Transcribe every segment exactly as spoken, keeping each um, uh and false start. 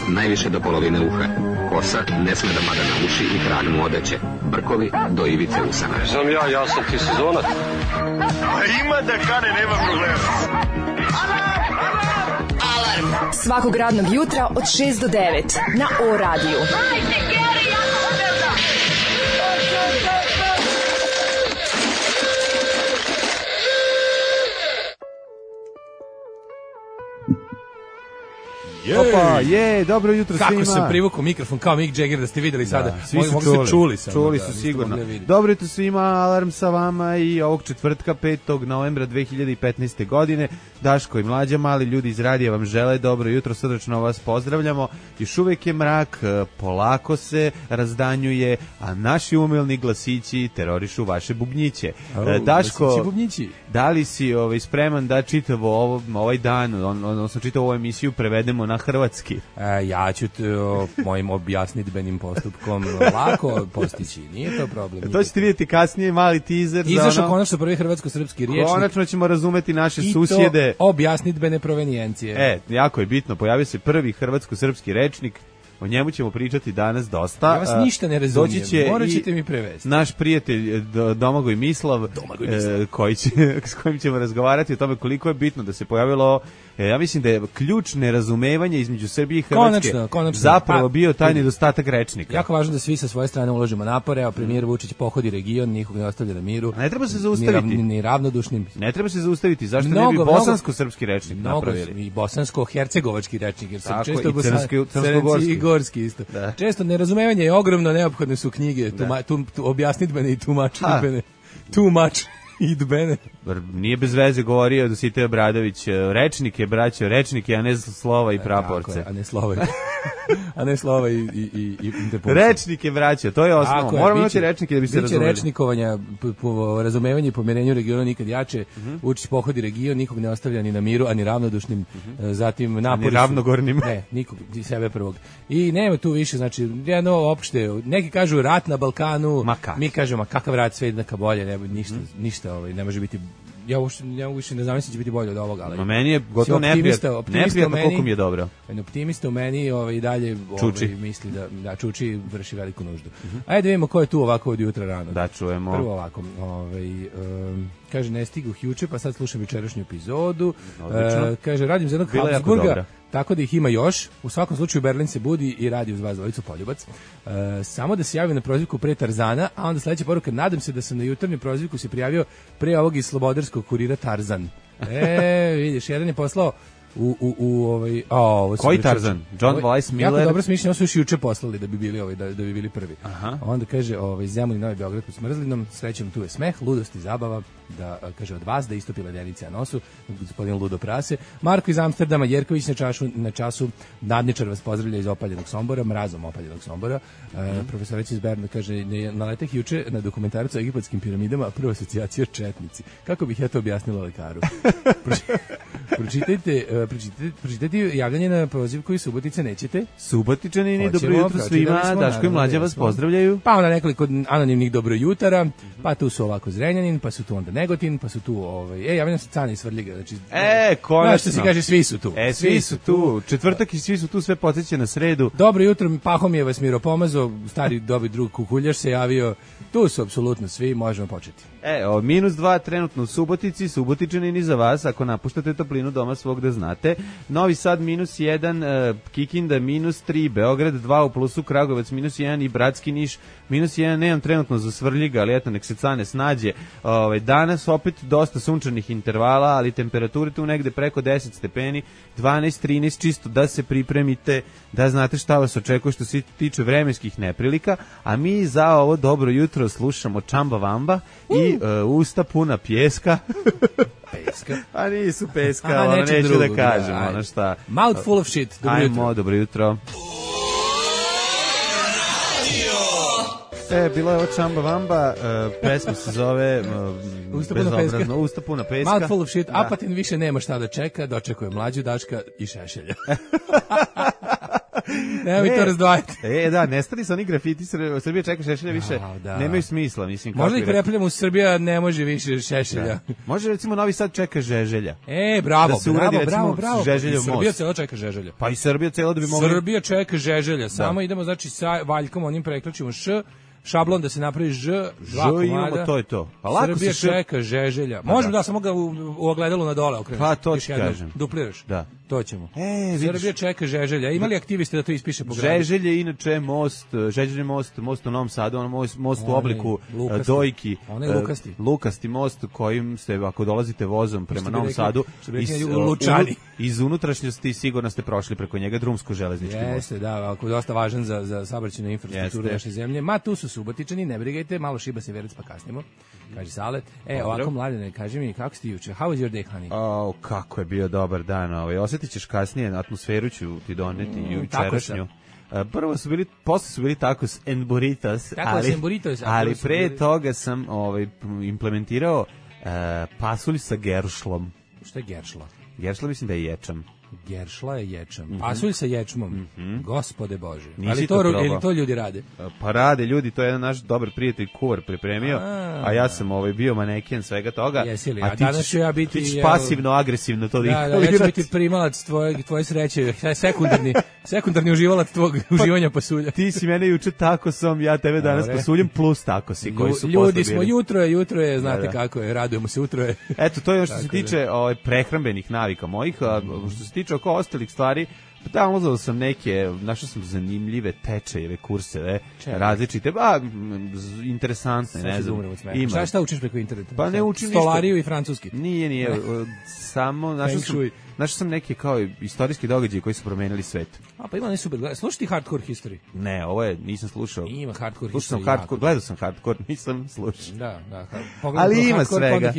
najviše do polovine uha. Kosa ne sme da pada na uši i krag mu odeće. Brkovi do ivice usana. Znam ja, ja sam ti sezonac. Ima da kane, nema problema. Alarm svakog radnog jutra od šest do devet na O radiju. Hajde, Geri, jako se velda! Opa, je, dobro jutro Kako svima. Kako sam privukao mikrofon kao Mick Jagger da ste videli sada. Da, svi su Mogu čuli, se čuli, sam, čuli da, su da, sigurno. Dobro jutro svima, Alarm sa vama i ovog četvrtka petog novembra dve hiljade petnaeste. godine. Daško i Mlađa, mali ljudi iz radija vam žele dobro jutro, srdačno vas pozdravljamo. Još uvek je mrak, polako se razdanjuje, a naši umilni glasići terorišu vaše bubnjiće. Oh, Daško, bubnjići. Da li si ovaj, spreman da čitavo ovo, ovaj dan, on, odnosno čitavu ovu emisiju prevedemo na hrvatski? E, ja ću t, o, mojim objasnitbenim postupkom lako postići, nije to problem. To ćete vidjeti kasnije, mali teaser. Izašao ono... konačno prvi hrvatsko-srpski riječnik. Konačno ćemo razumeti naše i susjede. I to objasnitbene provenijencije. E, jako je bitno, pojavio se prvi hrvatsko-srpski rečnik. O njemu ćemo pričati danas dosta. Ja vas ništa ne razumijem, morat ćete mi prevesti. Naš prijatelj Domagoj Mislav, Domagoj Mislav. E, koji će, s kojim ćemo razgovarati o tome koliko je bitno da se pojavilo, e, ja mislim da je ključ nerazumevanja između Srbije i Hrvatske konačno, konačno. zapravo A, bio taj nedostatak rečnika. Jako važno da svi sa svoje strane uložimo napore, a premijer Vučić pohodi region, nikog ne ostavlja na miru. A ne treba se zaustaviti. Ni, ni ravnodušnim. Ne treba se zaustaviti, zašto mnogo, ne bi bosansko-srpski rečnik mnogo, napravili? I bosansko-hercegovački rečnik, jer sam tako, često i crnogorski. i gorski isto. Da. Često nerazumevanje je ogromno, neophodne su knjige, tuma, tu, tu, objasnitbene i tumačitbene. Too much. Idbene. Nije bez veze govorio Dositej Obradović, rečnik je, braćo, rečnik je, a ne slova i praporce. Je, a ne slova i, a ne slova i, i, i, i interpunkcije. Rečnik je, braćo, to je osnovno. Moramo imati rečnike da bi se razumeli. Biće rečnikovanja, po, po razumevanju i pomirenju regiona nikad jače, uh-huh. Vučić pohodi region, nikog ne ostavlja ni na miru, a ni ravnodušnim, uh-huh. zatim napori. Ni ravnogornim. Ne, nikog, sebe prvog. I nema tu više, znači, jedno opšte, neki kažu rat na Balkanu, mi kažemo, kakav rat, sve jednaka bolje, ne, ništa, uh-huh. ništa ovaj, ne može biti. Ja uopšte ne mogu više ne znam se će biti bolje od ovoga, ali. Ma meni je gotovo neprijatno, neprijatno koliko mi je dobro. En optimista u meni, ovaj i dalje ovaj misli da da čuči vrši veliku nuždu. Uh-huh. Ajde vidimo ko je tu ovako od jutra rano. Da čujemo. Prvo ovako, ovaj um, kaže ne stigu juče, pa sad slušam večerašnju epizodu. Uh, kaže radim za jednog Habsburga. Tako da ih ima još. U svakom slučaju Berlin se budi i radi uz vas dvojicu Poljubac. E, samo da se javim na prozivku pre Tarzana, a onda sledeća poruka, nadam se da sam na jutarnju prozivku se prijavio pre ovog iz slobodarskog kurira Tarzan. E, vidiš, jedan je poslao u u u ovaj a ovo koji Tarzan? John Weiss Miller. Jako dobro smišljeno, su još juče poslali da bi bili ovaj da, da bi bili prvi. Aha. Onda kaže ovaj Zemun Novi Beograd pod Smrzlinom, srećom tu je smeh, ludost i zabava, da kaže od vas da istopi ledenice na nosu, gospodin Ludo Prase. Marko iz Amsterdama, Jerković na čašu na času, Nadničar vas pozdravlja iz opaljenog Sombora, mrazom opaljenog Sombora. Mm. E, profesorica iz Berna kaže na leteh juče na dokumentarcu o egipatskim piramidama, prva asocijacija četnici. Kako bih ja to objasnila lekaru? Pročitajte, pročitajte, pročitajte javljanje na poziv koji Subotice nećete. Subotičani, dobro jutro svima, Daško i Mlađa vas pozdravljaju. Pa onda nekoliko anonimnih dobro jutara, pa tu su ovako Zrenjanin, pa su tu onda Negotin, pa su tu ovaj, e, javljam se Cane iz Svrljiga, znači. E, konačno. Što se kaže, svi su tu. E, svi, svi su tu. tu. Četvrtak i svi su tu, sve podsjeća na sredu. Dobro jutro, Pahomije vas Miro Pomazo, stari dobi drug Kukuljaš se javio. Tu su apsolutno svi, možemo početi. E, o, minus dva trenutno u Subotici, Subotičani ni za vas, ako napuštate toplinu doma svog da znate. Novi Sad minus jedan, uh, Kikinda minus tri, Beograd dva u plusu, Kragujevac minus jedan i Bratski Niš minus jedan, nemam trenutno za Svrljiga, ali eto, nek se Cane snađe. Ove, danas opet dosta sunčanih intervala, ali temperature tu negde preko deset stepeni, dvanaest trinaest, čisto da se pripremite, da znate šta vas očekuje što se tiče vremenskih neprilika, a mi za ovo dobro jutro slušamo Čamba Vamba i uh, usta puna pjeska. Peska. A nisu peska, ono neću drugo, da kažem, da, ono šta. Mouth full of shit, dobro jutro. Ajmo, dobro jutro. E, bila je ovo Čamba Vamba, uh, pesma se zove uh, Usta puna peska. Usta puna peska. Mouth full of shit, da. Apatin više nema šta da čeka, dočekuje Mlađu, Daška i Šešelja. Nemoj to razdvajati. E, da, nestali su oni grafiti, Srbija čeka Šešelja više, da, da. nemaju smisla, mislim. Možda ih repljamo u Srbija, ne može više Šešelja. Da. Može, recimo, Novi Sad čeka Žeželja. E, bravo, da se bravo, uradi, bravo, recimo, bravo. Žeželjev most. Srbija celo čeka Žeželja. Pa i Srbija celo da bi mogli... Srbija čeka Žeželja, samo da. Idemo, znači, sa Valjkom, onim preključimo Š, šablon da se napravi Ž, dva komada. Imamo, to je to. Pa lako Srbija se čeka Žeželja. Možemo da. da samo ga u, u ogledalu na dole okreneš. Pa to ti kažem. Dupliraš. Da. To ćemo. E, Srbija čeka Žeželja. Ima li aktivisti da to ispiše po gradu? Žeželje inače most, Žeželje most, most u Novom Sadu, on most, most u obliku lukasti. Dojki. On je lukasti. Lukasti most kojim ste, ako dolazite vozom prema Novom Sadu, iz, Lučani. iz unutrašnjosti sigurno ste prošli preko njega, drumsko železnički most. Jeste, da, ako je dosta važan za, za saobraćajnu infrastrukturu naše zemlje. Ma tu su Subotičani, ne brigajte, malo šiba se verec pa kasnimo. Kaže Sale. E, ovako Mladene, kaži mi, kako si juče? How was your day, honey? Oh, kako je bio dobar dan. Ovaj. Osjetit ćeš kasnije, atmosferu ću ti doneti mm, jučerašnju. Uh, prvo su bili, posle su bili tacos and burritos, ali, burritos, ali pre bili... toga sam ovaj, implementirao uh, pasulj sa geršlom. Šta je geršla? Geršla mislim da je ječam. Geršla je ječam. Mm -hmm. Pasulj sa ječmom. Mm -hmm. Gospode Bože. Nisi ali to, to ili to ljudi rade? Pa rade ljudi, to je jedan naš dobar prijatelj kuvar pripremio, a, a ja sam ovaj bio maneken svega toga. Jesi li? A, a ti danas ću ja biti ti ćeš pasivno agresivno to da, da, ja ću biti primalac tvoje tvoje sreće, sekundarni sekundarni uživalac tvog pa, uživanja pasulja. Ti si mene juče tako sam, ja tebe danas Dobre. Pasuljem plus tako si koji su ljudi smo jutro je, jutro je, znate da, da. kako je, radujemo se jutro je. Eto, to je ono što se tiče ovaj prehrambenih navika mojih, a što se tiče oko ostalih stvari, downloadao sam neke, našao sam zanimljive tečajeve, kurseve, Čekaj. različite, ba, interesantne, ne znam. Ima. Šta, šta učiš preko interneta? Pa ne učim ništa. Stolariju i francuski? Nije, nije, samo našao sam, našao sam neke kao istorijski događaji koji su promenili svet. A pa ima ne super, slušaj ti Hardcore History? Ne, ovo je, nisam slušao. Ima Hardcore Slušao History. Sam hardcore, gledao sam Hardcore, nisam slušao. Da, da. Ali ima svega.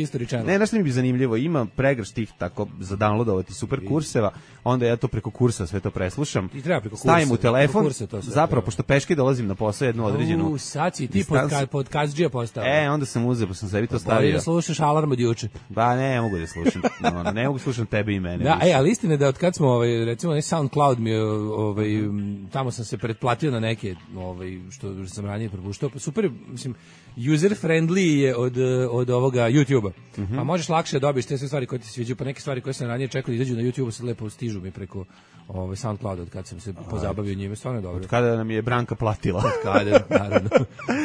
Ne, znaš mi bi zanimljivo, ima pregršt tih tako za downloadovati super kurseva, onda ja to preko kursa sve to preslušam. I treba preko kursa. Stavim u telefon, kursa, zapravo, treba. Pošto peške dolazim na posao jednu određenu. U, sad si ti pod, pod kazđija postao. E, onda sam uzeo, pa sam sebi to stavio. Bolje da slušaš alarm od juče. Ba, ne, ne mogu da slušam. No, ne mogu slušam tebe i mene. Da, ej, ali istina da od kad smo, ovaj, recimo, ne SoundCloud mi je, ovaj, tamo sam se pretplatio na neke, ovaj, što sam ranije propuštao, pa super, mislim, user friendly je od, od ovoga YouTube-a. Mm -hmm. Pa možeš lakše da dobiješ te sve stvari koje ti se sviđaju, pa neke stvari koje sam ranije čekao da izađu na YouTube-u sad lepo stižu mi preko ovaj SoundCloud od kad sam se pozabavio njime, stvarno je dobro. Od kada nam je Branka platila. Od kada, naravno.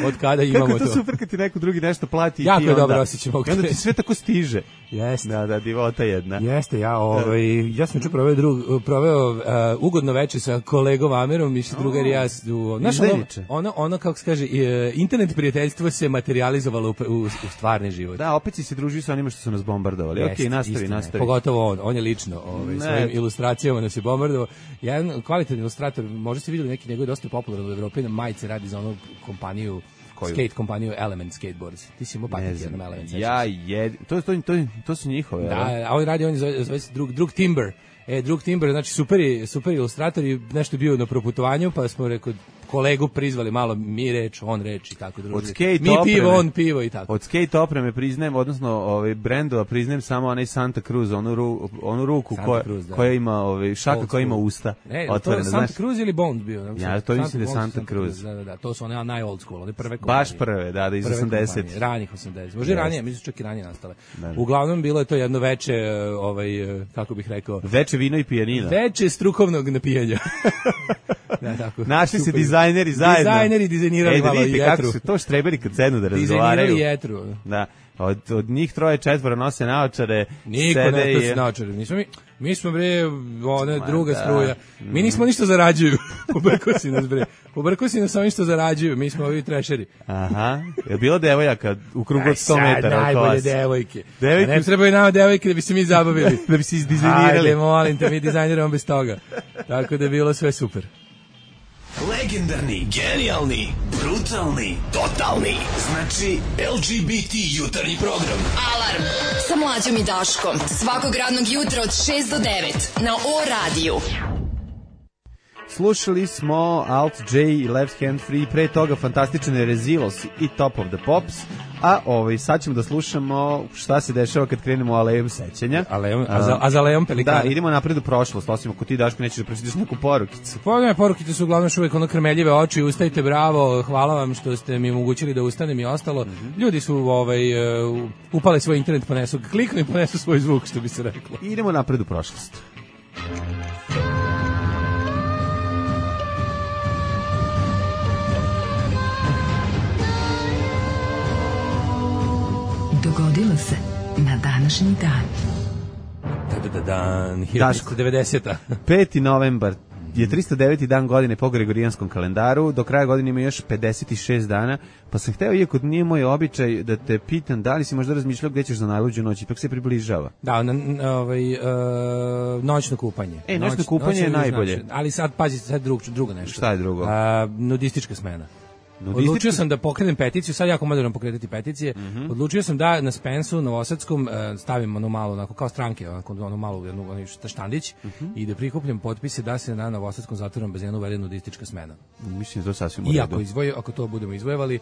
Od kada imamo to. Kako to super kad ti neko drugi nešto plati i jako ti je onda, dobro osjećam. I onda ti sve tako stiže. Jeste. Da, da, divota jedna. Jeste, ja, ovaj, ja sam ču proveo, drug, proveo uh, ugodno veče sa kolegom Amerom i što drugar i ja. Znaš, ono, ono, ono, kako se kaže, uh, internet prijateljstvo se materializovalo u, u, u stvarni život. Da, opet si se družio sa onima što su nas bombardovali. Jeste, ok, nastavi, istina, nastavi. Pogotovo on, on je lično ovaj, svojim ilustracijama nas je bombardovao. Jedan kvalitetan ilustrator, možda ste vidjeli neki njegov dosta popularan u Evropi, na majice radi za onu kompaniju, koju? Skate kompaniju Element Skateboards. Ti si imao paket jednom Element. Ja je, to, to, to, to su njihove. Da, a on radi, on zove, zove se drug, drug Timber. E, drug Timber, znači super, super ilustrator i nešto bio na proputovanju, pa smo rekao, kolegu prizvali malo mi reč, on reč i tako druži. Mi opreme, pivo, on pivo i tako. Od skate opreme priznajem, odnosno ovaj brendova priznajem samo onaj Santa Cruz, onu, ru, onu ruku koja, Cruz, da. koja ima ovaj šaka Old koja ima usta. Ne, otvorene, to je Santa znaš? Cruz ili Bond bio? Ne, ja, to mislim da je Santa, Santa Cruz. Da, da, da, to su one naj old school, one prve kompanije. Baš prve, da, da, iz osamdesetih. Ranih osamdesetih. Može yes. ranije, mislim čak i ranije nastale. Da, da. Uglavnom bilo je to jedno veče, ovaj, kako bih rekao, veče vino i pijanina. Veče strukovnog napijanja. Da, tako. Našli se dizajneri zajedno. Dizajneri dizajnirali malo jetru. Kako su to štreberi kad sednu da razgovaraju. Dizajnirali jetru. Da. Od, od njih troje četvora nose naočare. Niko ne nosi naočare. Nismo mi, mi smo bre, ona druga da. struja. Mi nismo ništa zarađuju. Pobrko si nas bre. Pobrko si nas samo ništa zarađuju. Mi smo ovi trešeri. Aha. Je bilo devojaka u krugu od sto metara? Najbolje devojke. devojke. Ne trebaju nama devojke da bi se mi zabavili. Da bi se izdizajnirali. Ajde, molim te, mi dizajniramo bez toga. Tako da je bilo sve super. Legendarni, genijalni, brutalni, totalni. Znači L G B T jutarnji program. Alarm sa Mlađom i Daškom. Svakog radnog jutra od šest do devet na O radiju. Slušali smo Alt J i Left Hand Free, pre toga fantastične Rezilos i Top of the Pops. A ovaj, sad ćemo da slušamo šta se dešava kad krenemo alejom sećanja. Alejom, a, za, a za alejom pelikana. Da, idemo napred u prošlost, osim ako ti Daško nećeš da pročitaš neku porukicu. Pa ne, porukice su uglavnom uvijek ono krmeljive oči, ustajte bravo, hvala vam što ste mi omogućili da ustanem i ostalo. Mm-hmm. Ljudi su ovaj, uh, upali svoj internet, ponesu, kliknu i ponesu svoj zvuk, što bi se reklo. I idemo napred u prošlost. Dogodilo se na današnji dan. Da, da, dan, hiljadu devetdeseta. peti novembar je tristo deveti dan godine po Gregorijanskom kalendaru, do kraja godine ima još pedeset šest dana, pa sam hteo, iako nije moj običaj, da te pitam da li si možda razmišljao gde ćeš za najluđu noć, ipak se približava. Da, na, na, ovaj, uh, noćno kupanje. E, noćno Noć, kupanje je najbolje. Znači, ali sad, pazi, sad drug, drugo nešto. Šta je drugo? Uh, nudistička smena. Nudistička... Odlučio sam da pokrenem peticiju, sad jako moderno pokretati peticije. Mm-hmm. Odlučio sam da na Spensu, Novosadskom, stavim ono malo, onako kao stranke, onako, ono malo, jednu, ono štandić, mm-hmm. i da prikupljam potpise da se na Novosadskom zatvorenom bazenu uvede nudistička smena. Mislim da to sasvim u redu. I ako, izvoje, ako to budemo izvojevali,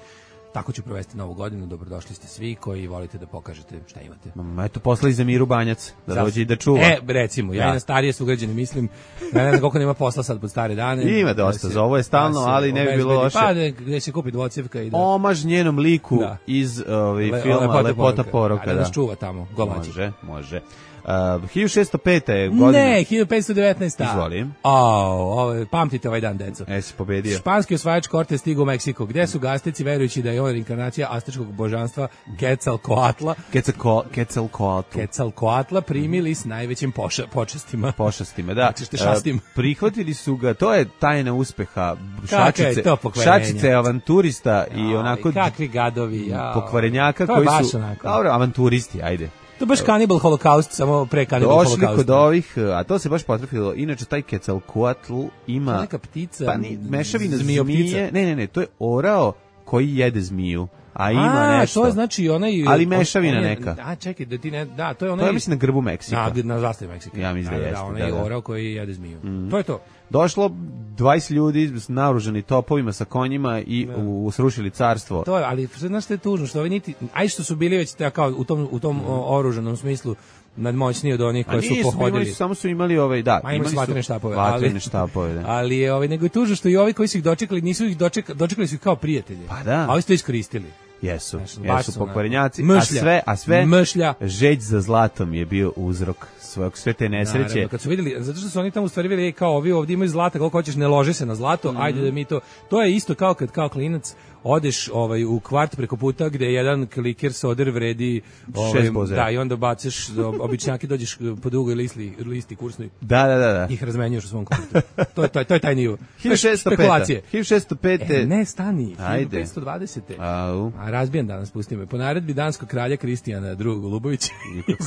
tako ću provesti novu godinu. Dobrodošli ste svi koji volite da pokažete šta imate. Ma, eto, poslali za Miru Banjac, da Zas... dođe i da čuva. E, recimo, ja, ja. i na starije sugrađane mislim, ja ne znam koliko nema posla sad pod stare dane. Ima dosta, da za ovo je stalno, ali ne bi bilo loše. Pa, gde se kupi dvocjevka i da... Omaž njenom liku da. iz ovaj, Le, filma Lepota, Lepota poroka. Da, da nas čuva tamo, golađe. Može, može. Uh, hiljadu šessto peta je godina. Ne, hiljadu petsto devetnaesta. Izvolim. Oh, pamtite ovaj dan, deco. E, si pobedio. Španski osvajač Cortes stigao u Meksiko, gde su gastici verujući da je on reinkarnacija aztečkog božanstva Quetzalcoatla. Quetzalcoatl. Quetzalcoatla primili s najvećim poša, počastima. Počastima, da. Znači, uh, prihvatili su ga, to je tajna uspeha. Šačice, šačice avanturista i no, onako... I kakvi gadovi, ja. Pokvarenjaka koji su... Dobro, avanturisti, ajde. To baš Cannibal Holocaust, samo pre Cannibal Holocaust. Došli kod ovih, a to se baš potrefilo. Inače, taj Quetzalcoatl ima... Neka ptica, pa ni, mešavina zmije. Ne, ne, ne, to je orao koji jede zmiju. A ima a, nešto. To je znači onaj... Ali mešavina on, on je, neka. A, čekaj, da ti ne... Da, to je onaj... To je, mislim, na grbu Meksika. Na, na zastavi Meksika. Ja mislim da, da jeste. Da, onaj da, da. orao koji jede zmiju. Mm. To je to. Došlo dvadeset ljudi naoružani topovima sa konjima i da. u, srušili carstvo. To je, ali znaš što je tužno, što ovi niti... Aj što su bili već kao u tom, u tom mm. oružanom smislu nadmoćniji od onih koji su pohodili. Su, samo su imali ovaj, da, Ma, imali su vatrene štapove. Vatrene štapove, da. Ali je ovaj, nego je tužno što i ovi koji su ih dočekali, nisu ih dočekali, dočekali su ih kao prijatelje. Pa da. A ovi su to iskoristili. Jesu, Znaš, jesu pokvarenjaci, mšlja, a sve, a sve mšlja. žeć za zlatom je bio uzrok svog sve te nesreće. Naravno, kad su vidjeli, zato što su oni tamo u stvari vidjeli kao ovi ovdje imaju zlata, koliko hoćeš, ne lože se na zlato, mm-hmm. ajde da mi to, to je isto kao kad kao klinac odeš ovaj u kvart preko puta gde jedan kliker soder vredi ovaj, da i onda baciš običnjaki, dođeš po drugoj listi listi kursnoj. Da, da, da, da. Ih razmenjuješ u svom kompjuteru. To je to je to je taj nivo. hiljadu šessto peta. hiljadu šessto peta. E, ne stani. Ajde. petsto dvadesete. Au. A razbijen danas pusti me. Po naredbi danskog kralja Kristijana drugog Lubovića.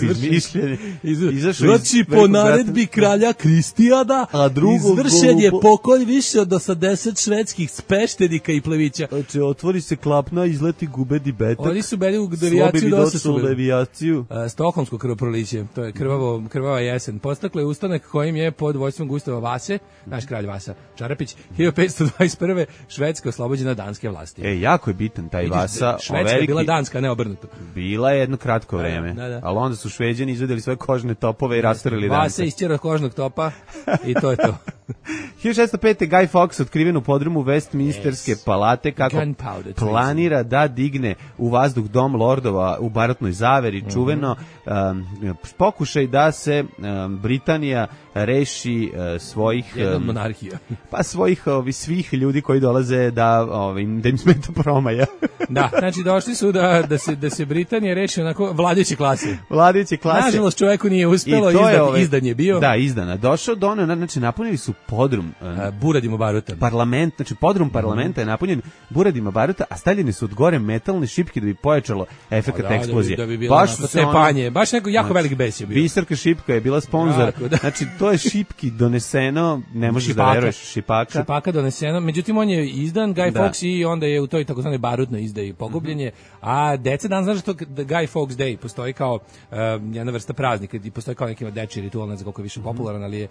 Izmišljen. Izašao znači po naredbi kralja Kristijana, a izvršen je pokolj više od osamdeset švedskih speštenika i plevića. Znači, otvori se klapna, izleti gubedi betak. Oni su bili u devijaciju dosta su devijaciju. Uh, Stokholmsko krvoproliće, to je krvavo, krvava jesen. Postaklo je ustanak kojim je pod vođstvom Gustava Vase, naš kralj Vasa Čarapić, hiljadu petsto dvadeset prve. Švedska oslobođena danske vlasti. E, jako je bitan taj Vidiš, Vasa. Švedska je bila danska, ne obrnuto. Bila je jedno kratko vreme, da, da. Ali onda su Šveđani izvedeli svoje kožne topove i rastorili danke. Vasa isćerao kožnog topa i to je to. hiljadu šessto peta. Guy Fawkes otkriven u podrumu Westminsterske yes. palate kako planira da digne u vazduh dom lordova u barutnoj zaveri, mm-hmm. čuveno um, pokušaj da se um, Britanija reši uh, svojih um, monarhija. Pa svojih ovi svih ljudi koji dolaze da ovim da im smeta promaja. Da, znači došli su da da se da se Britanija reši onako vladajuće klase. Vladajuće klase. Nažalost čoveku nije uspelo, izdan, ove, izdan je bio. Da, izdana. Došao do ono, znači napunili su podrum uh, buradima baruta. Parlament, znači podrum parlamenta mm-hmm. je napunjen buradima baruta, a stavljene su od gore metalne šipke da bi pojačalo efekat da, eksplozije. Da bi, da bi baš su se panje, baš neko jako znači, velik bes je bio. Biserka šipka je bila sponzor. Jako, da. Znači to je šipki doneseno, ne možeš šipaka. Da veruješ, šipaka. Šipaka doneseno, međutim on je izdan Guy da. Fawkes i onda je u toj takozvanoj barutnoj izdaji pogubljen je, a deca dan znaš što Guy Fawkes Day postoji kao um, jedna vrsta praznika i postoji kao neki dečiji ritual, ne znam koliko više popularan, ali je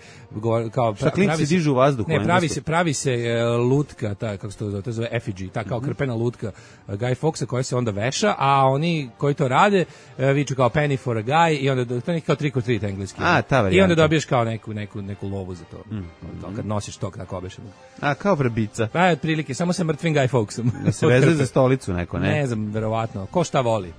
kao pra, se dižu u vazduhu. Ne, pravi se, pravi se uh, lutka, ta, kako se to zove, to zove effigy, ta kao krpena lutka uh, Guy Fawkesa koja se onda veša, a oni koji to rade uh, viču kao penny for a guy i onda to je kao trick or treat engleski. A, ta varijanta. I onda dobiješ kao neku, neku, neku lovu za to. Mm. to kad nosiš to tako obešeno. A, kao vrbica. Pa, otprilike, samo sa mrtvim Guy Fawkesom. Da se vezuje za stolicu neko, ne? Ne znam, verovatno. Ko šta voli.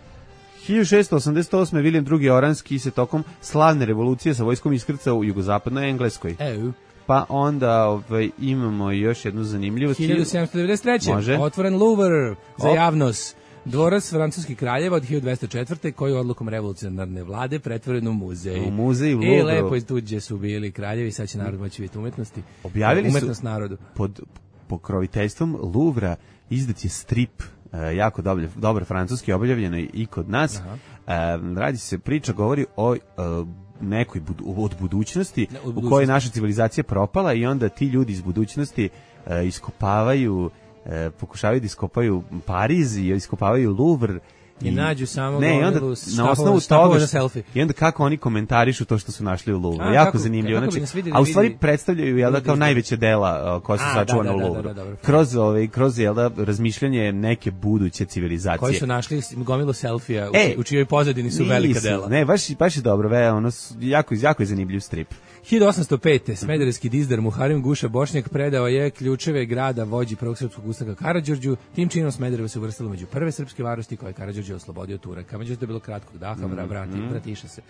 hiljadu šessto osamdeset osme. William drugi. Oranski se tokom slavne revolucije sa vojskom iskrcao u jugozapadnoj Engleskoj. Evo. Pa onda ovaj, imamo još jednu zanimljivost. hiljadu sedamsto devedeset treće. Može. Otvoren Louvre za Op. javnost. Dvorac francuskih kraljeva od hiljadu dvesta četvrte. koji je odlukom revolucionarne vlade pretvoren u muzej. U muzej u I Louvru. lepo iz tuđe su bili kraljevi, sad će narod moći vidjeti umetnosti. Objavili Umetnost su narodu. pod pokroviteljstvom Louvra izdat je strip, uh, jako dobar, dobar francuski, objavljeno i kod nas. Uh, radi se, priča govori o uh, nekoj budu, od budućnosti, ne, od u budućnosti. kojoj naša civilizacija propala i onda ti ljudi iz budućnosti uh, iskopavaju, uh, pokušavaju da iskopaju Pariz i iskopavaju Louvre. I nađu samo ne, i onda gomilu na osnovu štapova toga za selfie. i onda kako oni komentarišu to što su našli u Louvru. A, Jako kako- zanimljivo. kako bi Znači, nas vidjeli a u stvari vidi- predstavljaju jel da kao ljudi- najveće dela uh, koja su A, sačuvana da, u da, da, Louvru. da, dobro. Kroz ovaj kroz jel da razmišljanje neke buduće civilizacije. Koji su našli gomilu selfija u, E, čiji- u čijoj pozadini su velika Nisu, dela. Ne, baš baš je dobro, ve, ono s- jako jako je zanimljiv strip. hiljadu osamsto pete. Smederevski dizdar Muharem Guša Bošnjak predao je ključeve grada vođi prvog srpskog ustanka Karađorđu. Tim činom Smederevo se uvrstilo među prve srpske varosti koje je Karađorđe oslobodio Turaka. Međutim, to je bilo kratkog daha, mm, vrati, vratiša se.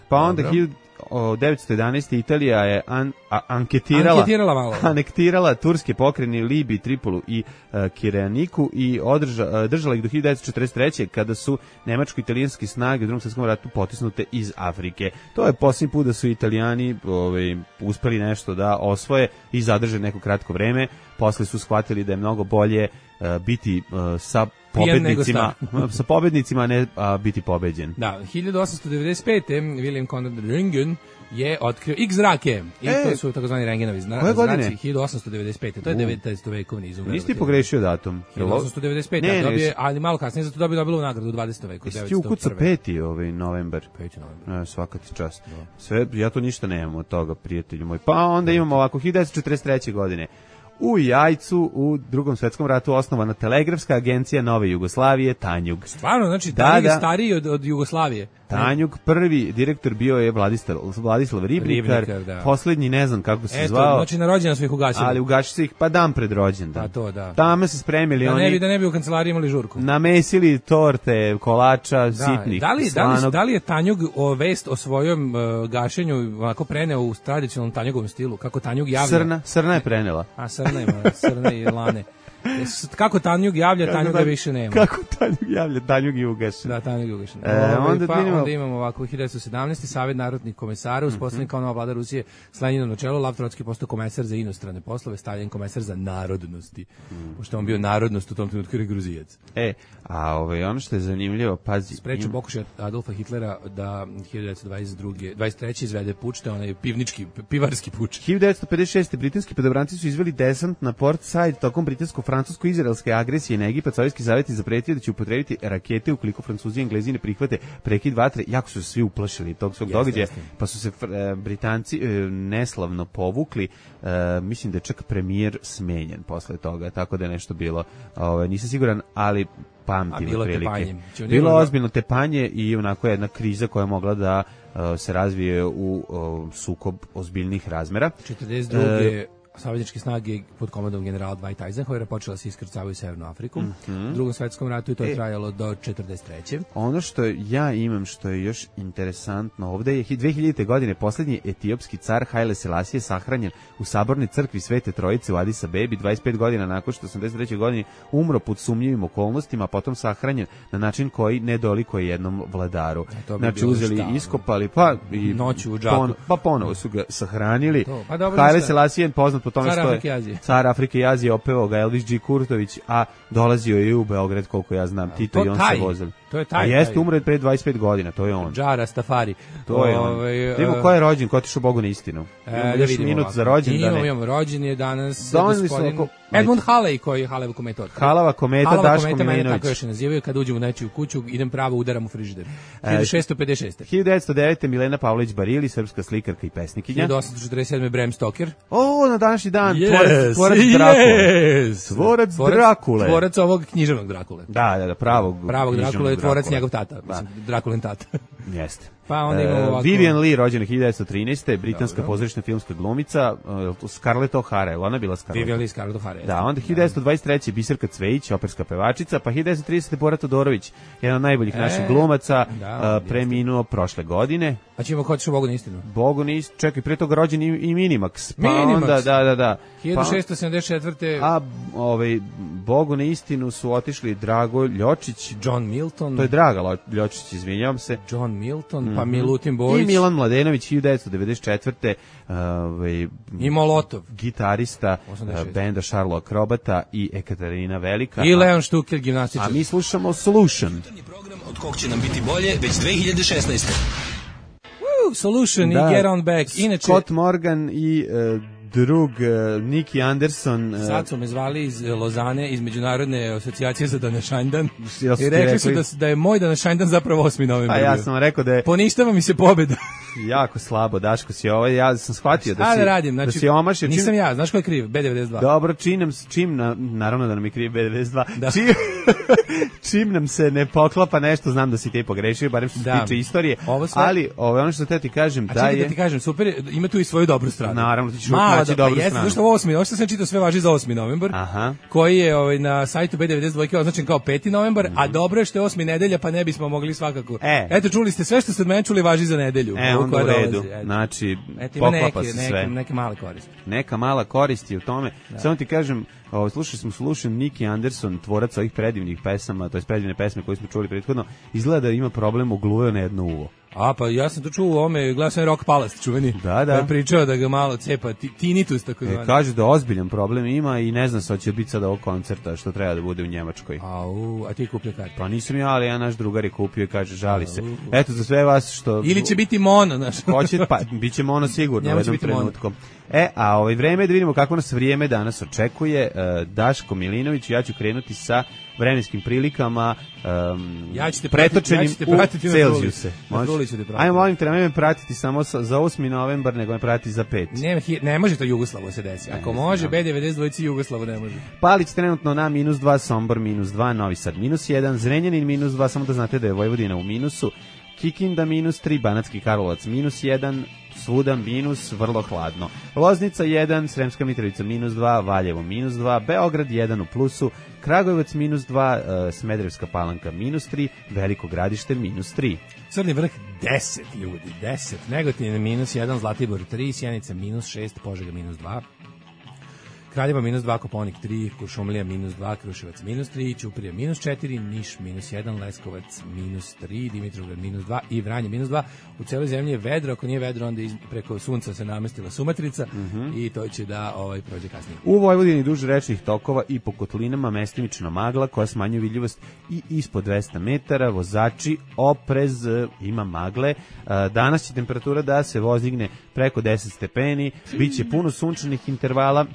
Pa onda Dobro. hiljadu devetsto jedanaeste. Italija je an, a, anketirala, Anketirala malo. anektirala turske pokrajine Libiji, Tripolu i uh, Kireniku i održa, uh, držala ih do hiljadu devetsto četrdeset treće. kada su nemačko-italijanske snage u drugom svjetskom ratu potisnute iz Afrike. To je posljednji put da su Italijani ovaj, uspeli nešto da osvoje i zadrže neko kratko vreme. Posle su shvatili da je mnogo bolje uh, biti uh, sa Pijan nego pobednicima, sa pobednicima, a ne a, biti pobeđen. Da, hiljadu osamsto devedeset pete. William Conrad Röntgen je otkrio X zrake. I E, to su takozvani Röntgenovi zna, koje godine? zraci. hiljadu osamsto devedeset pete. To je devetnaestovekovni izum. Nisi ti pogrešio datum? hiljadu osamsto devedeset pete. Ne, ne, dobije, ali malo kasnije zato dobije Nobelovu nagradu u dvadesetom veku. Jesi ti ukucao peti ovaj novembar? Peti novembar. E, svaka ti čast. Sve, ja to ništa nemam od toga, prijatelju moj. Pa onda imamo ovako, hiljadu devetsto četrdeset treće. godine. U Jajcu u Drugom svetskom ratu osnovana telegrafska agencija Nove Jugoslavije, Tanjug. Stvarno, znači, Da, Tanjug je da. stariji od, od Jugoslavije. Tanjug, prvi direktor bio je Vladislav, Vladislav Ribnikar, Ribnikar, da. poslednji ne znam kako se Eto, zvao, znači na rođendan su ih ugasili. ali ugaši se ih pa dan pred rođendan. Pa to, da. Tamo se spremili Da oni, ne bi, da ne bi u kancelariji imali žurku. namesili torte, kolača, Da, sitnih, da li, da, li, slanog. da li je Tanjug o vest o svojom uh, gašenju onako preneo u tradicionalnom Tanjugovom stilu? Kako Tanjug javlja? Srna, Srna je prenela. A Srna ima, Srna i Lane. Jes- Kako Tanjug javlja, Tanjuga Tanjug- više nema. Kako Tanjug javlja, Tanjug je ugašen. Da, Tanjug je ugašen. E, Ovaj, onda pa, vidimo- onda imamo ovako, hiljadu devetsto sedamnaeste. Savjet narodnih komesara uspostavljen kao nova vlada Rusije s Leninom na čelu. Lav Trotski postao komesar za inostrane poslove, Stalin komesar za narodnosti. Pošto je on bio narodnost u tom trenutku jer je Gruzijac. E, a ovaj, ono što je zanimljivo, pazi, Sprečio im- pokušaj Adolfa Hitlera da hiljadu devetsto dvadeset druge, dvadeset treće izvede puč, to je onaj pivnički, pivarski puč. hiljadu devetsto pedeset šeste. britanski podobranci su izveli desant na Port Said tokom britansko-francusko-izraelske agresije na Egipat. Sovjetski savjet je zapretio da će upotrebiti rakete ukoliko Francuzi i Englezi ne prihvate prekid vatre. Jako su se svi uplašili tog svog Jeste, događaja, jeste. pa su se fr- e, Britanci e, neslavno povukli. E, mislim da je čak premijer smenjen posle toga, tako da je nešto bilo. Ovaj, nisam siguran, ali pamtim A bilo otprilike. tepanje. Znači, oni Bilo imaju- ozbiljno tepanje i onako jedna kriza koja je mogla da uh, se razvije u uh, sukob ozbiljnih razmera. četrdeset druge. E, Savezničke snage pod komandom generala Dwight Eisenhowera počela se iskrcavaju u Severnu Afriku. U Drugom svetskom ratu i to je E. trajalo do četrdeset treće. Ono što ja imam, što je još interesantno ovde, je dve hiljadite. godine poslednji etiopski car Haile Selassie sahranjen u sabornoj crkvi Svete Trojice u Adis Abebi, dvadeset pet godina nakon što osamdeset treće. godine umro pod sumnjivim okolnostima, a potom sahranjen na način koji ne dolikuje jednom vladaru. to bi Znači bilo uzeli, šta, ono? iskopali, pa i Noću u džaku. pa ponovo su ga sahranili. To, pa dobro, Haile mislim- Selassie je poznat po tome Car što je Afrike i Azije. car Afrike i Azije, opevao ga Elvis G. Kurtović, a dolazio je i u Beograd, koliko ja znam, Tito to i on taj, se vozili. to je taj, A jeste, taj. umro je pre dvadeset pet godina, to je on. Džara Stafari. To je on. Ovaj, Da vidimo ko je rođen, ko je otišao Bogu na istinu. e, Imamo da još vidimo minut ovako. za rođendane. Imamo, imamo rođen je danas Doneli su gospodin... oko, Edmund Halley, koji je Haleva kometa. Halava kometa, Halava Daško kometa, mene Milinović. tako još nazivaju, kad uđem u nečiju kuću, idem pravo, udaram u frižider. hiljadu šessto pedeset šeste. hiljadu devetsto devete. Milena Pavlović Barili, srpska slikarka i pesnikinja. hiljadu osamsto četrdeset sedme. Bram Stoker. O, na današnji dan, Yes, tvorac, tvorac Drakule. yes. Tvorac Drakule. Tvorac ovog književnog Drakule. Da, da, da, pravog. Pravog književnog Drakule je tvorac Drakule. njegov tata, mislim, Drakulin tata. Jeste. Pa onda imamo ovako... Vivian Leigh, rođena hiljadu devetsto trinaeste. britanska Dobro. pozorišna filmska glumica, uh, Scarlett O'Hara, je li ona bila Scarlett? Vivian Leigh, Scarlett O'Hara. Da, onda hiljadu devetsto dvadeset treće. Biserka Cvejić, operska pevačica, pa hiljadu devetsto tridesete. Bora Todorović, jedan od najboljih E, naših glumaca, da, uh, preminuo prošle godine. A ćemo hoćeš Bogu na istinu. Bogu nis, čekaj, prije toga rođen i, i Minimax. Pa Minimax. onda, da, da, da. hiljadu šessto sedamdeset četvrte. Pa, a, ovaj, Bogu na istinu su otišli Drago Ljočić, John Milton. to je Draga Lo- Ljočić, izvinjavam se. John Milton, Mhm. pa Milutin Bojić. I Milan Mladenović, hiljadu devetsto devedeset četvrte. Ovaj, I Molotov. gitarista osamdeset šeste. uh, benda Šarlo Akrobata i Ekaterina Velika. I Leon Štukel, gimnastičar. A mi slušamo Solution. Program od kog će nam biti bolje već dve hiljade šesnaeste. Woo, Solution i Get On Back. Inače, Scott Morgan i uh, drug uh, Nicky Anderson. Uh, sad su me zvali iz Lozane, iz Međunarodne asocijacije za današanjdan. Jel su I ti rekli su rekli? da, da je moj današanjdan zapravo osmi novembar. a ja bio. sam rekao da je Poništava mi se pobeda. jako slabo, Daško si ovaj, ja sam shvatio da Šta si, da radim? Znači, da si omašio. Čim- nisam ja, znaš ko je kriv? B devedeset dva. Dobro, čim nam, s- čim na, naravno da nam je kriv B devedeset dva, Da. čim, čim nam se ne poklapa nešto, znam da si ti pogrešio, barem što se Da. tiče istorije, Ovo sve- ali ovo je ono što te ti kažem, A da čekaj je... da ti kažem, super, je, ima tu i svoju dobru stranu. Naravno, ti ćeš Mala, uvijek naći da, dobru pa jeste, stranu. zašto ovo osmi, ovo što sam čitao sve važi za osmi novembar, Aha. koji je ovaj, na sajtu B devedeset dva označen kao peti novembar, a Mhm. dobro je što je osmi nedelja, pa ne bismo mogli svakako. E. Eto, čuli ste sve što ste od mene čuli važi za nedelju. E, Ovo onda koja u redu. dolazi, eto. Znači, Eto, ima poklapa neke, se neke, sve. neke male koristi. Neka mala korist je u tome. Samo ti kažem, o, slušali smo Solution, Nicky Anderson, tvorac ovih predivnih pesama, to je predivne pesme koje smo čuli prethodno, izgleda da ima problem, ogluveo na jedno uvo. A, pa ja sam to čuo u ome, gledao sam Rock Palace, čuveni. Da, da. Pa je pričao da ga malo cepa, ti- tinnitus, tako E, zvani. kaže da ozbiljan problem ima i ne znam sa će biti sada ovog koncerta što treba da bude u Njemačkoj. Au, a ti kupio kartu. Pa nisam ja, ali ja naš drugar je kupio i kaže žali se. Eto za sve vas što... Ili će biti mono, znaš. Hoće, pa bit ćemo ono sigurno Njemu u će jednom biti mono. trenutku. E, a ovaj vreme je da vidimo kako nas vrijeme danas očekuje. E, Daško Milinović, ja ću krenuti sa vremenskim prilikama um, Ja ću te pratiti- pretočenim ja ću te pratiti u na Celzijuse. Zuli. Na Možeš? Zuli ću te pratiti. Ajmo, molim te, nemoj me pratiti samo sa, za osmi novembar, nego me pratiti za pet. Ne, hi- ne može to Jugoslavo se desi. Ako može, B devedeset dva Jugoslavo ne može. Palić trenutno na minus dva, Sombor minus dva, Novi Sad minus jedan, Zrenjanin minus dva, samo da znate da je Vojvodina u minusu, Kikinda minus tri, Banatski Karlovac minus jedan, svuda minus, vrlo hladno. Loznica jedan, Sremska Mitrovica minus dva, Valjevo minus dva, Beograd jedan u plusu, Kragujevac minus dva, e, Smederevska Palanka minus tri, Veliko Gradište minus tri. Crni vrh deset ljudi, deset. Negotin minus jedan, Zlatibor tri, Sjenica minus šest, Požega minus dva. Kraljevo minus dva, Koponik tri, Kuršumlija minus dva, Kruševac minus tri, Ćuprija minus četiri, Niš minus jedan, Leskovac minus tri, Dimitrovgrad minus dva i Vranje minus dva. U celoj zemlji je vedro, ako nije vedro, onda iz, preko sunca se namestila sumatrica i to će da ovaj, prođe kasnije. U Vojvodini duž rečnih tokova i po kotlinama mestimična magla koja smanjuje vidljivost i ispod dvesta metara. Vozači, oprez, e, ima magle. E, Danas će temperatura da se vozigne preko deset stepeni, bit će puno sunčanih intervala.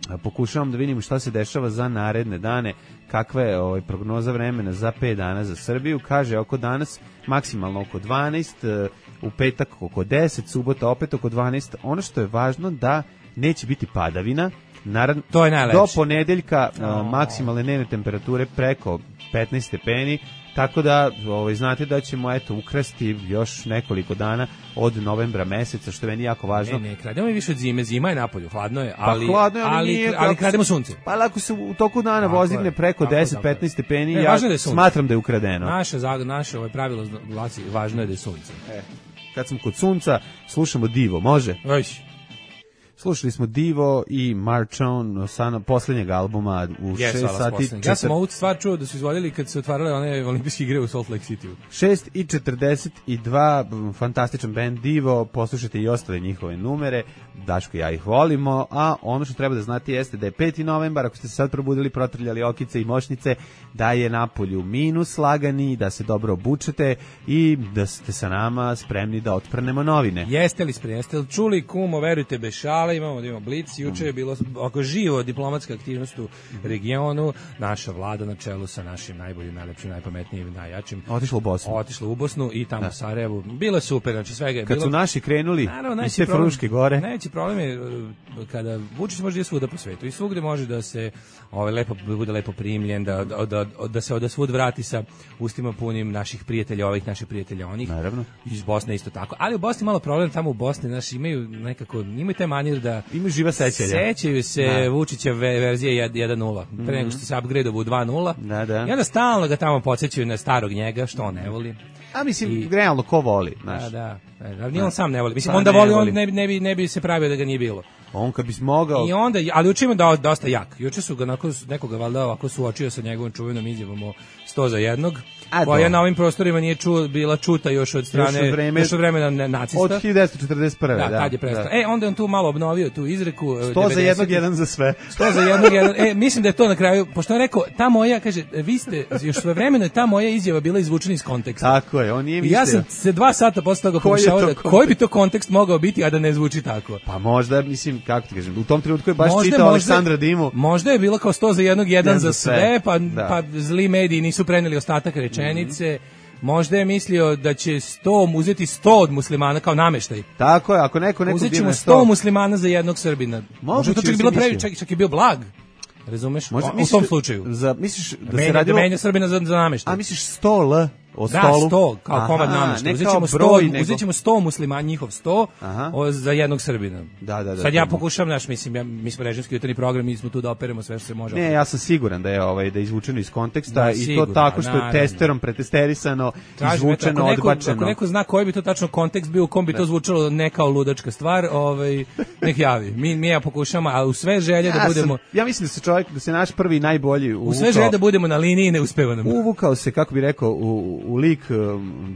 E, Pokušavam da vidim šta se dešava za naredne dane, kakva je ovaj, prognoza vremena za pet dana za Srbiju. Kaže oko danas maksimalno oko dvanaest, e, u petak oko deset, subota opet oko dvanaest. Ono što je važno da neće biti padavina. Naravno, To je najlepše. do ponedeljka a, maksimalne dnevne temperature preko petnaest stepeni, tako da ovaj, znate da ćemo eto ukrasti još nekoliko dana od novembra meseca, što je meni jako važno. Ne, ne, krademo i više od zime, zima je napolju, hladno je, ali, pa hladno je, ali, ali, nije, ali ako krademo se- sunce. Pa ako se u toku dana Tako vozigne je, preko tako je, deset tako je. petnaest stepeni, Ne, ja važno je da je sunce. smatram da je ukradeno. Naše, zag- naše ovaj pravilo glasi, važno je da je sunce. Kad smo kod sunca, slušamo Divo, može? Već. Slušali smo Divo i March On sa poslednjeg albuma u Yes, šest hvala, sati. poslednji. Ja sam četir- ovu stvar čuo da su izvodili kad se otvarale one olimpijske igre u Salt Lake City. šest i četrdeset dva, m, fantastičan band Divo, poslušajte i ostale njihove numere, Daško i ja ih volimo, a ono što treba da znate jeste da je peti novembar, ako ste se sad probudili, protrljali okice i mošnice, da je napolju minus lagani, da se dobro obučete i da ste sa nama spremni da otprnemo novine. Jeste li spremni, jeste li čuli kumo, verujte bez šale, portala, imamo, imamo Blic, juče je bilo oko živo diplomatska aktivnost u regionu, naša vlada na čelu sa našim najboljim, najlepšim, najpametnijim, najjačim. Otišla u Bosnu. Otišla u Bosnu i tamo u Sarajevu. Bilo je super, znači svega je Kad bilo. su naši krenuli Naravno, iz te Fruške gore. Najveći problem je kada Vučić može da je svuda po svetu i svugde može da se ovaj lepo bude lepo primljen, da da da, da se od svud vrati sa ustima punim naših prijatelja, ovih naših prijatelja onih. Naravno. Iz Bosne isto tako. Ali u Bosni malo problem, tamo u Bosni naši imaju nekako imaju taj manir da imaju živa sećanja. Sećaju se da. Vučićeve verzije jedan nula. Mm -hmm. Pre nego što se upgradeovao u dva nula. Da, da. I onda stalno ga tamo podsećaju na starog njega, što on ne voli. A mislim, I, realno, ko voli, znaš? Da, da. Ali ni on sam ne voli. Mislim, pa onda voli, on ne bi, ne, bi, ne bi se pravio da ga nije bilo. On kad bi smogao... I onda, ali učimo da dosta jak. Juče su ga onako, nekoga valjda ovako suočio sa njegovom čuvenom izjavom o sto za jednog, a koja na ovim prostorima nije ču, bila čuta još od strane, još od, vreme, još od vremena nacista. Od hiljadu devetsto četrdeset prve. Da, da, tad je prestao. Da. E, onda on tu malo obnovio tu izreku. sto za jednog, jedan za sve. sto za jednog, jedan. E, mislim da je to na kraju, pošto on rekao, ta moja, kaže, vi ste, još sve vremena je ta moja izjava bila izvučena iz konteksta. Tako je, on nije mislio. Ja sam se dva sata posle toga pokušao da, koji bi to kontekst mogao biti, a da ne zvuči tako. Pa možda, mislim, kako ti kažem, u tom trenutku je baš možda, čitao možda, Aleksandra Dimu. Možda je bilo kao sto za jednog, jedan ja za sve, sve pa, da. pa zli mediji nisu preneli ostatak rečenice. Mm-hmm. Možda je mislio da će sto uzeti sto od muslimana kao nameštaj. Tako je, ako neko neko uzet ćemo sto muslimana za jednog Srbina. Možda to čak bilo previše, čak, čak je bio blag. Razumeš? Možda, o, misliš, u tom slučaju. Za, misliš da, da se radilo... Da menja Srbina za, za nameštaj. A misliš sto L? O da, stolu? sto, kao Aha, komad namješta. Uzet ćemo sto, nego... uzet ćemo sto muslimana, njihov sto, o, za jednog Srbina. Da, da, da. Sad ja pokušam, naš, mislim, ja, mi smo režimski jutarnji program, mi smo tu da operemo sve što se može. Ne, ja sam siguran da je ovaj da je izvučeno iz konteksta da, i sigur, to tako što je testerom pretesterisano, izvučeno, ako neko, odbačeno. Ako neko zna koji bi to tačno kontekst bio, u kom bi to zvučalo ne kao ludačka stvar, ovaj, nek javi. Mi, mi ja pokušamo, a u sve želje ja da budemo... Sam, ja mislim da se čovjek, da se naš prvi najbolji uvukao... U sve želje da budemo na liniji i ne uspeva nam. Uvukao se, kako bi rekao, u, u lik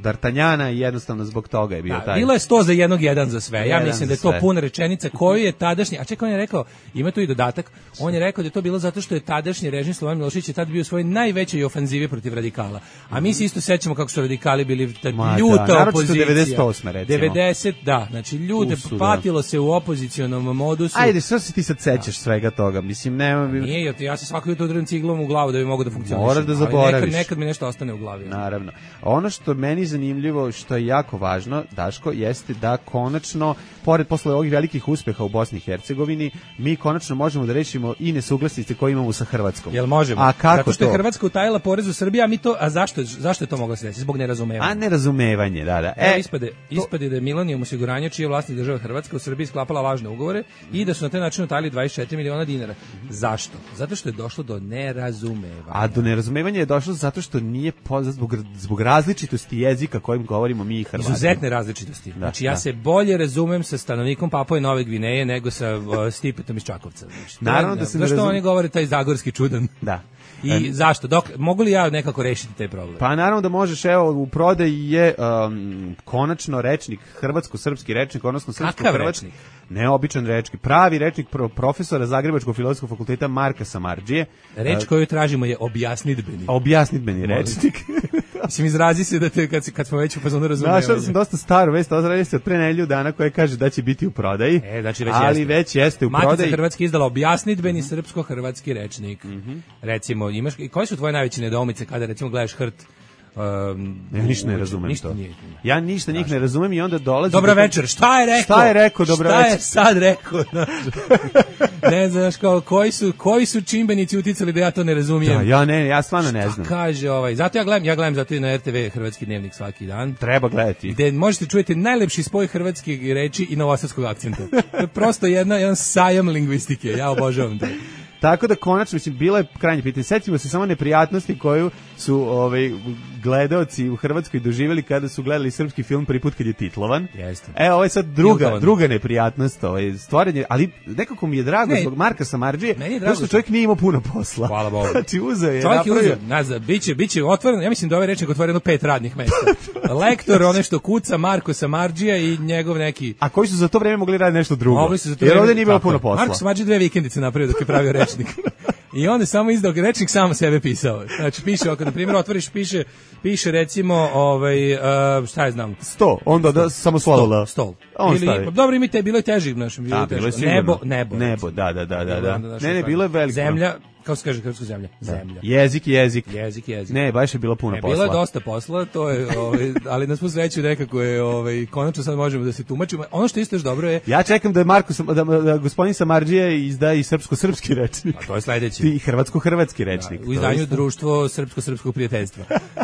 D'Artagnana i jednostavno zbog toga je bio da, taj. Bilo je sto za jednog, jedan za sve. Ja jedan mislim da je to sve. Puna rečenica koju je tadašnji, a čekaj, on je rekao, ima tu i dodatak, on je rekao da je to bilo zato što je tadašnji režim Slobodan Milošević je tad bio u svojoj najvećoj ofanzivi protiv radikala. A mi se isto sećamo kako su radikali bili tad Ma, ljuta da, opozicija. devedeset osme recimo. devedeset, da, znači ljude Usu, patilo da. Se u opozicionom modusu. Ajde, što se ti sad sećaš da. Svega toga? Mislim, nema... Nije, ja se svako jutro udrim ciglom u glavu da bi mogao da funkcionišem. Moraš da zaboraviš. Nekad, nekad mi nešto ostane u glavi. Naravno. Ono što meni zanimljivo, što je jako važno, Daško, jeste da konačno, pored posle ovih velikih uspeha u Bosni i Hercegovini, mi konačno možemo da rešimo i nesuglasice koje imamo sa Hrvatskom. Jel možemo? A kako Zato što to? je Hrvatska utajila porez u Srbiji, a mi to, a zašto, zašto je to moglo se desiti? Zbog nerazumevanja. A nerazumevanje, da, da. E, ispade, ispade da je Millennium osiguranje, čiji je vlasnik država Hrvatska, u Srbiji sklapala lažne ugovore i da su na taj način utajili dvadeset četiri miliona dinara. Zašto? Zato što je došlo do nerazumevanja. A do nerazumevanja je došlo zato što nije poznat zbog, zbog različitosti jezika kojim govorimo mi i Hrvati. Izuzetne različitosti. Da, znači ja da. Se bolje razumem sa stanovnikom Papue Nove Gvineje nego sa uh, Stipetom iz Čakovca. Znači, naravno da se ne zašto razum... oni govore taj zagorski čudan? Da. I um, zašto? Dok, mogu li ja nekako rešiti taj problem? Pa naravno da možeš, evo, u prodaji je um, konačno rečnik, hrvatsko-srpski rečnik, odnosno srpsko-hrvatski. Neobičan rečnik, pravi rečnik pro, profesora Zagrebačkog filozofskog fakulteta Marka Samardžije. Reč koju tražimo je objasnidbeni. Objasnidbeni rečnik. Mislim, izrazi se da te, kad, kad smo već u fazonu razumevanja. Našao sam dosta staru vest, ozradi se od pre nedelju dana koja kaže da će biti u prodaji, e, znači već ali jeste. već jeste u Matica prodaji. Matica Hrvatska izdala objasnidbeni mm-hmm. srpsko-hrvatski rečnik. Mm-hmm. Recimo, imaš, koje su tvoje najveće nedoumice kada, recimo, gledaš hrt? Um, ja ništa ne razumem ništa to. Nije, ja ništa njih ne razumem i onda dolazi... Dobra večer, šta je rekao? Šta je rekao, dobra šta večer? je sad rekao? Ne znaš, kao, koji su, koji su čimbenici uticali da ja to ne razumijem? Da, ja ne, ja stvarno ne znam. Šta kaže ovaj? Zato ja gledam, ja gledam zato i na R T V Hrvatski dnevnik svaki dan. Treba gledati. Gde možete čujete najlepši spoj hrvatskih reči i novosadskog akcenta. To je prosto jedna, jedan sajam lingvistike, ja obožavam to. Tako da konačno, mislim, bilo je krajnje pitanje. Setimo se samo neprijatnosti koju su ovaj, gledaoci u Hrvatskoj doživjeli kada su gledali srpski film prvi put kad je titlovan. Jeste. E, ovo je sad druga, druga neprijatnost, ovaj, stvaranje, ali nekako mi je drago ne, zbog Marka Samardžije, zato što čovjek nije imao puno posla. Hvala Bogu. Znači, uzeo je. Čovjek je uzeo, nazad, biće, biće otvoreno, ja mislim da ovaj rečnik otvoreno pet radnih mesta. Lektor, one što kuca, Marko Samardžija i njegov neki... A koji su za to vreme mogli raditi nešto drugo? Mogli su za to jer vreme, ovdje nije bilo puno posla. Marko Samardžija dve vikendice napravio dok je pravio rečnik. I onda samo izdao rečnik, samo sebe pisao. Znači piše, ako na primjer otvoriš, piše, piše recimo, ovaj, uh, šta je znam? Sto, onda da, samo slovo. Stol. On Ili, stavi. dobro, imite, bilo je teži, našem, bilo A, je teži. bilo je sigurno. Nebo, nebo. Nebo, da, da, da, da. da. Onda, Ne, ne, bilo je veliko. Zemlja, kako se kaže hrvatska zemlja? Zemlja. Jezik, jezik. Jezik, jezik. Ne, baš je bilo puno E, posla. bilo je dosta posla, to je, ovaj, ali na svu sreću nekako je, ovaj, konačno sad možemo da se tumačimo. Ono što isto još dobro je... Ja čekam da je Marko, Sam- da, da gospodin Samardžija izda i srpsko-srpski rečnik. A to je sledeće. I hrvatsko-hrvatski rečnik. U izdanju Društvo srpsko-srpskog prijateljstva.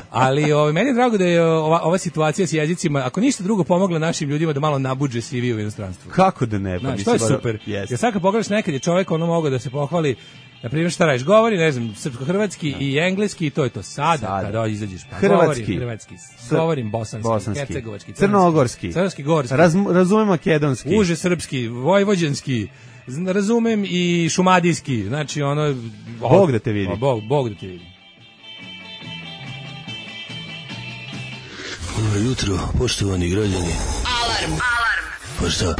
Ali ovaj, meni je drago da je ova, ova situacija s jezicima, ako ništa drugo, pomogla našim ljudima da malo nabuđe C V u inostranstvu. Kako da ne? Pa, Znaš, mislim, to je super. Yes. Jer sad kad pogledaš, nekad je čovjek ono mogao da se pohvali, na primjer šta radiš, govori, ne znam, srpsko-hrvatski i engleski i to je to. Sada, Sada. kada izađeš, pa Hrvatski. govorim hrvatski, Sr- govorim bosanski, bosanski, hercegovački, crnogorski, crnogorski, gorski, Raz, razumem makedonski. uže srpski, vojvođanski, zna- razumem i šumadijski, znači ono... Bog da te vidi. O, Bog, Bog da te vidi. Dobro jutro, poštovani građani. Alarm. Alarm. Pa šta?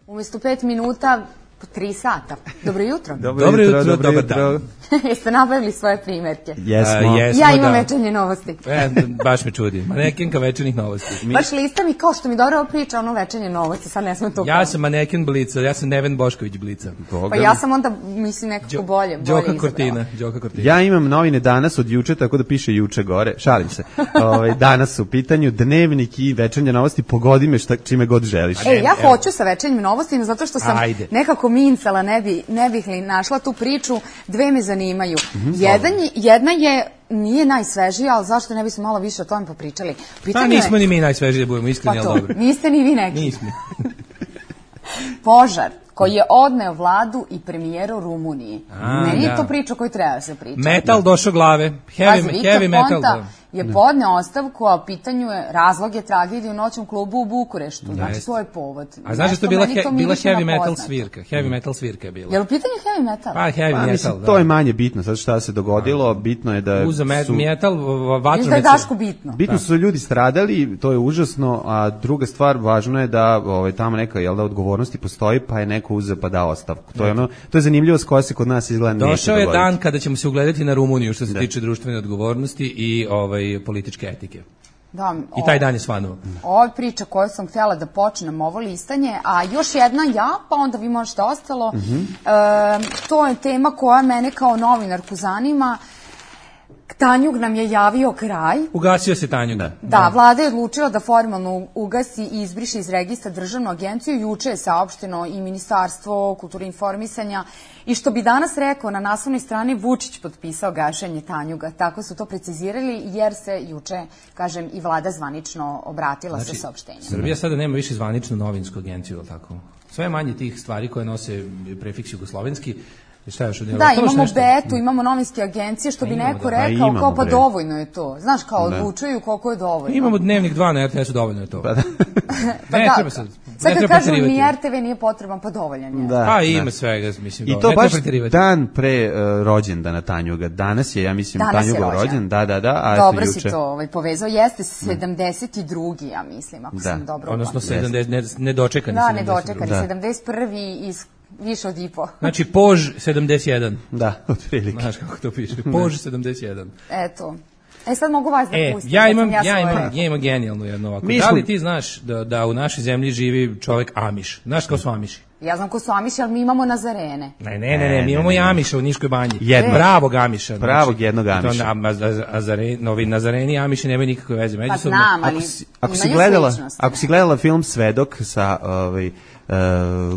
Umjesto pet minuta, po tri sata. Dobro jutro. Dobro, Dobro jutro, jutro, dobro dobar jutro. Jeste nabavili svoje primjerke? Jesmo. A, jesmo, Ja imam da. večernje novosti. E, baš me čudi. Manekenka večernjih novosti. Baš lista mi kao što mi dobro priča ono večernje novosti, sad ne smem to Ja sam maneken Blica, ja sam Neven Bošković Blica. Pa ja sam onda, mislim, nekako bolje, bolje Đoka izabrala. Kortina, Đoka Kortina. Ja imam novine danas od juče, tako da piše juče gore. Šalim se. Ovaj danas su u pitanju dnevnik i večernje novosti. Pogodi me šta, čime god želiš. E, ja hoću sa večernjim novostima zato što sam Ajde. nekako mincala, ne, bi, ne bih li našla tu priču, dve me zanimaju. Jedan je, jedna je, nije najsvežija, ali zašto ne bismo malo više o tome popričali? Pa Pitanje nismo je, ni mi najsvežiji da budemo iskreni, pa to, ali dobro. niste ni vi neki. Nismo. Požar koji je odneo vladu i premijeru Rumuniji. A, Meni je da. to priča koju treba da se priča. Metal došao glave. Pazi, Heavy, Viktor heavy metal. Ponta Da. je podneo ostavku, a u pitanju je razlog je tragedije u noćnom klubu u Bukureštu. Znači, Jeste. to je povod. A znaš da Nešto to bila, meni he, bila miriše na heavy metal poznato. svirka. Heavy metal svirka je bila. Je li u pitanju heavy metal? Pa heavy Pa, metal, mislim, da. to je manje bitno, sad šta se dogodilo, bitno je da Uza met, su, metal, Viš da je vatromet. Daško bitno. bitno su ljudi stradali, to je užasno, a druga stvar, važno je da ovaj, tamo neka jel da, odgovornosti postoji, pa je neko uzeo pa dao ostavku. To je, ono, to je zanimljivost koja se kod nas izgleda neće Došao je dogoditi. dan kada ćemo se ugledati na Rumuniju što se tiče društvene odgovornosti i ovaj političke etike. Da, I taj dan je svanuo. Ovo je priča koju sam htjela da počnem ovo listanje, a još jedna ja, pa onda vi možete ostalo. Mhm. E, to je tema koja mene kao novinarku zanima. Tanjug nam je javio kraj. Ugasio se Tanjug. Da. Da, vlada je odlučila da formalno ugasi i izbriše iz registra državnu agenciju. Juče je saopšteno i Ministarstvo kulture i informisanja. I što bi danas rekao, na naslovnoj strani Vučić potpisao gašenje Tanjuga. Tako su to precizirali jer se juče, kažem, i vlada zvanično obratila Znači, sa saopštenjem. Srbija sada nema više zvaničnu novinsku agenciju, ili tako? Sve manje tih stvari koje nose prefiks jugoslovenski. Šta još od njega? Da, Ostalo još imamo nešto? betu, imamo novinske agencije, što bi imamo, neko da. Pa rekao, imamo, kao pa bre. dovoljno je to. Znaš, kao odlučuju koliko je dovoljno. Imamo Dnevnik dva na R T S-u, dovoljno je to. Pa da. Pa ne da, treba sad. Sad ne kad treba kažu preterivati. ni R T V nije potreban, pa dovoljan je. Da, Pa da. ima svega, mislim. I do- to ne baš treba preterivati. dan pre uh, rođendana Tanjuga. Danas je, ja mislim, Danas je Tanjugov rođen. rođen. Da, da, da. A Dobro eto, si juče. to ovaj, povezao. Jeste sedamdeset drugi, ja mislim, ako Da. sam dobro Odnosno upamtila. sedamdeset, ne, nedočekani Da, sedamdeset. nedočekani, Da. sedamdeset prvi iz više od i po. Znači, Pož sedamdeset jedan. Da, otprilike. Znaš kako to piše? Pož sedamdeset jedan. Eto. E sad mogu vas da E, pustim. ja da imam, sam ja, svoje imam, rekla. ja imam genijalnu jednu ovako. Mi Da smo- li ti znaš da, da u našoj zemlji živi čovjek Amiš? Znaš kao su Amiši? Ja znam ko su Amiši, ali mi imamo Nazarene. Ne, ne, ne, ne, mi imamo i Amiša u Niškoj banji. Jednog. Pravog Amiša. Znači, Pravog jednog i to Amiša. na- a- a- Azare- Novi Nazareni i Amiši nemaju nikakve veze Pa međusobno. znam, ali Ako si, ako si imaju gledala, sličnosti. ako si gledala film Svedok sa ovaj uh,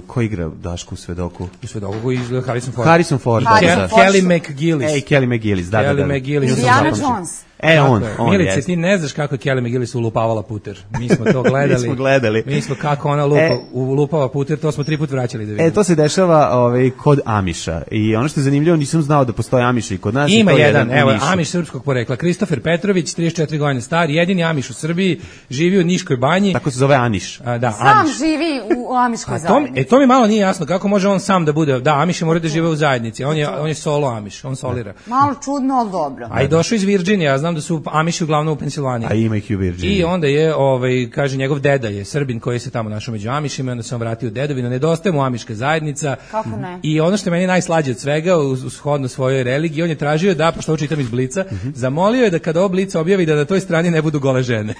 ko igra Dašku u Svedoku? I sve dogo izgleda Harrison Ford. Harrison Ford. Harrison da, da. Ford. Kelly McGillis. Ej, Kelly McGillis, da, da, Kelly da. da. McGillis. Indiana Zapamću. Jones. E, on, Tako je. on, Milice, jeste. ti ne znaš kako je Kelly McGillis ulupavala puter. Mi smo to gledali. Mi smo gledali. Mi smo kako ona lupa, E. ulupava puter, to smo tri put vraćali da vidimo. E, to se dešava ovaj, kod Amiša. I ono što je zanimljivo, nisam znao da postoje Amiša i kod nas. i Ima to je jedan, u evo, Nišu. Amiš srpskog porekla. Kristofer Petrović, trideset četiri godine star, jedini Amiš u Srbiji, živi u Niškoj banji. Tako se zove Aniš. A, da, Sam Amiš. živi u, u Amiškoj A to, zajednici. e, to mi malo nije jasno, kako može on sam da bude, da, Amiši moraju da žive u zajednici, on je, on je solo Amiš, on solira. Malo čudno, ali dobro. A i došao iz Virginije, ja znam onda su Amiši uglavnom u Pensilvaniji. A ima ih i u Virginiji. I onda je, ovaj, kaže, njegov deda je Srbin koji se tamo našao među Amišima, onda se on vratio u dedovinu, nedostaje mu Amiška zajednica. Kako ne? I ono što je meni najslađe od svega, uz, uz shodno svojoj religiji, on je tražio da, pošto ovo čitam iz Blica, mm-hmm. zamolio je da kada ovo Blic objavi da na toj strani ne budu gole žene.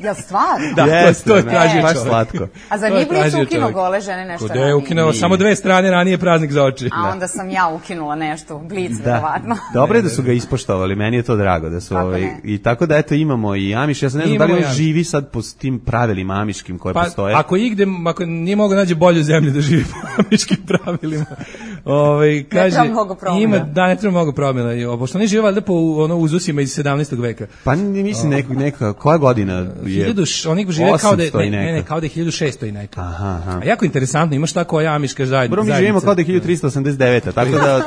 Jel stvarno? Da, yes, to, to je tražio baš čovjek. slatko. A za njih Blic ukinuo gole žene nešto ranije? Je ukinuo samo dve strane, ranije praznik za oči. A onda sam ja ukinula nešto, Blic, da. verovatno. Dobro je da su ga ispoštovali, meni je to drago. Da su, ovaj, I tako da, eto, imamo i Amiš, ja sam ne znam da li on živi sad po tim pravilima amiškim koje pa, postoje. Ako igde, ako nije mogo nađe bolju zemlju da živi po amiškim pravilima. Ovaj kaže, ne treba mnogo promjena. Ima, da, ne treba mnogo promjena. Pošto oni žive valjda po ono, uzusima iz sedamnaestog veka. Pa mislim nekog, neka, koja godina je? hiljadu, oni žive kao da je, ne, ne, ne, kao da je hiljadu šesto i neka. Aha, aha. A jako interesantno, imaš ta koja amiška zajednica. Prvo mi živimo kao da je hiljadu trista osamdeset deveta, tako da...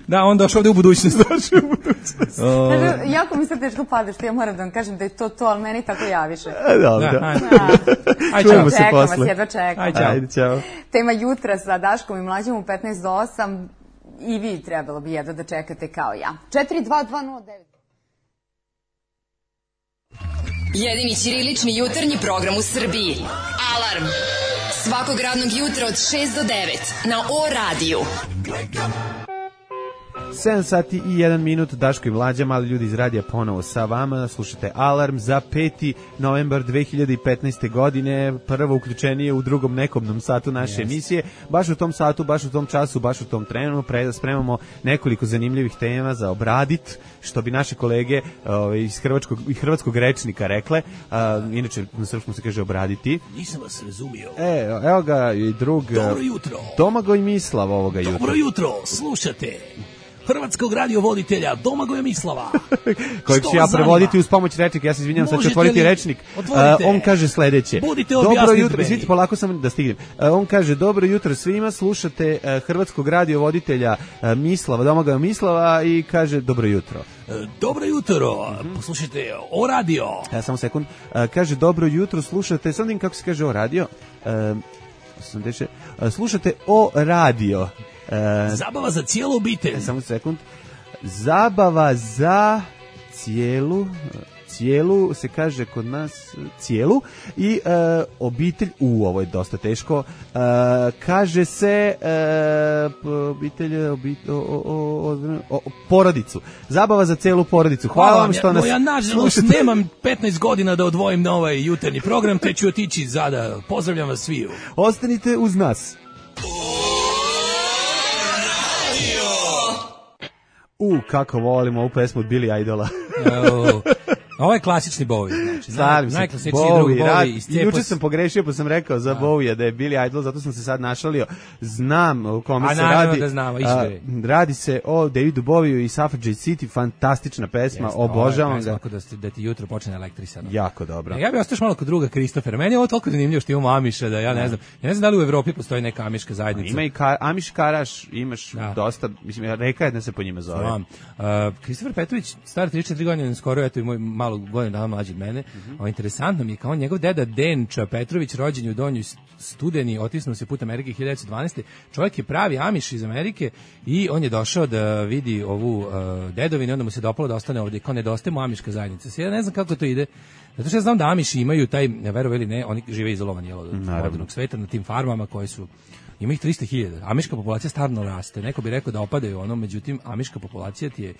da, on došao ovde u budućnost. Došao u budućnost. Znači, jako mi se teško pada što ja moram da vam kažem da je to to, ali meni tako javiše. Dobro. Da, ajde. Ajde, čujemo se čekam posle. vas, jedva čekam. Ajde, čao. Ajde, čao. Tema jutra sa Daškom i Mlađom u petnaest do osam. I vi trebalo bi jedno da čekate kao ja. četiri dva dva nula devet. Jedini ćirilični jutarnji program u Srbiji. Alarm. Svakog radnog jutra od šest do devet na O radiju. sedam sati i jedan minut, Daško i Mlađa, mali ljudi iz radija ponovo sa vama. Slušate Alarm za peti novembar dve hiljade petnaeste. godine. Prvo uključenije u drugom nekobnom satu naše yes. emisije. Baš u tom satu, baš u tom času, baš u tom trenu pre, spremamo nekoliko zanimljivih tema za obradit, što bi naše kolege uh, iz hrvatskog, hrvatskog rečnika rekle. Uh, inače, na srpskom se kaže obraditi. Nisam vas razumio. E, evo ga i drug... Dobro jutro. Domagoj Mislav ovoga jutra. Dobro jutro, slušate hrvatskog radiovoditelja Domagoja Mislava. Kojeg ću ja prevoditi uz pomoć rečnika. Ja se izvinjam, sad ću otvoriti rečnik. Uh, on kaže sledeće. Budite dobro jutro, meni. Svite, polako sam da stignem. Uh, on kaže, dobro jutro svima, slušate uh, hrvatskog radiovoditelja uh, Mislava, Domagoja Mislava i kaže, dobro jutro. E, dobro jutro, mm-hmm. poslušajte O radio. Ja, samo sekund. Uh, kaže, dobro jutro, slušate, sad vidim kako se kaže O radio. Uh, osamdeset, uh, slušate O radio. E, zabava za cijelu obitelj. Samo sekund. Zabava za cijelu cijelu se kaže kod nas cijelu i e, obitelj, u ovo je dosta teško, e, kaže se e, obitelj, obitelj o, o, o, o, porodicu. Zabava za cijelu porodicu. Hvala, Hvala vam što ja, nas... No, ja nažalost slušate. Nemam petnaest godina da odvojim na ovaj jutarnji program, te ću otići zada. Pozdravljam vas sviju. Ostanite uz nas. U, kako volimo ovu pesmu od Billy Idola. Oh. Ovo je klasični Bowie, znači, najklasičniji drug Bowie iz Juče sam pogrešio pa sam rekao za Bowie da je Billy Idol, zato sam se sad našalio. Znam o kome a, se radi. Da znamo, a, radi se o Davidu Bowieu i Suffragette City, fantastična pesma, Jeste, obožavam ga. Da, da ti jutro počne elektrisano. Jako dobro. Ja bih ostao malo kod druga Kristofera. Meni je ovo toliko zanimljivo što imamo Amiša, da ja ne znam. Ja ne znam da li u Evropi postoji neka amiška zajednica. Ima i ka, Amiš Karaš, imaš da. dosta, mislim, reka jedna se po njima zove. Kristofer uh, Petrović, star trideset četiri godine, skoro eto i moj malo godinu dana mlađi od mene. Mm-hmm. O, interesantno mi je kao njegov deda Denča Petrović, rođen u Donjoj Studeni, otisnuo se put Amerike hiljadu devetsto dvanaeste. Čovjek je pravi Amiš iz Amerike i on je došao da vidi ovu uh, dedovinu, onda mu se dopalo da ostane ovdje. Kao nedostaje mu amiška zajednica. Sada ja ne znam kako to ide. Zato što ja znam da Amiši imaju taj, verovali ili ne, oni žive izolovani od modernog sveta na tim farmama koje su, ima ih trista hiljada. Amiška populacija stvarno raste. Neko bi rekao da opadaju ono, međutim, amiška populacija ti je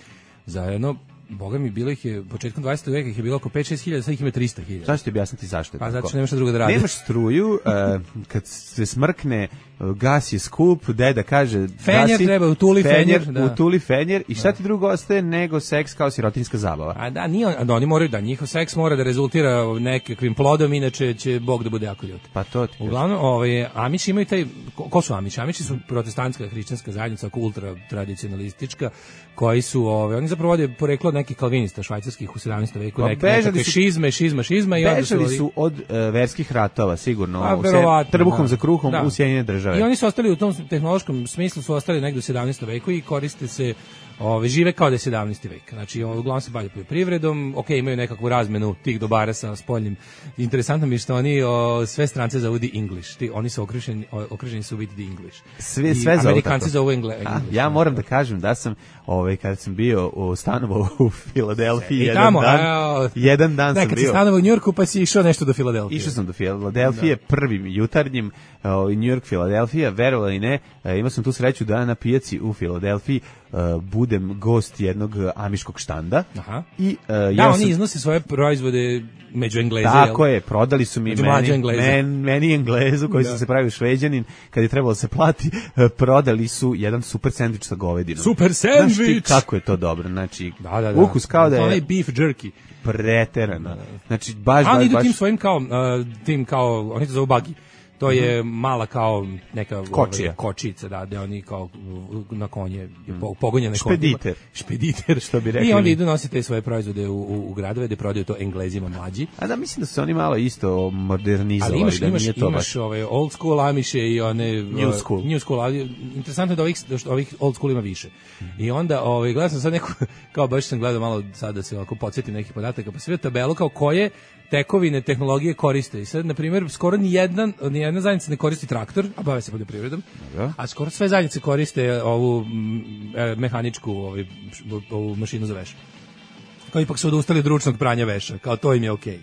za jedno, boga mi, bilo ih je, početkom dvadesetog veka ih je bilo oko pet šest hiljada, sad ih ima trista hiljada. Zašto ti objasniti zašto je pa, tako? Pa zato što nemaš drugo da radi. Nemaš struju, uh, kad se smrkne, uh, gas je skup, deda kaže... Fenjer gasi, treba, utuli fenjer. fenjer da. Utuli fenjer i šta ti drugo ostaje nego seks kao sirotinjska zabava? A da, nije, da, oni moraju da, njihov seks mora da rezultira nekakvim plodom, inače će Bog da bude jako ljut. Pa to ti. Uglavnom, ovaj, Amiši imaju taj, ko, ko su Amiši? Amiši su protestantska hrišćanska zajednica, ultra tradicionalistička, koji su, ovaj, oni zapravo vode poreklo od nekih kalvinista švajcarskih u sedamnaestom veku, pa neke, nekakve su, šizme, šizma, šizma i onda su... Bežali su od uh, verskih ratova, sigurno, a, se, trbuhom da. za kruhom da. u Sjedinjene države. I oni su ostali u tom tehnološkom smislu, su ostali negdje u sedamnaestom veku i koriste se Ove, žive kao da je sedamnaesti vek. Znači, uglavnom se bavljaju poljoprivredom, ok, imaju nekakvu razmenu tih dobara sa spoljnim. Interesantno mi je što oni o, sve strance zovu the English. Ti, oni su okruženi, okruženi su biti the English. Sve, sve zovu Amerikanci zovu Engle, A, English. ja moram da kažem da sam, ovaj, kada sam bio u stanovu u Filadelfiji, jedan tamo, dan, a, jedan dan sam nekad bio. si stanovao u Njujorku pa si išao nešto do Filadelfije. Išao sam do Filadelfije, prvim jutarnjim, uh, New York, Filadelfija, verovali ne, uh, imao sam tu sreću da na pijaci u Filadelfiji uh, budem gost jednog amiškog štanda. Aha. I, uh, da, ja oni sam, iznose svoje proizvode među Engleze. tako jel? je, prodali su mi Među meni, mlađe Engleze. men, meni Englezu koji Da. sam se pravio šveđanin, kad je trebalo da se plati, uh, prodali su jedan super sendvič sa govedinom. Super Znaš ti sendvič! kako je to dobro, znači, Da, da, da. ukus kao da Onaj je beef jerky. preterano. Znači, baš, A oni baš, idu baš... tim svojim kao, uh, tim kao, oni to zovu buggy. To je mala kao neka Kočija. Ove, kočica, da, gde oni kao na konje, mm. pogonjene konje. Špediter. Špediter. Što bi rekli I onda mi. idu nositi te svoje proizvode u, u, u gradove, gde prodaju to Englezima mlađi. A da, mislim da su oni malo isto modernizovali, Ali imaš, da imaš, nije to imaš baš... ove old school Amiše i one... New uh, school. New school, ali interesantno je da ovih, da što ovih old school ima više. I onda, ovaj, gledao sam sad neku, kao baš sam gledao malo sad da se ovako podsjetim nekih podataka, pa sve tabelu kao koje tekovine tehnologije koriste. I sad, na primjer, skoro ni jedna, ni jedna zajednica ne koristi traktor, a bave se poljoprivredom, Dobro. a skoro sve zajednice koriste ovu mm, e, mehaničku ovaj, š- ovu mašinu za veš. Kao ipak su odustali od ručnog pranja veša, kao to im je okej.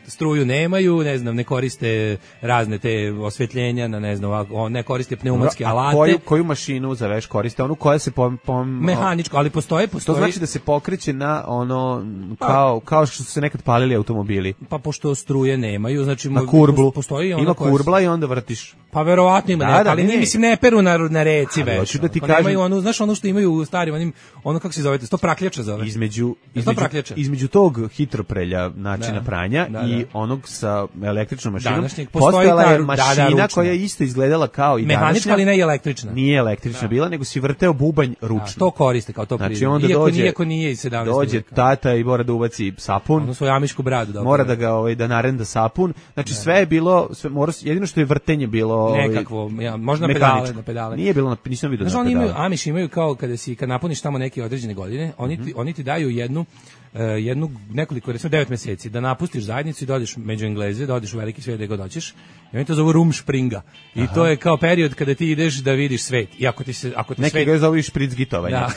Struju nemaju, ne znam, ne koriste razne te osvetljenja, na ne znam, ovako, ne koriste pneumatske A alate. Koju, koju mašinu za veš koriste? Onu koja se pom... pom Mehaničko, ali postoje, To postoji. znači da se pokreće na ono, kao, kao što su se nekad palili automobili. Pa pošto struje nemaju, znači Na kurblu. postoji ona Ima koja kurbla i onda vrtiš. Pa verovatno ima, Da, neka, da, ali ne. nije, mislim, ne peru na, na reci Ali veš. hoću da ti Pa kažem- nemaju onu, znaš ono što imaju u starim, onim, ono kako se zove, to prakljača zove. Između, to između, prakljača? između tog hitroprelja načina Da. pranja Da, i da. onog sa električnom mašinom, Današnjeg postoji postojala ta je ru- da, da, mašina ručna. koja je isto izgledala kao i Mehanička, današnja. ali ne i električna. Nije električna bila, nego si vrteo bubanj ručno. Da, to koriste kao to Znači prirodno. onda iako, dođe, iako nije iz sedamnaestog dođe veka. tata i mora da ubaci sapun. Ono svoju amišku bradu. Da Mora opravi. da ga ovaj da narenda sapun. Znači sve je bilo, sve mora, jedino što je vrtenje bilo ovaj, Nekakvo, ja, možda na mehaničko. pedale, na pedale. Nije bilo na, nisam vidio Znaš, na oni pedale. imaju, Amiš imaju kao kada si, kad napuniš tamo neke određene godine, oni ti, oni ti daju jednu, uh, jednu, nekoliko, recimo devet meseci, da napustiš zajednicu i dođeš među Engleze, da odeš u veliki svijet gde god hoćeš, i oni to zovu Rumspringa. I to je kao period kada ti ideš da vidiš svet. I ako ti se, ako ti Neki svet... ga zovu i špricgitovanje. Da.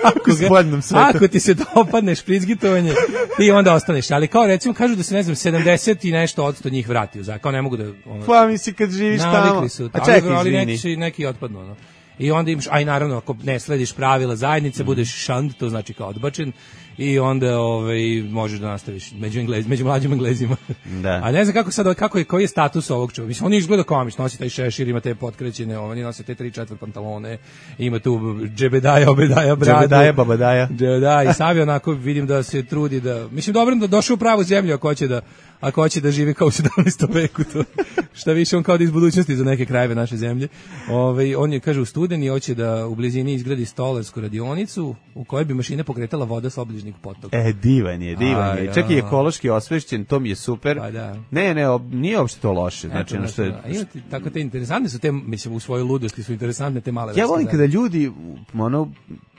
ako, U spoljnom svetu. ako ti se dopadne špricgitovanje, ti onda ostaneš. Ali kao recimo kažu da se, ne znam, sedamdeset i nešto odsto njih vrati u zakon. Kao ne mogu da... Ono, Pa misli kad živiš tamo. navikli su. A čekaj, ali izvini. neki, neki otpadnu. Ono. I onda imaš, aj naravno, ako ne slediš pravila zajednice, budeš šand, to znači kao odbačen, i onda ovaj, možeš da nastaviš među, Englez, među mlađim Englezima. Da. A ne znam kako sad, kako je, koji je status ovog čovjeka. Mislim, on izgleda kao Amiš, nosi taj šešir, ima te potkrećene, oni nose te tri četvrt pantalone, ima tu džebedaja, obedaja, bradu. Džabedaja, babadaja. Da, i Savi onako vidim da se trudi da, mislim, dobro da došao u pravu zemlju ako hoće da, ako hoće da živi kao u sedamnaestom veku, to šta više on kao da iz budućnosti za neke krajeve naše zemlje. Ovaj on je, kaže, u studeni hoće da u blizini izgradi stolarsku radionicu u kojoj bi mašine pokretala voda s obližnjeg potoka. E, divan je, divan A, je. ja. Čak i ekološki osvešćen, to mi je super. Pa da. Ne, ne, ob- nije uopšte to loše. Znači, ono što je... A ima ti- tako te interesantne su te, mislim, u svojoj ludosti su interesantne te male Ja vrste volim zajednice. kada ljudi ono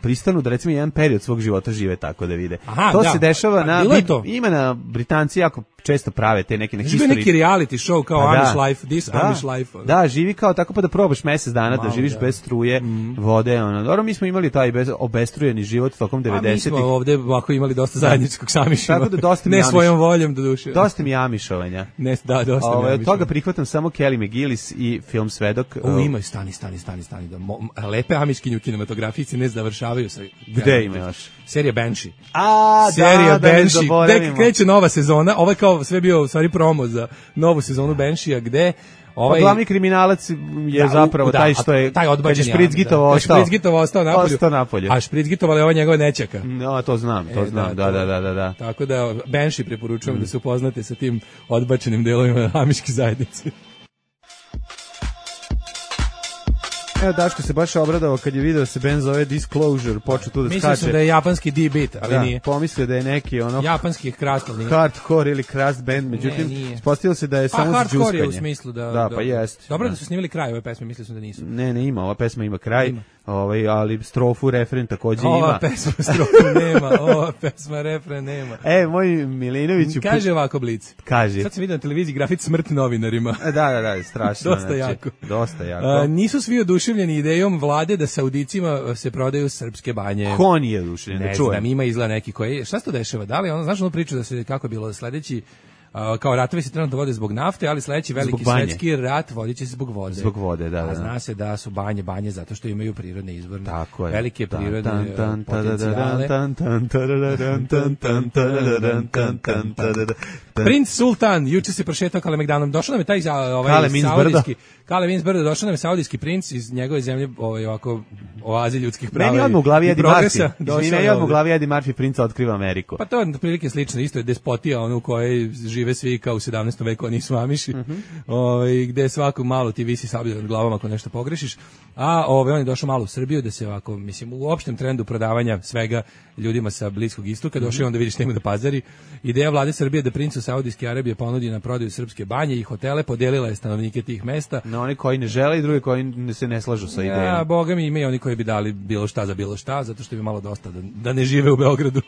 pristanu da recimo jedan period svog života žive tako da vide. Aha, to da. se dešava Pa, na bilo je to. ima na Britanci jako često prave te neke Znaš, history. bio neki reality show kao Pa Amish da. Life, This Da. Amish Life. ono. Da, živi kao tako pa da probaš mesec dana da Malo, živiš da. bez struje, vode, ono. Dobro, mi smo imali taj bez, obestrujeni život tokom A mi devedesetih. smo ovde ovako imali dosta zajedničkog s Amishima. Tako da dosta mi Ne Amish. svojom voljom, do duše. Dosta mi amišovanja. Ne, da, dosta mi Ovaj, od Amišova. toga prihvatam samo Kelly McGillis i film Svedok. O, imaju, stani, stani, stani, stani. Da, mo, lepe amiškinje u kinematografiji se ne završavaju sa... Gde ima još? Serija Banshee. A, Serija da, da ne Banshee. Gde zaboravimo. kreće nova sezona? Ovo je kao sve bio u stvari promo za novu sezonu Banshee-a, gde... Pa Ovaj, glavni kriminalac je Da, zapravo da, taj što je taj odbačen kad je Špricgitovo da. ostao. Špricgitovo ostao napolju. Ostao napolju. A Špricgitovala je ova njegova nećaka. No, to znam, to E, znam. Da, to- da, da, da, da. Tako da Banshee preporučujem da se upoznate sa tim odbačenim delovima amiške zajednice. Evo, Daško se baš obradao kad je video se band zove Disclosure, počeo tu da Mislio skače. sam da je japanski D-beat, ali Da, nije. pomislio da je neki ono Japanski je krasno, nije. hardcore ili crust band, međutim, Ne, nije. ispostavilo se da je Pa samo za hardcore je u džuskanje. smislu da... Da, pa jest. Dobro da. da su snimili kraj ove pesme, mislio sam da nisu. Ne, ne ima, ova pesma ima kraj. Ima. ovaj, ali strofu, refren takođe ima. Ova pesma strofu nema, ova pesma refren nema. E, moj Milinović... Kaže ovako Blic. Kaže. Sad sam vidio na televiziji grafit smrt novinarima. Da, da, da, strašno. Dosta znači, jako. Dosta jako. A, nisu svi oduševljeni idejom vlade da Saudicima se prodaju srpske banje. Ko nije oduševljen? Ne Da čujem. znam, ima izgleda neki koji... Šta se to dešava? Da li ono, znaš ono priču da se, kako je bilo, sledeći... Uh, kao ratovi se trenutno vode zbog nafte, ali sledeći veliki svetski rat vodit će se zbog vode. Zbog vode, da, da. A zna se da su banje banje zato što imaju prirodne izvorne. Tako je. Velike prirodne Tan, tan, potencijale. tan, tan, tarararan, tan, tan, tarararan, tan, tan, tarararan. Princ Sultan, juče se prošetao Kalemegdanom. Došao nam je taj ovaj, Kale Minz saudijski, Kale Minz Brdo, došao nam je saudijski princ iz njegove zemlje, ovaj, ovako, oazi ljudskih prava. Meni odmah u glavi Eddie Murphy. Došao Meni je odmah u ovde. glavi Eddie Murphy, princa otkriva Ameriku. Pa to je prilike slično, isto je despotija, ono u kojoj žive svi kao u sedamnaestom veku, a nisu amiši, Mhm. ovaj, gde svako malo ti visi sablja nad glavom ako nešto pogrešiš, a ovaj, on je došao malo u Srbiju da se ovako, mislim, u opštem trendu prodavanja svega ljudima sa Bliskog istoka, došao je onda vidiš nema da pazari. Ideja vlade Srbije da princu Saudijske Arabije ponudi na prodaju srpske banje i hotele, podelila je stanovnike tih mesta. Na oni koji ne žele i drugi koji ne- se ne slažu sa idejom. Ja, boga mi ima i oni koji bi dali bilo šta za bilo šta, zato što bi malo dosta da, da ne žive u Beogradu.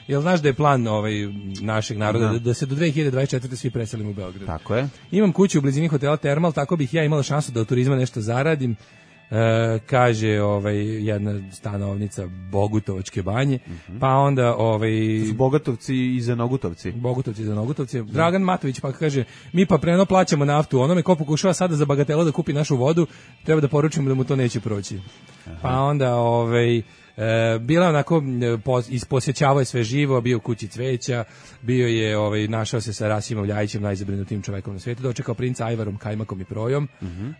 Jel znaš da je plan ovaj, našeg naroda da, da se do dve hiljade dvadeset četvrte svi preselimo u Beograd? Tako je. Imam kuću u blizini hotela Termal, tako bih ja imala šansu da od turizma nešto zaradim. E, kaže ovaj jedna stanovnica Bogutovačke banje, pa onda ovaj To su Bogatovci i Zanogutovci. Bogutovci za Nogutovci. Dragan Matović pa kaže, mi pa preno plaćamo naftu, onome ko pokušava sada za bagatelu da kupi našu vodu, treba da poručimo da mu to neće proći. Pa onda ovaj E, bila onako e, pos, isposjećavao je sve živo, bio u kući cveća, bio je ovaj našao se sa Rasimom Ljajićem, najzabrinutim čovekom na svijetu, dočekao princa Ajvarom, kajmakom i projom.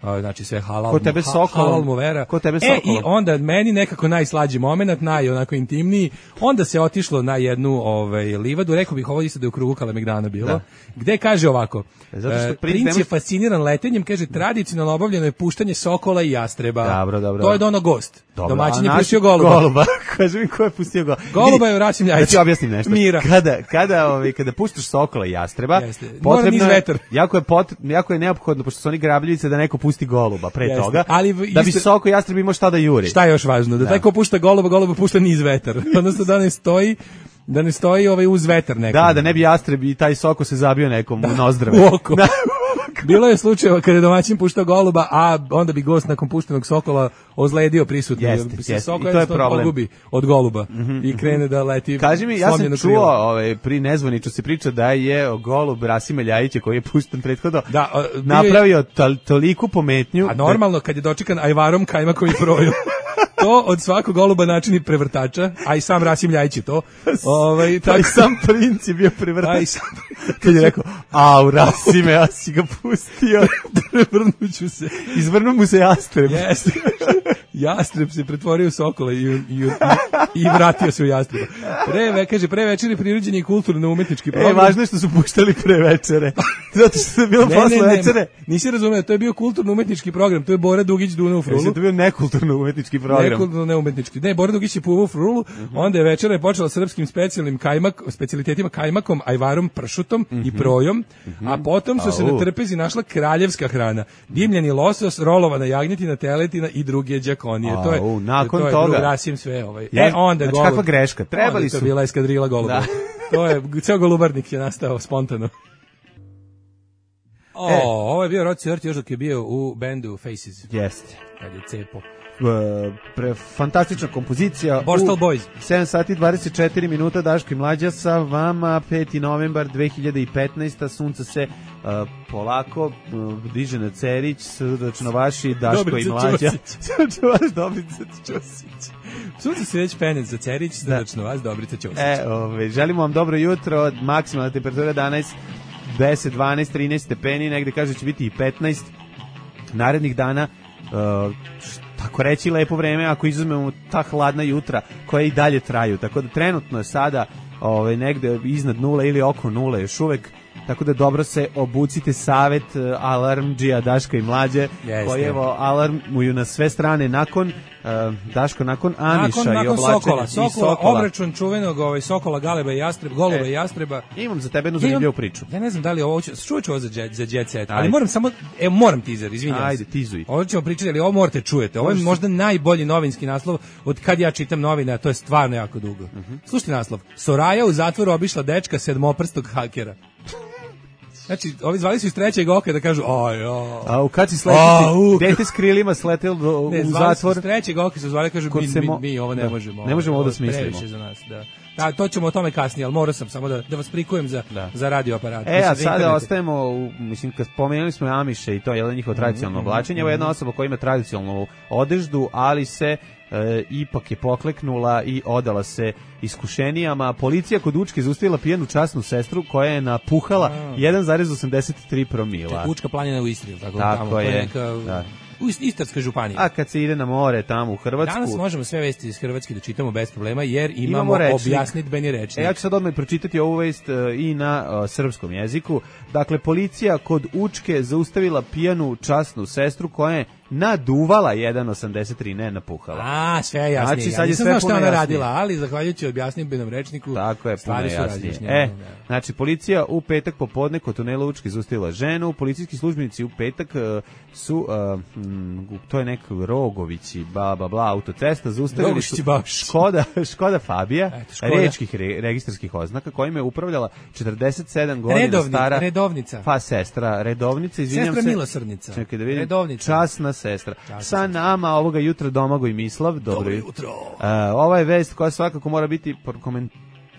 A, znači sve halal. Ko tebe ha- sokolom? halal mu vera. Ko tebe E sokolom? i onda meni nekako najslađi momenat, naj onako intimniji. Onda se otišlo na jednu ovaj livadu, rekao bih ovo isto da je u krugu Kalemegdana bilo. Da. Gde kaže ovako? Zato što e, princ princ ne je može- fasciniran letenjem, kaže tradicionalno obavljeno je puštanje sokola i jastreba. Dobro, dobro. To je dono gost. Dobro, Domaćin a je naš pustio goluba. Goluba. Kaži mi ko je pustio goluba. Goluba Vidi, je Rasim Da Ljajić. ti objasnim nešto. Mira. Kada, kada, ovaj, kada puštaš sokola i jastreba, Jeste. Mora potrebno niz je, vetar. jako je, pot, jako je neophodno, pošto su oni grabljivice, da neko pusti goluba pre Jeste. toga, Ali v- da bi isto- soko i jastreb imao šta da juri. Šta je još važno? Da, Da. taj ko pušta goluba, goluba pušta niz vetar. Odnosno da ne stoji da ne stoji ovaj uz vetar nekom. Da, da ne bi jastreb i taj soko se zabio nekom u nozdrave. U oko. Bilo je slučajeva kada je domaćin puštao goluba, a onda bi gost nakon puštenog sokola ozledio prisutno. Jeste, jer se jeste. soko I to je jednostavno problem. pogubi od goluba i krene da leti. Kaži mi, ja sam slomljeno čuo, krilo. ovaj, pri nezvaniču se priča da je golub Rasima Ljajića, koji je pušten prethodno, Da, a, bio je- napravio tol, toliku pometnju. A normalno kad je dočekan ajvarom, kajmakom i projom. To od svakog goluba načini prevrtača, a i sam Rasim Ljajić je to. Ovaj, Da, taj tako, sam princ je bio privrtač. a i sam Kad je rekao, au, Rasime, ja si ga pustio. prevrnuću se. Izvrnu mu se jastreb. Jeste. Jastreb se pretvorio u sokola i, i, i, i vratio se u jastreba. Pre, ve, kaže, pre večeri prirođen je kulturno-umetnički E, program. važno je što su puštali pre večere. Zato što je bilo Ne, posle ne, ne, večere. nisi razumeo, to je bio kulturno-umetnički program, to je Bora Dugić Duna u Mislim, Frulu. to je bio nekulturno umetnički program. Nekulturno neumetnički. Ne, Bora Dugić je puvao u Frulu, onda je večera je počela srpskim specijalnim kajmak, specijalitetima kajmakom, ajvarom, pršutom i projom, a potom su se Au. na trpezi našla kraljevska hrana. Dimljeni losos, rolovana jagnjetina, teletina i druge đakonije. To je, Au, nakon to je toga. drug Rasim sve ovaj. Ja, E, onda znači, golub. kakva greška, trebali Onda je su. to bila eskadrila goluba. Da. To je, ceo golubarnik je nastao spontano. O, E. ovo je bio Rod Stewart još dok je bio u bendu Faces, Jeste. kad je cepo. E, pre, fantastična kompozicija. Borstal U Boys. sedam sati i dvadeset četiri minuta, Daško i Mlađa sa vama, peti novembar dve hiljade petnaeste. Sunce se e, polako e, diže na Cerić, srdačno vaši Daško Dobrica i Mlađa. Ćosić. Srdačno vaš Dobrica Ćosić. Sunce se već penec za Cerić, srdačno vas, Dobrica Ćosić. E, ove, želimo vam dobro jutro, maksimalna temperatura danas deset, dvanaest, trinaest stepeni, negde kaže će biti i petnaest. Narednih dana, uh, tako reći lepo vreme, ako izuzmemo ta hladna jutra koja i dalje traju, tako da trenutno je sada ove, negde iznad nule ili oko nule još uvek, tako da dobro se obucite. Savet uh, alarmdžija Daška i Mlađe, Jeste. koji evo alarmuju na sve strane nakon uh, Daško, nakon Amiša nakon, i nakon oblačenja Sokola, i Sokola, Sokola. obračun čuvenog ovaj, Sokola, Galeba i Jastreba, Goluba E, i Jastreba. Imam za tebe jednu Ja zanimljivu imam- priču. Ja ne znam da li ovo ću, čuvat ću ovo za jet, za jet set, ali Ajde. moram samo, evo moram teaser, izvinjam Ajde, se. tizuj. Ovo ćemo pričati, ali ovo morate čujete. Ovo je Možeš se- možda najbolji novinski naslov od kad ja čitam novine, a to je stvarno jako dugo. Mhm. Slušajte naslov. Soraja u zatvoru obišla dečka sedmoprstog hakera. Znači, ovi zvali su iz trećeg oka da kažu, aj, aj. A u kad si A, sletiti, u- dete s krilima sletelo do, Ne, u zvali su zatvor. iz trećeg oka su zvali, kažu, Kod mi, se mi, mo- mi ovo ne da. možemo. Ne možemo ovo da je smislimo. previše za nas, da. Da, to ćemo o tome kasnije, ali morao sam samo da, da vas prikujem za, Da. za radio aparat. E, Mislim, a za sada internet. ostajemo, u, mislim, kad spomenuli smo Amiše i to je jedan njihovo tradicionalno Mhm, oblačenje, evo jedna osoba koja ima tradicionalnu odeždu, ali se e, ipak je pokleknula i odala se iskušenijama. Policija kod Učke zaustavila pijanu časnu sestru koja je napuhala jedan zarez osamdeset tri promila. Učka planina u Istri, tako, Tako tamo, to je, neka, da. u Ist- Istarskoj županiji. A kad se ide na more tamo u Hrvatsku... Danas možemo sve vesti iz Hrvatske da čitamo bez problema, jer imamo, Imamo rečnik. objasnitbeni rečnik. E, ja ću sad odmah pročitati ovu vest e, i na e, srpskom jeziku. Dakle, policija kod Učke zaustavila pijanu časnu sestru koja je naduvala jedan zarez osamdeset tri, ne napuhala. A, sve je jasnije. Znači, ja sad je nisam sve znao šta puno ona jasnije. radila, ali zahvaljujući objasnitbenom rečniku, Tako je, puno stvari su jasnije. razjašnjene. E, Da. znači, policija u petak popodne kod tunela Učke zaustavila ženu. Policijski službenici u petak e, su, e, m, to je neki Rogovići, bla, bla, bla, autocesta, zaustavili Rogošići, su Bašići. Škoda, Škoda Fabija, Eto, Škoda. rečkih re, registarskih oznaka, kojim je upravljala četrdeset sedam godina Redovni- stara... redovnica. Pa, sestra, redovnica, izvinjam Sestra se. milosrdnica. Čekaj da vidim. Redovnica. Časna sestra. Časna Sa nama ovoga jutra Domagoj Mislav. Dobro, Dobro jutro. E, ova je vest koja svakako mora biti prokomen-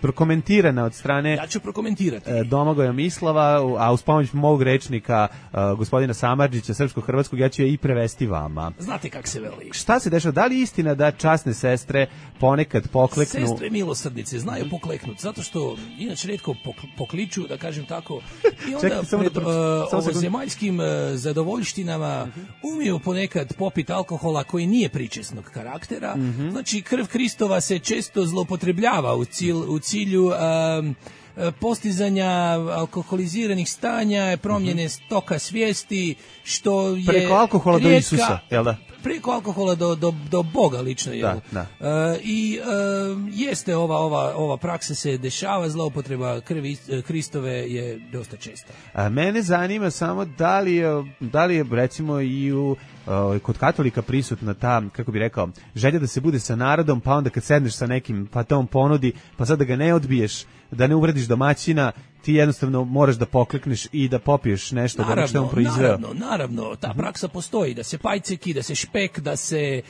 prokomentirana od strane Ja ću prokomentirati. e, Domagoja Mislava, u- a uz pomoć mog rečnika e, gospodina Samardžića, srpsko-hrvatskog, ja ću je i prevesti vama. Znate kak se veli. Šta se dešava? Da li je istina da časne sestre ponekad pokleknu? Sestre milosrdnice znaju pokleknuti, zato što inače retko pok- pokliču, da kažem tako, i onda Čekaj, samo da pred pročitam, uh, samo sekundu. ovozemaljskim uh, zadovoljštinama umiju ponekad popit alkohola koji nije pričesnog karaktera. Mhm. Znači, krv Kristova se često zloupotrebljava u, cilj, u cilju um, postizanja alkoholiziranih stanja, promjene stoka svijesti, što je Preko alkohola do rijetka- Isusa, jel da? Preko alkohola do, do, do Boga lično, jel? Da, E, I e, jeste ova, ova, ova praksa se dešava, zloupotreba krvi e, Kristove je dosta česta. A mene zanima samo da li je, da li je recimo i u o, kod katolika prisutna ta, kako bi rekao, želja da se bude sa narodom, pa onda kad sedneš sa nekim, pa te on ponudi, pa sad da ga ne odbiješ, da ne uvrediš domaćina, ti jednostavno moraš da poklekneš i da popiješ nešto da što je on proizveo. naravno, naravno, ta praksa postoji, da se pajceki, da se špek, da se e,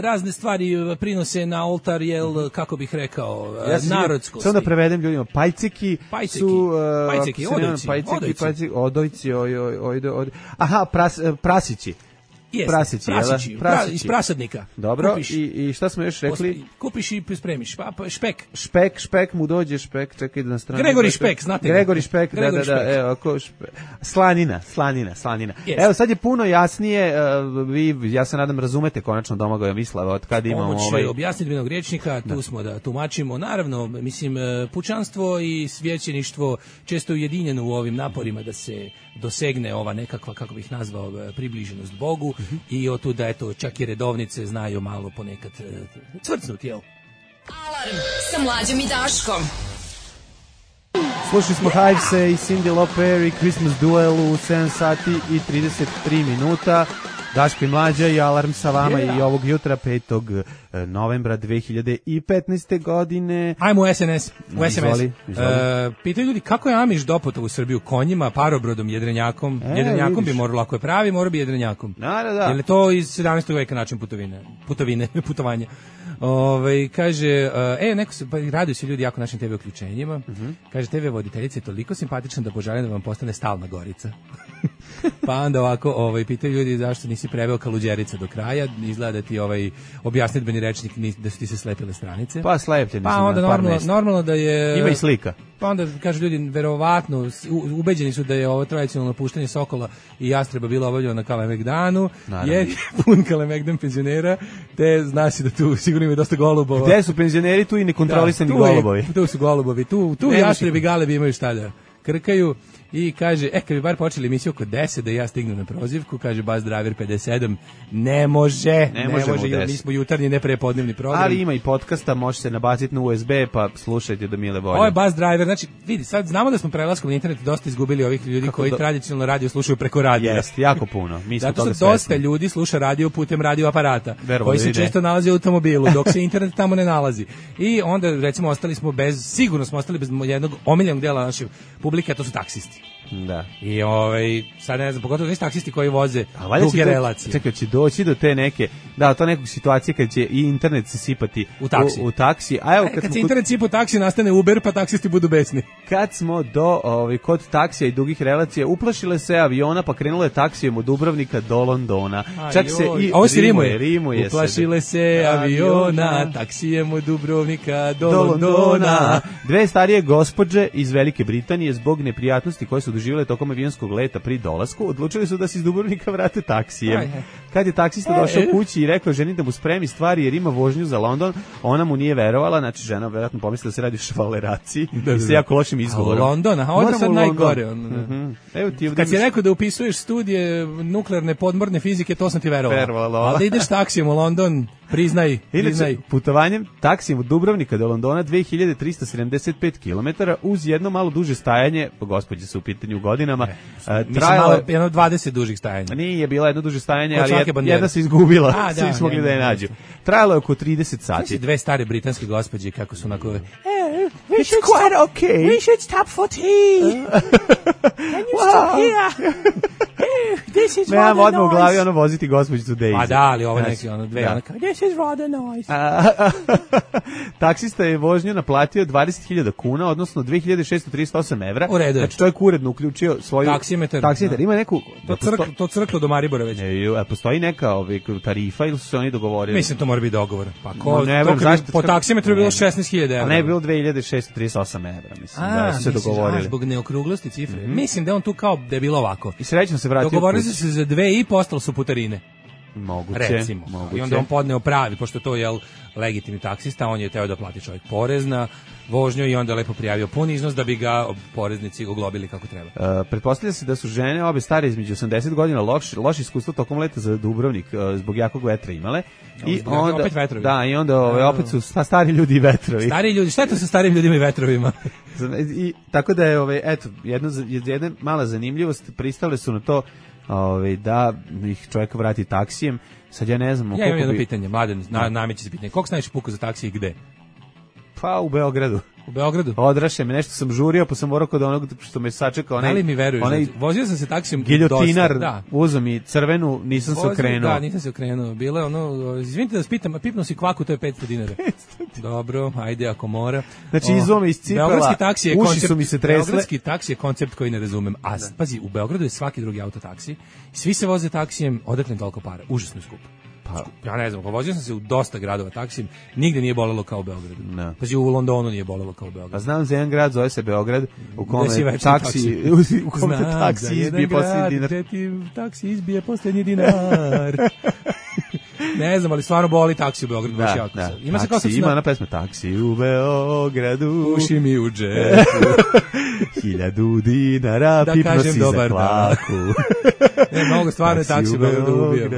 razne stvari prinose na oltar, jel, kako bih rekao, e, Ja se narodskosti. Samo da prevedem ljudima, pajceki, Pajceki, su... e, pajceki, ako se ne varam, odojci, pajceki, odojci. pajceki, odojci, oj, oj, oj, oj, aha, pras, prasići. Jeste, Prasići, jel da? prasići, pra- Prasići. iz prasadnika. Dobro, Kupiš, i, i šta smo još rekli? posp- kupiš i spremiš, pa, pa špek. Špek, špek mu dođe, špek, čekaj da na stranu. Gregori Špek, znate ga. Gregori Špek, da, Gregori da, da, Špek. evo, ko špe... Slanina, slanina, slanina. Jeste. Evo, sad je puno jasnije, uh, vi, ja se nadam, razumete konačno Domagoja Mislava, od kad imamo Pomoć ovaj... objasnitbenog rječnika, tu smo da tumačimo. Naravno, mislim, e, pučanstvo i svećeništvo često ujedinjeno u ovim naporima da se dosegne ova nekakva, kako bih nazvao, e, približenost Bogu i od tuda, eto, čak i redovnice znaju malo ponekad e, cvrcnut, jel? Alarm sa Mlađom i Daškom. Slušali smo Hivese i Cyndi Lauper i Christmas Duel u sedam sati i trideset tri minuta. Daško i Mlađa i Alarm sa vama Yeah. i ovog jutra petog novembra dve hiljade petnaeste godine. Ajmo u S N S, u S M S. Izvoli, izvoli. E, pitaju ljudi kako je Amiš doputao u Srbiju konjima, parobrodom, jedrenjakom. E, jedrenjakom vidiš. bi moralo, ako je pravi, mora bi jedrenjakom. Da, da, da. Je li to iz sedamnaestog veka način putovine, putovine, putovanja? Ove, kaže, e, neko se, pa raduju se ljudi jako našim te ve uključenjima. Kaže, te ve voditeljica je toliko simpatična da poželim da vam postane stalna Gorica. Pa onda ovako, ovaj, pitaju ljudi zašto nisi preveo Kaluđerica do kraja, izgleda da ti ovaj objasnitbeni rečnik ni- da su ti se slepile stranice. Pa slepljeni Pa su onda na par normalno, mesta. normalno da je... Ima i slika. Pa onda kažu ljudi, verovatno, s- u- ubeđeni su da je ovo tradicionalno puštanje Sokola i Jastreba bilo obavljeno na Kalemegdanu, Naravno. jer je pun Kalemegdan penzionera, te zna se da tu sigurno ima dosta golubova. Gde su penzioneri tu i nekontrolisani Da, tu je- golubovi? Tu su golubovi, tu, tu Ne može- Jastrebi i Galebi imaju šta da krkaju. I kaže, e, kad bi bar počeli emisiju oko deset da ja stignem na prozivku, kaže Buzz Driver pedeset sedam, ne može, ne, ne može, može jer mi smo jutarnji, ne prepodnevni program. Ali ima i podcasta, može se nabaciti na U S B, pa slušajte do mile volje. Ovo je Buzz Driver, znači, vidi, sad znamo da smo prelaskom na internet dosta izgubili ovih ljudi kako koji do... tradicionalno radio slušaju preko radija. Jeste, jako puno. Mi smo zato toga što dosta svesni. Ljudi sluša radio putem radio aparata, Verovatno koji se ide. često nalazi u automobilu, dok se internet tamo ne nalazi. I onda, recimo, ostali smo bez, sigurno smo ostali bez jednog omiljenog dela naše publike, a to su taksisti. Da. I ovaj sad ne znam, pogotovo nisu taksisti koji voze a duge to, relacije. Čekaj, će doći do te neke, da, to nekog situacije kad će i internet se sipati u taksi. U, u taksi. A evo kad, kad, kad smo se internet sipa u taksi, nastane Uber, pa taksisti budu besni. Kad smo do ovaj kod taksija i dugih relacija, uplašile se aviona, pa krenule je taksijem od Dubrovnika do Londona. Aj, Čak joj. se i ovo se rimuje, rimuje uplašile se, se aviona, taksijem od Dubrovnika do, do Londona. Londona. Dve starije gospođe iz Velike Britanije zbog neprijatnosti koje su doživjele tokom avionskog leta pri dolasku, odlučili su da se iz Dubrovnika vrate taksijem. Aj, kad je taksista došao kući i rekao ženi da mu spremi stvari jer ima vožnju za London, ona mu nije verovala, znači žena verovatno pomislila da se radi o švaleraciji da, i se jako lošim izgovorom. A London, a ovo je sad najgore. On, mm-hmm. Evo ti kad si rekao da upisuješ studije nuklearne podmorne fizike, to sam ti verovala. Verovala. Ali da ideš taksijem u London, priznaj, priznaj. Inače, putovanjem taksijem od Dubrovnika do Londona dve hiljade trista sedamdeset pet kilometara uz jedno malo duže stajanje, gospođe su u pitanju u godinama, e, uh, trajalo je jedno dvadeset dužih stajanja. Nije bilo jedno duže stajanje, ali jed, jedna se izgubila, a, svi da, smo mogli da je nađu. Trajalo je oko trideset sati. Znači dve stare britanske gospođe kako su onako hey, we should quite stop, okay. We should stop for tea. Can you wow. stop here? This is rather nice. Odmah u glavi ono voziti gospođicu Daisy. A da, ali ovo neki ono dve, da. Ono kao, this is rather nice. Taksista je vožnju naplatio dvadeset hiljada kuna, odnosno dve hiljade šessto trideset osam evra. U redu. Znači čovjek uredno uključio svoju taksimetar. Taksimetar. Ima neku... To, crk, to crklo do Maribora već. Ne, postoji neka ovaj, tarifa ili su se oni dogovorili? Mislim, to mora biti dogovor. Pa ko, ne, to, zašto, po taksimetru je bilo šesnaest hiljada evra. A ne je bilo dve hiljade šessto trideset osam evra, mislim, a, da su se dogovorili. A, zbog neokruglosti cifre. Mm-hmm. Mislim da on tu kao da je bilo ovako. I srećno se vratio. Dogovorili su se za dve i postalo su putarine. Moguće, recimo. moguće. I onda on podneo pravi, pošto to je jel, legitimni taksista, on je teo da plati čovjek porez na vožnju i onda lepo prijavio pun iznos da bi ga poreznici oglobili kako treba. Uh, pretpostavlja se da su žene obe stare između osamdeset godina loš, loš iskustvo tokom leta za Dubrovnik uh, zbog jakog vetra imale. I zbog onda, opet vetrovi. Da, i onda ove, opet su sta, stari ljudi i vetrovi. Stari ljudi, šta je to sa starim ljudima i vetrovima? I, tako da je, ove, eto, jedna, jedna mala zanimljivost, pristale su na to ove, da ih čovjek vrati taksijem. Sad ja ne znam... Ja imam jedno bi... pitanje, Mladen, na, nameće se pitanje. Koliko se najviše puka za taksi i gde? Pa u Beogradu. U Beogradu? Odraše me, nešto sam žurio, pa sam morao kod onog što me sačekao. Onaj, da li mi veruješ? Onaj, vozio sam se taksijom giljotinar, dosta. Da. Uzeo mi crvenu, nisam vozio, se okrenuo. Da, nisam se okrenuo. Bilo je ono, izvinite da spitam, pipnuo si kvaku, to je petsto dinara. Dobro, ajde ako mora. Znači, izvo me iscipala, Beogradski taksi je uši koncept, su mi se tresle. Beogradski taksi je koncept koji ne razumem. A, da. Pazi, u Beogradu je svaki drugi auto taksi, svi se voze taksijem, odakle toliko para, užasno skupo. Pa, ja ne znam, vozio sam se u dosta gradova taksijem, nigde nije bolelo kao u Beogradu. No. Pazi, u Londonu nije bolelo kao u Beogradu. Pa znam za jedan grad, zove se Beograd, u kome taksi, u kome taksi izbije posljednji dinar. Znam, ti taksi izbije posljednji dinar. Ne znam, ali stvarno boli taksi u Beogradu. Da, jako da. Ima, taksi, se ima na... ona pesma Taksi u Beogradu. Uši mi u džepu. Hiljadu dinara, da pipno si za klaku. Ne, mnogo stvarno je taksi u Beogradu ubio.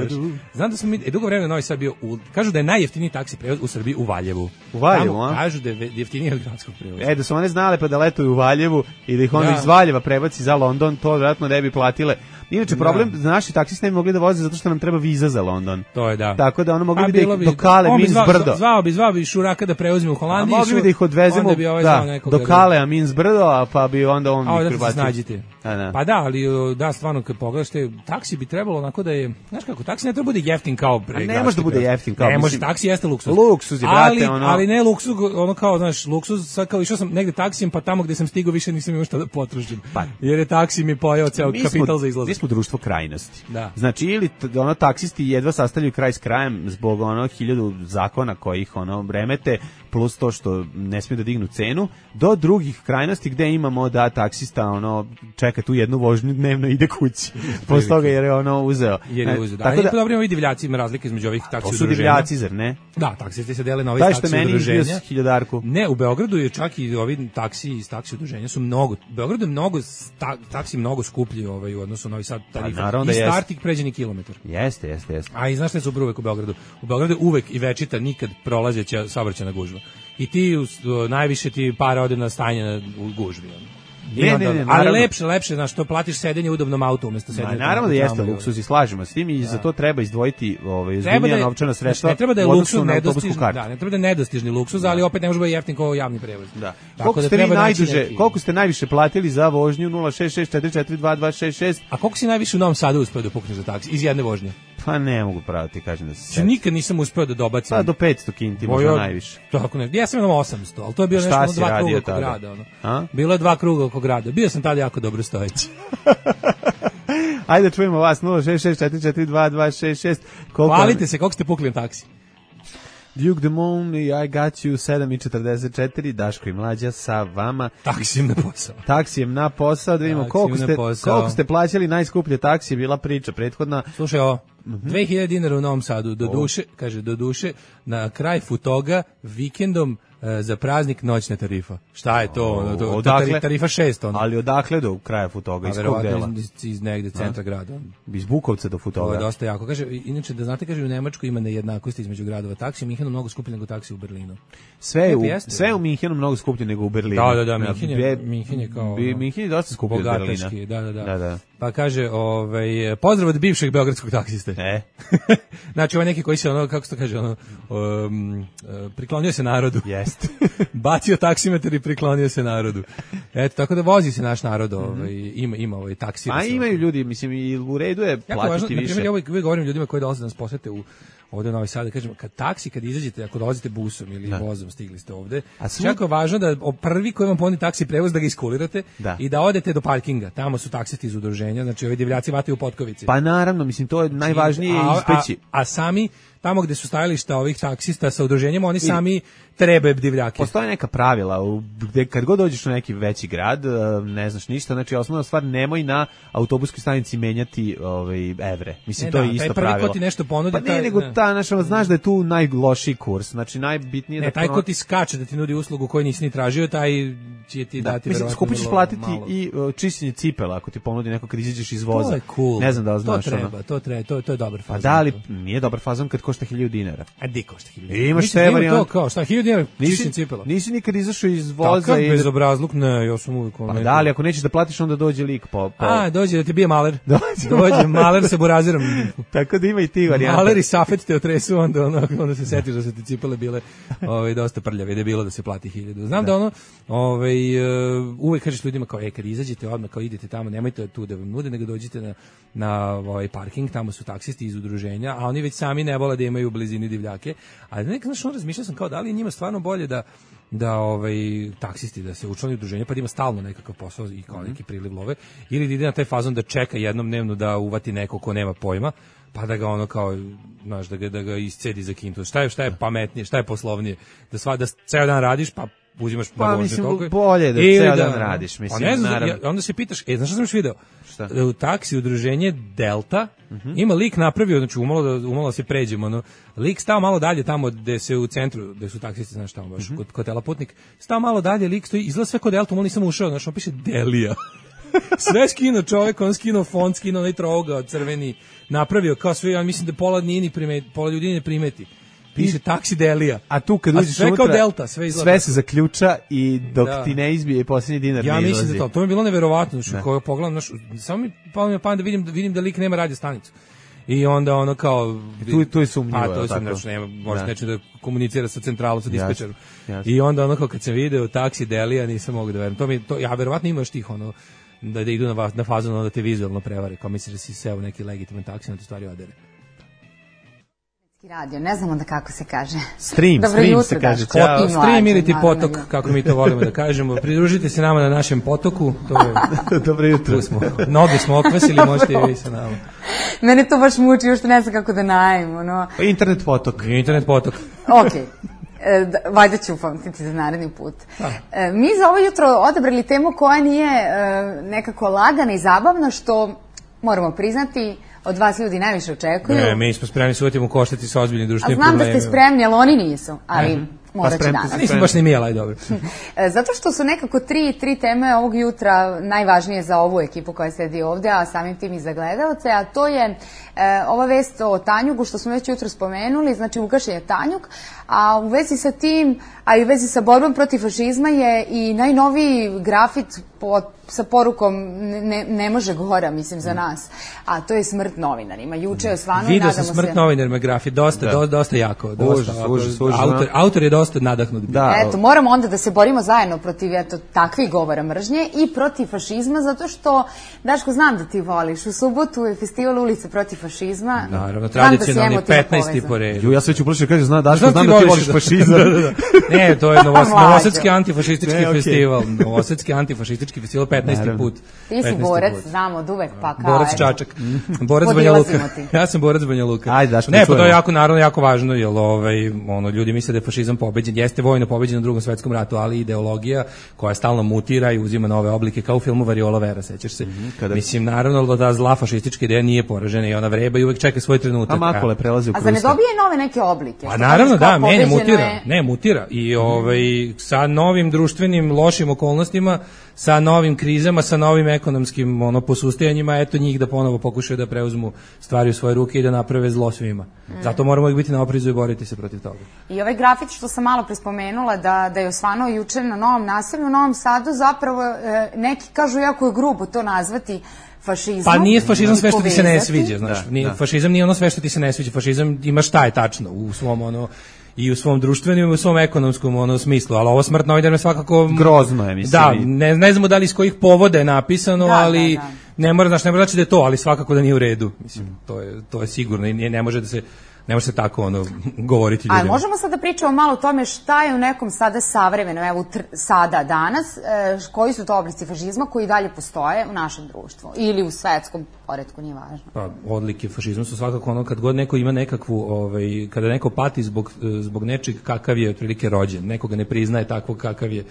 Znam da smo mi, e, dugo vremena Novi Sad bio, u, kažu da je najjeftiniji taksi prevoz u Srbiji u Valjevu. U Valjevu, Tamo, a? Kažu da je jeftiniji od gradskog prevoza. E, da su one znale pa da letuju u Valjevu i da ih onda da. iz Valjeva prebaci za London, to vjerojatno ne bi platile. Inače, problem, da. naši taksisti ne bi mogli da voze zato što nam treba viza za London. To je da. Tako da ono mogli bi da ih bi, do Kale, Mins zvao, brdo. Zvao bi, zvao bi Šuraka da preuzme u Holandiju. A mogli bi da ih odvezemo ovaj da, do Kale, a Mins brdo, a pa bi onda on... A da se snađite. A, da. Pa da, ali da, stvarno kad pogledaš te, taksi bi trebalo onako da je, znaš kako, taksi ne treba bude jeftin kao... A ne može da bude jeftin kao... Ne može, taksi jeste luksuz. Luksuz je, brate, ali, ono... Ali ne luksuz, ono kao, znaš, luksuz, sad kao išao sam negde taksijem, pa tamo gde sam stigao više nisam imao šta da potrošim. Pa. Jer je taksi mi pojeo ceo kapital za izlazak. Mi smo društvo krajnosti. Da. Znači, ili ono, taksisti jedva sastavljaju kraj s krajem zbog ono hiljadu zakona kojih ono remete, plus to što ne smiju da dignu cenu, do drugih krajnosti gde imamo da taksista ono čeka tu jednu vožnju dnevno ide kući. posle toga jer je ono uzeo. Jer je uzeo, da. Tako da, dobro, ima i divljaci, ima razlike između ovih taksi udruženja. To su divljaci, zar ne? Da, taksisti se dele na ove Daj taksi što meni udruženja. izbio hiljadarku. Ne, u Beogradu je čak i ovi taksi iz taksi udruženja su mnogo, u Beogradu je mnogo, ta, taksi mnogo skuplji ovaj, u odnosu na Novi Sad tarifa. Da I start ih pređeni kilometar. Jeste, jeste, jeste. A i znaš šta su uvek u Beogradu? U Beogradu je uvek i večita nikad prolazeća saobraćajna gužva. I ti u, najviše ti para ode na stanje na, u gužvi. Ne, ne, ne, ali lepše, lepše, znaš, to platiš sedenje u udobnom autu umesto sedenja. Naravno da jeste luksuz i slažemo s tim i za to treba izdvojiti ovaj ozbiljnija novčana sredstva. Ne treba da je luksuz nedostižni, da, ne treba da je nedostižni luksuz, ali opet ne može biti jeftin kao javni prevoz. Da. Koliko ste vi najduže, koliko ste najviše platili za vožnju nula šest šest četiri četiri dva dva šest šest? A koliko si najviše u Novom Sadu uspeo da pukneš za taksi iz jedne vožnje? Pa ne mogu pravo ti kažem da se. Ja nikad nisam uspeo da dobacim. Pa do petsto kinti možda najviše. Tako ne. Ja sam imao osamsto, al to je bilo nešto ono dva kruga oko grada, ono. A? Bilo je dva kruga oko grada. Bio sam tada jako dobro stojeći. Ajde čujemo vas nula šest šest četiri četiri dva dva šest šest. Hvalite se koliko ste pukli na taksi. Duke the Moon i I Got You sedam i četrdeset četiri, Daško i Mlađa sa vama. Taksijem na posao. Taksijem na posao, da vidimo koliko ste, koliko ste plaćali najskuplje taksije, bila priča prethodna. Slušaj ovo, mm-hmm. dve hiljade dinara u Novom Sadu, do duše, kaže, do duše, na kraj Futoga, vikendom, za praznik noćna tarifa. Šta je to? Ono, to, odakle, tarifa šest. Ono. Ali odakle do kraja Futoga? Iz kog dela? Iz, iz negde centra A? grada. Iz Bukovca do Futoga? To je dosta jako. Kaže, inače, da znate, kaže, u Nemačkoj ima nejednakosti između gradova taksi. U Minhenu mnogo skuplje nego taksi u Berlinu. Sve je u, sve u Minhenu mnogo skuplje nego u Berlinu. Da, da, da. Minhen je, Minhen je kao... Bi, Minhen je dosta skuplje od Berlina. Da, da, da. da, da. Pa kaže, ovaj, pozdrav od bivšeg beogradskog taksiste. E. Znači, ovaj neki koji se, ono, kako se to kaže, ono, um, priklonio se narodu. Jeste. Bacio taksimetar i priklonio se narodu. Eto, tako da vozi se naš narod, ovaj, ima, ima ovaj taksi. A imaju ljudi, mislim, i u redu je platiti važno, više. Na primjer, ja uvijek govorim ljudima koji dolaze da nas posete u ovde u Novi Sad, da kažem, kad taksi, kad izađete, ako dolazite busom ili da. vozom, stigli ste ovde, svu... jako je važno da prvi koji vam ponudi taksi prevoz, da ga iskulirate da. i da odete do parkinga. Tamo su taksisti iz udruženja, znači ovi divljaci vataju u potkovici. Pa naravno, mislim, to je najvažnije a, ispeći. A, a sami, tamo gde su stajališta ovih taksista sa udruženjem, oni sami trebe divljake. Postoje neka pravila, gde kad god dođeš u neki veći grad, ne znaš ništa, znači osnovna stvar, nemoj na autobuskoj stanici menjati ovaj, evre. Mislim, ne, to da, je isto taj pravilo. Prvi ko ti nešto ponudi, pa ne, taj, nego ne. ta, naša, znaš da je tu najlošiji kurs, znači najbitnije ne, da... taj ko ti skače da ti nudi uslugu koju nisi ni tražio, taj će ti da, dati mislim, verovatno skupo ćeš platiti malo. i uh, čišćenje cipela ako ti ponudi neko kad izađeš iz voza. To je cool. Ne znam da li znaš to treba, ono. To treba, to, to je dobar fazon. A da li nije dobar fazon kad košta hiljadu dinara? A di košta hiljadu dinara? Imaš te varijante. To kao, šta, hiljadu dinara čišćenje cipela? Nisi nikad izašao iz voza Takav i... bezobrazluk, ne, ja sam uvijek... Pa da li, ako nećeš da platiš, onda dođe lik po... po... A, dođe da ti bije maler. Dođe, dođe maler sa burazirom. Tako da ima i ti varijante. Maler i safet te otresu, onda, onda, onda se setiš da su ti cipele bile ovaj, dosta prljave, da je bilo da se plati hiljadu. Znam da, da ono, ovaj, uh, uvijek kažeš ljudima kao, e, kad izađete odmah, kao idete tamo, nemojte tu da vam nude, nego dođite na, na ovaj parking, tamo su taksisti iz udruženja, a oni već sami ne vole da imaju u blizini divljake. A nekako, znaš, on razmišljao sam kao, da li je njima stvarno bolje da da ovaj taksisti da se učlani u udruženje pa da ima stalno nekakav posao i kao neki priliv love ili da ide na taj fazon da čeka jednom dnevno da uvati neko ko nema pojma pa da ga ono kao znaš da ga da ga iscedi za kintu. Šta je šta je pametnije, šta je poslovnije da sva da ceo dan radiš pa uzimaš pa na mislim toliko, bolje da ceo dan radiš mislim pa ne znam, naravno. Ja, onda se pitaš e znaš šta sam još video šta? U taksi udruženje Delta uh-huh. ima lik napravio znači umalo da umalo da se pređemo no lik stao malo dalje tamo gde se u centru gde su taksisti znaš tamo baš uh-huh. kod kod Telaputnik stao malo dalje lik stoji izgleda sve kod Delta, on nisam ušao znači on piše Delija. Sve skino čovjek, on skino font, skino onaj trougao crveni, napravio kao sve, ja mislim da pola nije ni primeti, pola ljudi ne primeti. Piše taksi Delija. A tu kad uđeš sve unutra, kao Delta, sve izgleda. Sve se zaključa i dok da. ti ne izbije posljednji dinar ja ne izlazi. Ja mislim da to, to mi je bilo neverovatno, što koga pogledam, naš, samo mi palo mi pa da vidim, vidim da lik nema radio stanicu. I onda ono kao tu tu je sumnjivo. A to je sumnjivo, nema, može neće da komunicira sa centralom, sa dispečerom. I onda ono kao kad sam video taksi Delija, nisam mogao da verujem. To mi to ja verovatno ima još tih ono da, da idu na, na fazon da te vizualno prevare, kao misliš da si seo neki legitiman taksi, na to stvari odere. Radio, ne znam onda kako se kaže. Stream, Dobro stream jutro, se kaže. Ćao. Stream ili ti potok, kako mi to volimo da kažemo. Pridružite se nama na našem potoku. To je, dobro jutro. Smo, noge smo okvasili, možete i vi sa nama. Mene to baš muči, još ne znam kako da najem. Ono. Internet potok. Internet potok. Ok. E, da, valjda ću upamtiti za naredni put. E, mi za ovo jutro odabrali temu koja nije e, nekako lagana i zabavna, što moramo priznati, od vas ljudi najviše očekuju. Ne, mi smo spremni se uvatimo koštati sa ozbiljnim društvenim problemima. problemima. A znam da ste spremni, ali oni nisu, ali... Ne. Morat će danas. Nisam baš ni mijela, aj dobro. Zato što su nekako tri, tri teme ovog jutra najvažnije za ovu ekipu koja sedi ovde, a samim tim i za gledalce, a to je e, ova vest o Tanjugu, što smo već jutro spomenuli, znači ugašen je Tanjug, a u vezi sa tim, a i u vezi sa borbom protiv fašizma je i najnoviji grafit po, sa porukom ne, ne može gora, mislim, za nas, a to je smrt novinarima. Juče je osvano i nadamo se... Vidio sam smrt novinarima grafit, dosta, do, dosta jako. Dosta, užas, užas, užas, autor, autor je dosta nadahnut. Da, eto, moramo onda da se borimo zajedno protiv eto, takvih govora mržnje i protiv fašizma, zato što, Daško, znam da ti voliš. U subotu je festival Ulice protiv fašizma. Naravno, tradicionalni petnaesti po redu. Ju, ja sve ću uplašiti, kaže, zna, Daško, znam, znam da ti voliš fašizam. da, da, da. Ne, to je novos, novosadski antifašistički ne, okay. festival. Novosadski antifašistički festival, petnaesti put. Ti si borac, znamo od uvek, pa kao... Borac Čačak. Borac Banja Luka. Ja sam borac Banja Luka. Ajde, Daško, ne, pa to je jako, naravno, jako važno, jer ovaj, ono, ljudi misle da je fašizam pobeđen. Jeste vojno pobeđen u Drugom svetskom ratu, ali ideologija koja stalno mutira i uzima nove oblike, kao u filmu Variola Vera, sećaš se. Mm-hmm, kada... Mislim, naravno da zla fašistička ideja nije poražena i ona vreba i uvek čeka svoj trenutak. A makole prelazi u krusta. A za ne dobije nove neke oblike? A naravno, da, menja, mutira. Je... Ne, mutira. I ovaj, sa novim društvenim lošim okolnostima, sa novim krizama, sa novim ekonomskim ono, posustajanjima, eto njih da ponovo pokušaju da preuzmu stvari u svoje ruke i da naprave zlo svima. Mm. Zato moramo ih biti na oprezu i boriti se protiv toga. I ovaj grafit što sam malo prespomenula da, da je osvanuo juče na Novom naselju, u Novom Sadu, zapravo e, neki kažu jako je grubo to nazvati fašizmom. Pa nije fašizam sve što ti se ne sviđa, znaš. Da, nije, da. Fašizam nije ono sve što ti se ne sviđa. Fašizam ima šta je tačno u svom ono i u svom društvenom i u svom ekonomskom ono smislu, ali ovo smrt novinara je svakako grozno je, mislim. Da, ne, ne znamo da li iz kojih povoda je napisano, da, ali da, da. ne mora, znaš, ne mora znači da je to, ali svakako da nije u redu, mislim. Mm. To je to je sigurno i ne, ne može da se ne može se tako ono govoriti ljudima. Ali možemo sad da pričamo malo o tome šta je u nekom sada savremeno, evo tr, sada danas, e, koji su to oblici fašizma koji dalje postoje u našem društvu ili u svetskom poretku, nije važno. Pa odlike fašizma su svakako ono kad god neko ima nekakvu, ovaj, kada neko pati zbog, zbog nečeg kakav je otprilike rođen, nekoga ne priznaje takvog kakav je,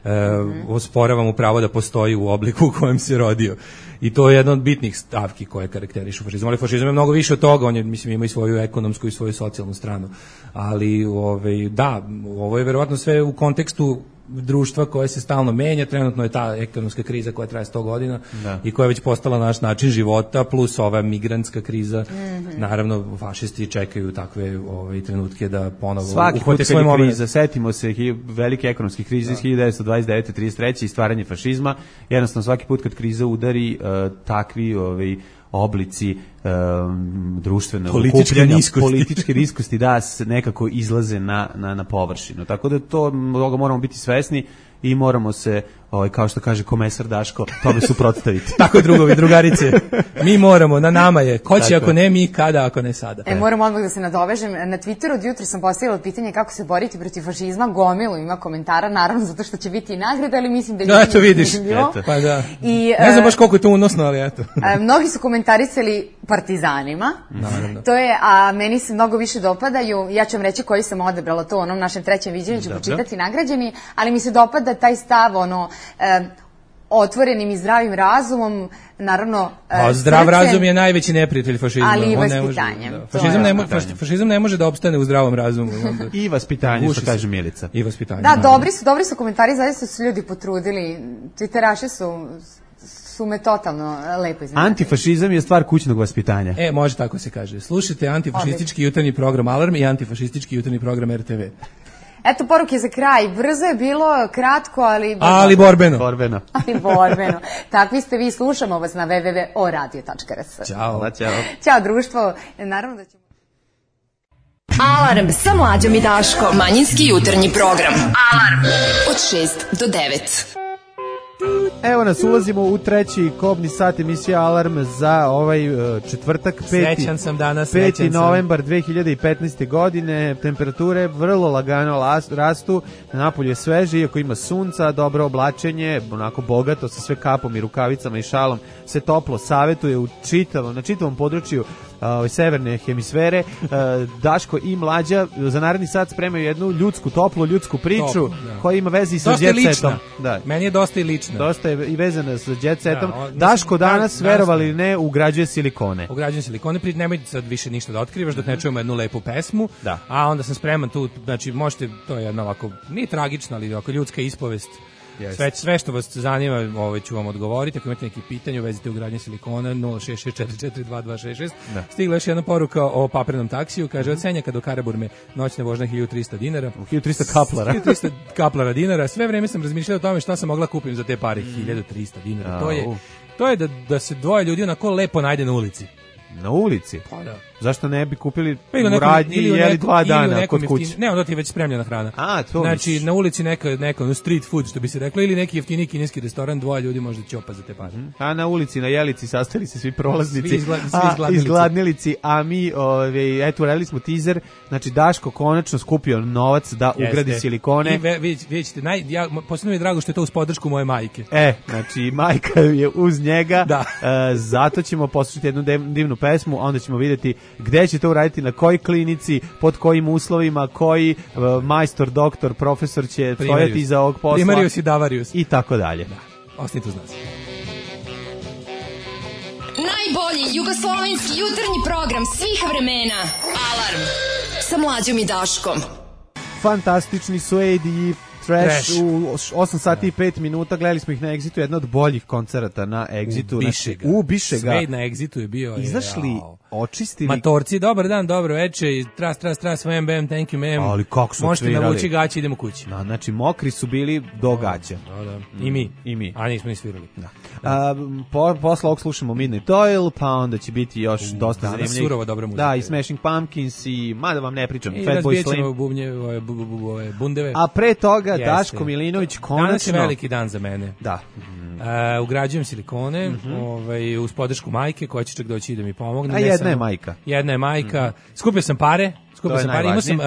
Uh, mm-hmm. osporava mu pravo da postoji u obliku u kojem se rodio. I to je jedna od bitnih stavki koje karakterišu fašizam. Ali fašizam je mnogo više od toga, on je, mislim, ima i svoju ekonomsku i svoju socijalnu stranu. Ali, ovaj, da, ovo je verovatno sve u kontekstu društva koje se stalno menja, trenutno je ta ekonomska kriza koja traje sto godina da. I koja je već postala naš način života, plus ova migrantska kriza. Mm-hmm. Naravno, fašisti čekaju takve ovaj, trenutke da ponovo svaki uhvate svoj moment. Kriza, setimo se velike ekonomske krize iz hiljadu devetsto dvadeset devete do trideset treće i stvaranje fašizma. Jednostavno, svaki put kad kriza udari, uh, takvi ovaj, oblici um, društvene političke niskosti. političke niskosti da se nekako izlaze na, na, na površinu. Tako da to toga moramo biti svesni i moramo se, ovaj, kao što kaže komesar Daško, tome suprotstaviti. Tako je, drugovi, drugarice. Mi moramo, na nama je. Ko će ako ne mi, kada ako ne sada. E, moram odmah da se nadovežem. Na Twitteru od jutra sam postavila pitanje kako se boriti protiv fašizma. Gomilu ima komentara, naravno zato što će biti i nagrada, ali mislim da je... Da, eto vidiš. Eto. Pa da. I, ne znam baš koliko je to unosno, ali eto. Mnogi su komentarisali partizanima. Naravno. To je, a meni se mnogo više dopadaju. Ja ću vam reći koji sam odebrala to u onom našem trećem viđenju, ću počitati nagrađeni, ali mi se dopada taj stav, ono, e, otvorenim i zdravim razumom, naravno... E, a zdrav srcem, razum je najveći neprijatelj fašizma. Ali i vaspitanjem. Da. Fašizam, ne mo, fašizam ne može da opstane u zdravom razumu. Onda I vaspitanje, što kaže Milica. I vaspitanje. Da, dobri su, dobri su komentari, zaista su ljudi potrudili. Twitteraši su... su me totalno lepo iznenadili. Antifašizam je stvar kućnog vaspitanja. E, može tako se kaže. Slušajte antifašistički jutarnji program Alarm i antifašistički jutarnji program R T V. Eto, poruke za kraj. Brzo je bilo, kratko, ali... Ali borbeno. borbeno. Ali borbeno. Takvi ste vi, slušamo vas na w w w tačka o radio tačka r s. Ćao. Ćao. Ćao, društvo. Naravno da ćemo... Alarm sa Mlađom i Daškom. Manjinski jutarnji program. Alarm od šest do devet. Evo nas, ulazimo u treći kobni sat emisija Alarm za ovaj četvrtak, peti, sam danas, peti novembar dve hiljade petnaeste. godine. Temperature vrlo lagano rastu, napolju je sveže, iako ima sunca, dobro oblačenje, onako bogato, sa sve kapom i rukavicama i šalom se toplo savetuje u čitavom, na čitavom području ove, severne hemisfere. Uh, Daško i Mlađa za naredni sat spremaju jednu ljudsku, toplu ljudsku priču Top, da. koja ima veze i sa Dosta je jet setom. lična. Da. Meni je dosta i lična. Dosta je i vezana sa jet setom. Da, o, mislim, Daško danas, dan- verovali ili danas- ne, ugrađuje silikone. Ugrađujem silikone, pri nemoj sad više ništa da otkrivaš dok ne čujemo jednu lepu pesmu. Da. A onda sam spreman tu, znači možete, to je jedna ovako, nije tragična, ali ovako ljudska ispovest. Jeste. Sve, sve što vas zanima, ovaj ću vam odgovoriti. Ako imate neki pitanje u vezi te ugradnje silikona, nula šest šest četiri četiri dva dva šest šest. Da. Stigla još jedna poruka o paprenom taksiju, kaže od Senjaka do Karaburme noćna vožnja hiljadu trista dinara. hiljadu trista kaplara. hiljadu trista kaplara dinara. Sve vreme sam razmišljao o tome šta sam mogla kupim za te pare, hiljadu trista dinara. To je Au. to je da da se dvoje ljudi onako lepo najde na ulici. Na ulici? Pa da. Zašto ne bi kupili Pa ili u u nekom- radnji i ili u jeli nekom- dva ili u dana nekom kod kuće? jeftin- Ne, onda ti je već spremljena hrana. A, to Znači, misliš. na ulici neka, neka ono, street food, što bi se reklo, ili neki jeftini kineski restoran, dvoje ljudi možda ćopa za te pare. A na ulici, na Jelici sastali se svi prolaznici, Svi izgla- svi a, izgladnilici. izgladnilici, a mi, ove, eto, uradili smo teaser, znači Daško konačno skupio novac da ugradi Jeste. silikone. I ve, vidjet, vidjet ćete, naj, ja, posebno mi je drago što je to uz podršku moje majke. E, znači, majka je uz njega, Da. e, zato ćemo poslušati jednu dev- divnu pesmu, onda ćemo vidjeti gde će to uraditi, na kojoj klinici, pod kojim uslovima, koji e, majstor, doktor, profesor će stojati iza ovog posla. Primarius i Davarius. I tako dalje. Ostanite uz nas. Najbolji jugoslovenski jutarnji program svih vremena. Alarm sa Mlađom i Daškom. Fantastični su A D i Trash, Trash. u osam sati i pet minuta, gledali smo ih na Exitu, jedna od boljih koncerata na Exitu. U Bišega. U Bišega. Sve na Exitu je bio. Izašli, jao. očistili. Matorci, dobar dan, dobro večer, tras, tras, tras, vam, bam, thank you, ma'am. Ali kako su Možete odsvirali. navući gaće, idemo kući. Da, znači, mokri su bili do gaća. Da, da. I mi. I mi. A nismo ni svirali. Da. A, po, posle ovog slušamo Midnight Oil, pa onda će biti još dosta danas zanimljivih. surova dobra muzika. Da, i Smashing Pumpkins i, mada vam ne pričam, I Fatboy razbijat ćemo Slim. bubnje, ove, bu, bu, bu, ove, bundeve. A pre toga Jeste. Daško Milinović konačno... Danas je veliki dan za mene. Da. Uh, ugrađujem silikone, Mhm. ovaj, uz podršku majke, koja će čak doći da mi pomogne. A Ne jedna samo- je majka. Jedna je majka. Skupio sam pare, To skupio je sam pare. Imao sam, uh,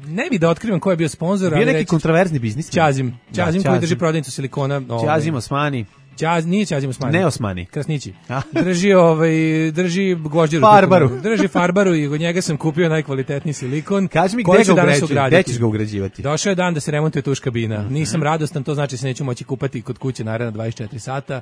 ne bi da otkrivam ko je bio sponsor, Bio ali neki reći- kontroverzni biznis. Ćazim, Ćazim Da, koji Ćazim. drži prodavnicu silikona. ovaj, Ćazim Osmani. Ćaz, nije Ćazim Osmani. Ne Osmani. Krasnići. A. Drži ovaj drži gvožđeru. Farbaru. Drži farbaru i od njega sam kupio najkvalitetniji silikon. Kaži mi koji gde ću ga danas ugrađuješ, ugraditi. gde ćeš ga ugrađivati? Došao je dan da se remontuje tuš kabina. Nisam radostan, to znači se neću moći kupati kod kuće naredna dvadeset četiri sata.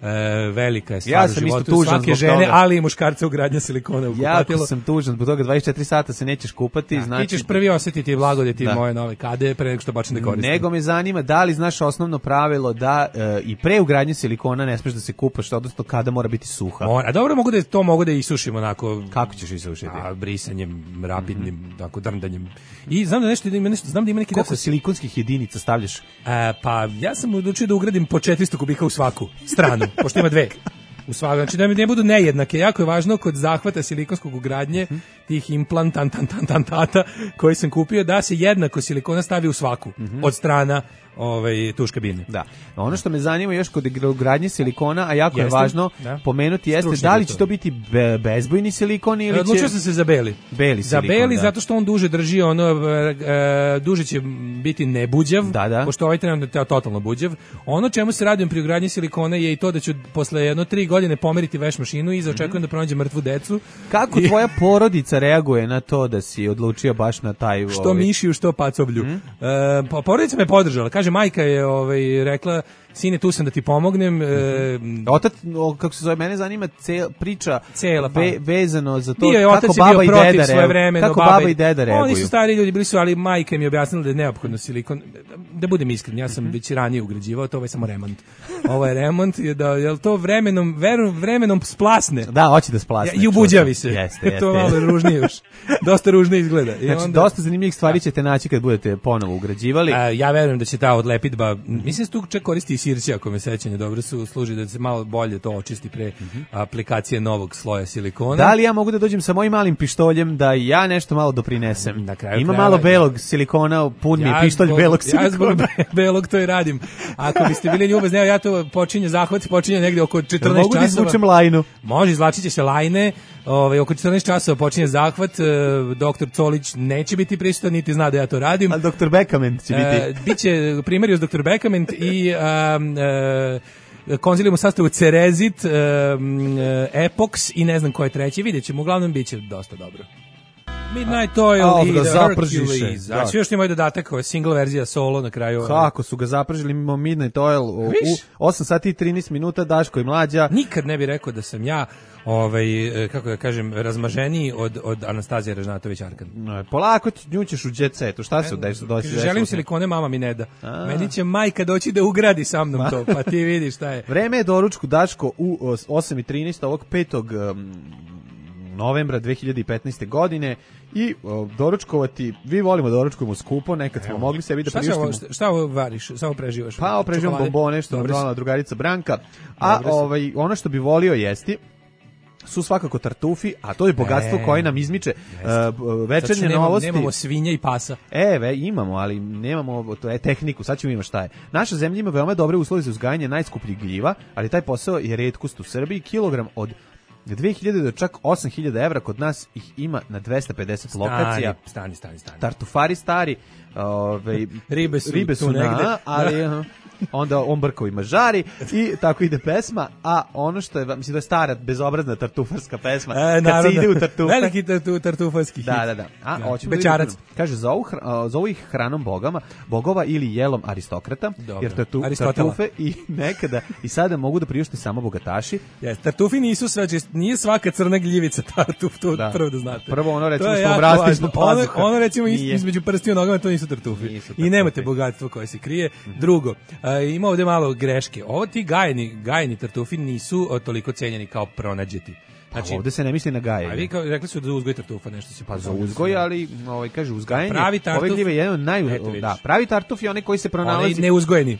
E, velika je stvar Ja u sam životu isto tužan svake zbog žene, toga. ali i muškarca ugradnja silikona u Jako kupatilo. sam tužan, zbog toga dvadeset četiri sata se nećeš kupati, Da, znači... ti ćeš prvi osjetiti blagodeti Da. moje nove kade pre nego što počnem da koristim. Nego me zanima da li znaš osnovno pravilo da e, i pre ugradnje silikona ne smeš da se kupaš, odnosno kada mora biti suha. Mora, a dobro mogu da to mogu da isušim onako Kako ćeš isušiti? a, brisanjem rapidnim, tako drndanjem. I znam da nešto ima nešto, znam da ima neki Koliko da silikonskih jedinica stavljaš? E, pa ja sam odlučio da ugradim po četiristo kubika u svaku stranu, pošto ima dve. U svaku, znači da mi ne budu nejednake. Jako je važno kod zahvata silikonskog ugradnje tih implantantantantata koji sam kupio da se jednako silikona stavi u svaku od strana ovaj tuš kabine. Da. Ono što me zanima još kod ugradnje silikona, a jako je Jeste, važno da. pomenuti jeste Stručni da li je će to. to biti be, bezbojni silikon ili Odlučio će... sam se za beli. Beli Za silikon, beli da. zato što on duže drži ono e, e, duže će biti nebuđav, Da, da. pošto ovaj trenutno je totalno buđav. Ono čemu se radujem pri ugradnji silikona je i to da ću posle jedno tri godine pomeriti veš mašinu i očekujem da pronađem mrtvu decu. Kako I- tvoja porodica reaguje na to da si odlučio baš na taj... Što ovaj- mišiju, što pacoblju. E, pa porodica me podržala. Kaže, majka je ovaj, rekla, sine, tu sam da ti pomognem. E, Otac, o, kako se zove, mene zanima cel, priča Cela, pa. ve, vezano za to Bio je otac kako je bio baba i protiv deda svoje reaguju. vremeno, Kako baba baba i deda reaguju. Oni su stari ljudi, bili su, ali majka mi je objasnila da je neophodno silikon. Da budem iskren, ja sam već ranije ugrađivao, to ovo je samo remont. Ovo je remont, je da, jel to vremenom, veru, vremenom splasne. Da, hoće da splasne. I ubuđavi se. Jeste, jeste. To je malo ružnije još. Dosta ružnije izgleda. I Znači, onda- dosta zanimljivih stvari ćete naći kad budete ponovo ugrađivali. A, ja verujem da će ta odlepidba, mislim da se tu čak koristi i sirće, ako me sećanje dobro su, služi da se malo bolje to očisti pre aplikacije novog sloja silikona. Da li ja mogu da dođem sa mojim malim pištoljem da i ja nešto malo doprinesem? Na kraju Ima krajeva- malo belog silikona, pun mi je pištolj zbog- belog Ja silikona. zbog be- belog to i radim. Ako biste bili ljubazni, evo ja to počinje zahvat, počinje negde oko četrnaest Mogu da časova. izvučem lajnu. Može, izvlačit će se lajne, ovaj, oko četrnaest časova počinje zahvat, e, doktor Colić neće biti prisutan, niti zna da ja to radim. Ali doktor Bekament će biti. E, biće primarius doktor Bekament i um, e, konzilijum u sastavu Cerezit, um, Epox i ne znam ko je treći, vidjet ćemo, uglavnom bit će dosta dobro. Midnight Oil a, i ga The Hercules. Da. Znači još ima i dodatak, ovo je single verzija solo na kraju. Kako su ga zapržili mimo Midnight Oil u, u osam sati i trinaest minuta, Daško i Mlađa. Nikad ne bih rekao da sam ja ovaj, kako da kažem, razmaženiji od, od Anastazije Ražnatović Arkan. No, polako ti njućeš u jet setu, šta se desi? Želim silikone, mama mi ne da. A. Meni će majka doći da ugradi sa mnom to, pa ti vidiš šta je. Vreme je doručku, Daško, u osam i trinaest ovog petog Um, novembra dve hiljade petnaeste. godine i o, doručkovati, vi volimo da doručkujemo skupo, nekad smo Evo. mogli sebi da priuštimo. Šta, šta ovo variš, samo preživaš? Pa ovo preživam bombone, što je donala drugarica Branka, a ovaj, ono što bi volio jesti su svakako tartufi, a to je bogatstvo e, koje nam izmiče uh, večernje nemamo, novosti. Nemamo svinje i pasa. E, ve, imamo, ali nemamo to je tehniku, sad ćemo imati šta je. Naša zemlja ima veoma dobre uslove za uzgajanje najskupljih gljiva, ali taj posao je retkost u Srbiji, kilogram od dve hiljade do čak osam hiljada evra, kod nas ih ima na dvesta pedeset stani, lokacija. Stani, stani, stani. Tartufari stari, ove, ribe su, ribe su na, ali onda on brkovima žari i tako ide pesma, a ono što je, mislim da je stara bezobrazna tartufarska pesma, e, kad se ide u tartufe. Veliki tartu, tartufarski hit. Da, da, da. A, ja. Bečarac. Da, kaže, zovu, zovu ih hranom bogama, bogova ili jelom aristokrata, dobro. Jer tartu, tartufe i nekada i sada mogu da priušte samo bogataši. Yes, tartufi nisu sve, nije svaka crna gljivica tartuf, to da. Prvo da znate. Prvo ono recimo što obrasti ispod pazuha. Ono, ono recimo nije. Između prstiju nogama, to nisu tartufi. Nisu tartufi. I nemate bogatstvo koje se krije. Mm-hmm. Drugo, a, ima ovde malo greške. Ovo ti gajeni, gajeni tartufi nisu o, toliko cenjeni kao pronađeti. Znači, ovde se ne misli na gajenje. A vi kao, rekli su da uzgoj tartufa nešto se pa za uzgoj, ali ovaj kaže uzgajanje. Pravi tartuf, ove gljive je jedan od naj da, pravi tartuf je onaj koji se pronalazi. Onaj neuzgojeni.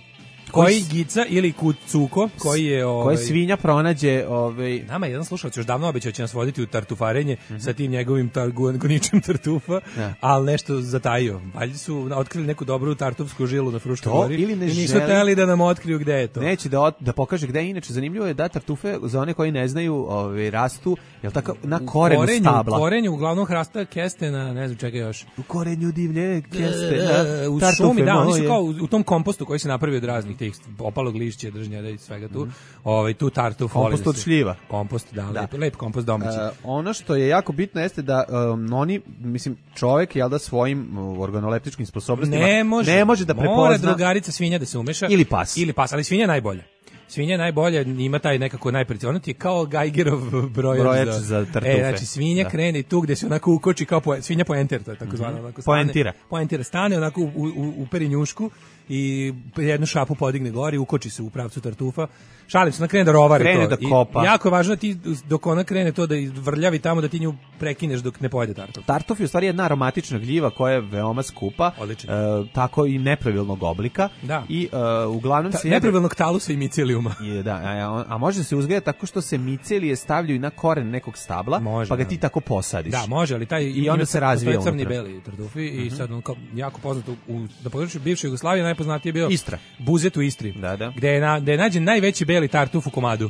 Koji gica ili kucuko, koji je ovaj koji svinja pronađe, ovaj nama jedan slušalac još davno obećao će nas voditi u tartufarenje mm-hmm. sa tim njegovim goničem tartufa, ja. Ali nešto zatajio. Valjda su otkrili neku dobru tartufsku žilu na Fruškoj gori i nisu hteli da nam otkriju gde je to. Neće da da pokaže gde je. Inače zanimljivo je da tartufe, za one koji ne znaju, ovaj rastu jel tako na korenu korenju, stabla. U korenju uglavnom hrasta keste na ne znam čega još. U korenju divlje keste na u šumi, da, oni su kao u tom kompostu koji se napravi od raznih tih opalog lišća, držnjada i svega tu. Mm. Ovaj tu tartuf kompost od šljiva. Kompost, da, da. Lep, lep kompost domaći. Uh, ono što je jako bitno jeste da um, oni, mislim, čovjek je da svojim uh, organoleptičkim sposobnostima ne može, ne može da prepozna. Mora drugarica svinja da se umeša. Ili pas. Ili pas, ali svinja je najbolja. Svinja je najbolja, ima taj nekako najprecizniji, ono ti je kao Geigerov brojač, brojač za, za tartufe. E, znači svinja da. Krene tu gde se onako ukoči kao po, svinja poenter, to je tako zvano. Onako stane, poentira. Poentira, stane onako u, u, u perinjušku i jednu šapu podigne gori, ukoči se u pravcu tartufa. Šalim se, ona krene da rovari krene to. Da kopa. I jako je važno da ti, dok ona krene to da vrljavi tamo, da ti nju prekineš dok ne pojede tartuf. Tartuf je u stvari jedna aromatična gljiva koja je veoma skupa, e, tako i nepravilnog oblika. Da. I e, uglavnom Ta, se... Nepravilnog talusa i micelijuma. Je, da, a, a može se uzgaja tako što se micelije stavljaju na koren nekog stabla, može, pa ga ti tako posadiš. Da, može, ali taj i onda se razvija unutra. Crni beli tartufi uh-huh. i sad on kao jako poznato u na području bivše Jugoslavije najpoznatiji je bio Istra. Buzet u Istri. Da, da. Gde je na, gde je nađen najveći beli tartuf u komadu.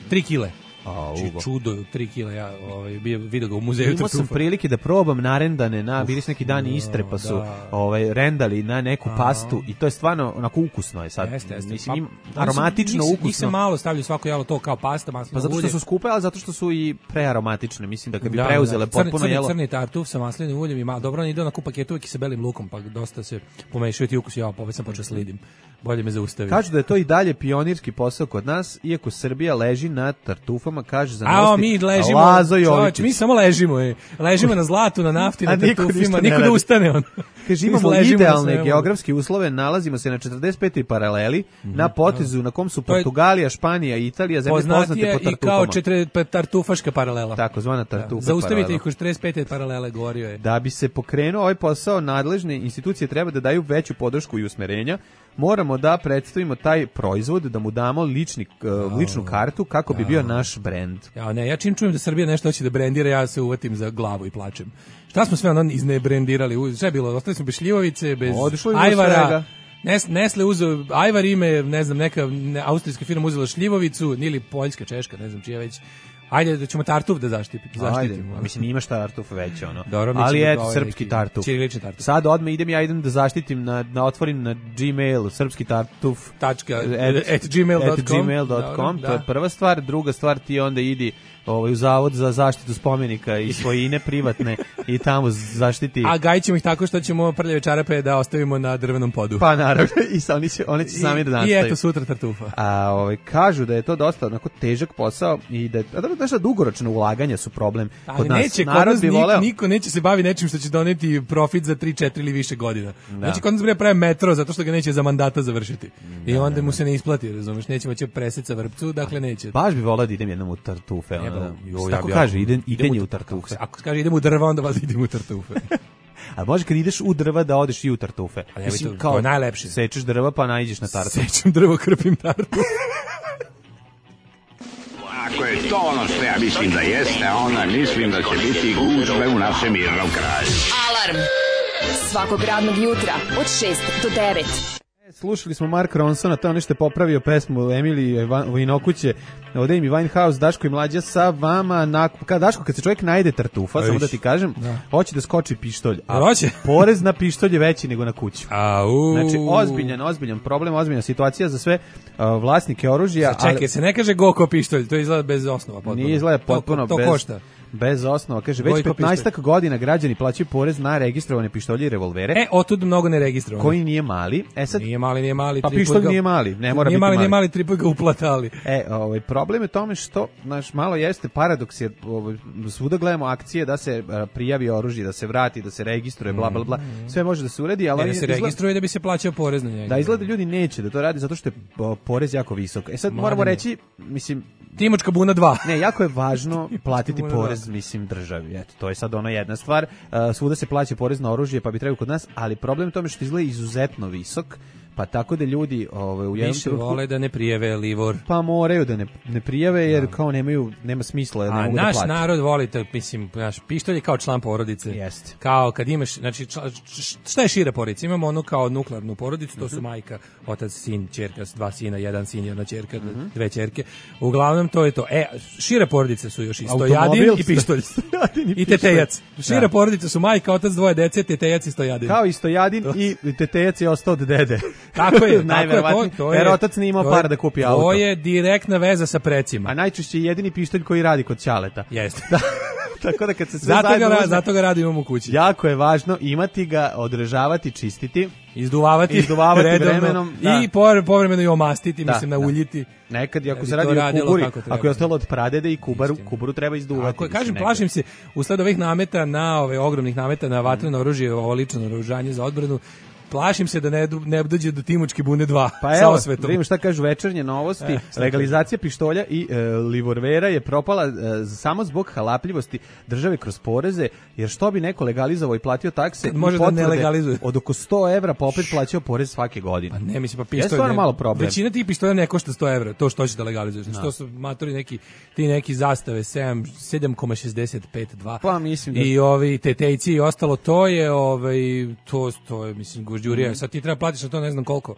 tri kile. A, čudo, tri kile, ja ovaj, bio, vidio ga u muzeju tartufa. Imao sam prilike da probam narendane, na, bili su neki dani Istre, pa su da. ovaj, rendali na neku a, pastu i to je stvarno onako ukusno je sad. Jeste, jeste. Mislim, im, aromatično, njih, ukusno. Njih se malo stavljaju svako jelo to kao pasta, maslino ulje. Pa zato što su skupe, ali zato što su i prearomatične. Mislim da kad bi da, preuzele da. potpuno crni, jelo. Crni tartuf sa maslinim uljem i malo dobro, on ide onako u paketu i sa belim lukom, pa dosta se pomešaju ti ukusi, ja pa već sam počeo slidim. Bolje me zaustavi. Kažu da je to i dalje pionirski posao kod nas, iako Srbija leži na tartufama, kaže za A mi ležimo, čovječ, mi samo ležimo, je. Ležimo na zlatu, na nafti, na tartufima, niko da ustane on. Kaže, imamo idealne geografske uslove, nalazimo se na četrdeset petoj paraleli, mm-hmm. na potezu na kom su Portugalija, Španija i Italija, zemlje poznate po tartufama. I kao četiri tartufaška paralela. Tako zvana tartufa. Da. Zaustavite ih u četrdeset pete paralele, govorio je. Da bi se pokrenuo ovaj posao, nadležne institucije treba da daju veću podršku i usmerenja. Moramo da predstavimo taj proizvod, da mu damo lični, uh, ličnu kartu kako bi bio naš brend. Ja, ne, ja čim čujem da Srbija nešto hoće da brendira, ja se uvatim za glavu i plačem. Šta smo sve ono iznebrendirali? Sve je bilo, ostali smo bez šljivovice, bez ajvara, Nes, Nestle uzeo ajvar ime, ne znam, neka ne, austrijska firma uzela šljivovicu, ili poljska, češka, ne znam čija već. Ajde da ćemo tartuf da zaštitimo. Ajde, mislim imaš tartuf već ono. Dobro, ali eto ovaj srpski tartuf. Ćirilični tartuf. Sad odmah idem ja idem da zaštitim na, na otvorim na Gmail srpski tartuf tačka at, at gmail dot com. gmail dot com. To je prva stvar, druga stvar ti onda idi ovaj u zavod za zaštitu spomenika i svojine privatne i tamo zaštiti. A gajćemo ih tako što ćemo prljave čarape da ostavimo na drvenom podu. Pa naravno, i sa oni će oni će sami da nastaju. I eto sutra tartufa. A ovaj kažu da je to dosta onako težak posao i da a da nešto dugoročno ulaganja su problem ali kod nas. Neće, narod bi voleo. Niko neće se bavi nečim što će doneti profit za tri četiri ili više godina. Da. Neće kod nas bre pravi metro zato što ga neće za mandata završiti. Da, I onda da, mu se ne isplati, razumeš, nećemo će preseca vrpcu, dakle neće. Baš bi voleo da idem jednom u tartufe, ono. Da, jo, tako ja kaže, ide, idenje u tartufe. Ako kaže idemo u drva, onda vas idemo u tartufe. A može kad ideš u drva da odeš i u tartufe. Mislim, to, kao, to je najlepše. Sečeš drva pa naiđeš na tartuf. Sečem drvo, krpim tartuf. Ako je to ono što ja mislim da jeste, onda mislim da će biti gužve u našem mirnom kraju. Alarm svakog radnog jutra od šest do devet. Slušali smo Mark Ronsona, to je nešto je popravio pesmu Emilije Vinokuće, ovdje im i Winehouse, Daško i Mlađa sa vama. Na, kad Daško, kad se čovjek najde tartufa, Ejš. samo da ti kažem, da. hoće da skoči pištolj. A hoće? Porez na pištolj je veći nego na kuću. Au. Znači, ozbiljan, ozbiljan problem, ozbiljna situacija za sve uh, vlasnike oružja. Sa, čekaj, ali, se ne kaže goko pištolj, to izgleda bez osnova. Potpuno. Nije izgleda potpuno to, to bez... košta. Bez osnova, kaže, već petnaestak godina građani plaćaju porez na registrovane pištolje i revolvere. E, otud mnogo neregistrovane. Koji nije mali. E sad, nije mali, nije mali. Pa pištolj ga, nije mali, ne mora nije biti mali. mali, nije mali, tri put ga uplatali. E, ovaj, problem je tome što, znaš, malo jeste paradoks, jer ovaj, svuda gledamo akcije da se uh, prijavi oružje, da se vrati, da se registruje, bla, bla, bla, sve može da se uredi, ali... Ne, da se izgleda, registruje da bi se plaćao porez na njega. Da, izgleda ljudi neće da to radi zato što je uh, porez jako visok. E sad Mladine. moramo reći, mislim... Timočka buna dva. Ne, jako je važno platiti porez, mislim, državi. Eto, to je sad ona jedna stvar. Uh, svuda se plaća porez na oružje, pa bi trebalo kod nas, ali problem je tome što izgleda izuzetno visok, pa tako da ljudi ovaj u jednom više vole da ne prijave livor. Pa moraju da ne ne prijave jer da. kao nemaju nema smisla, ne mogu da plate. A naš narod voli to, mislim, naš pištolj je kao član porodice. Jeste. Kao kad imaš, znači šta je šira porodica? Imamo ono kao nuklearnu porodicu, to su majka, otac, sin, ćerka, dva sina, jedan sin, jedna ćerka, mm-hmm. dve ćerke. Uglavnom to je to. E, šire porodice su još i stojadin i pištolj. I tetejac. Šire da. porodice su majka, otac, dvoje dece, tetejac i stojadin. Kao i stojadin i tetejac je ostao od dede. Tako je, tako je, to, to je. Jer otac nije imao para da kupi auto. To je direktna veza sa precima. A najčešće je jedini pištolj koji radi kod ćaleta. Jeste. Tako da kad se sve zato zajedno ga, uzme, zato ga radimo u kući. Jako je važno imati ga, održavati, čistiti, izduvavati, izduvavati redovno, vremenom da. i povremeno i omastiti, da, mislim na uljiti. Nekad ako se radi o kuburi, ako je ostalo od pradede i kubaru, kuburu treba izduvati. Ako kažem, plašim se usled ovih nameta na ove ogromnih nameta na vatreno oružje, ovo lično naoružanje za odbranu. Plašim se da ne, ne dođe do Timočke bune dva. Pa evo, vidimo šta kažu večernje novosti. E, legalizacija pištolja i e, livorvera je propala e, samo zbog halapljivosti države kroz poreze, jer što bi neko legalizovao i platio takse i može da ne legalizuje. Od oko sto evra pa opet plaćao porez svake godine. Pa ne, mislim, pa pištolj... Je malo problem. Većina tih pištolja ne košta sto evra, to što će da legalizuješ. No. Što su matori neki, ti neki zastave sedam zarez šezdeset pet dva. Pa mislim da... I ovi tetejci i ostalo, to je, ovaj, to, to je, mislim, Đurija, mm. sad ti treba platiš na to ne znam koliko,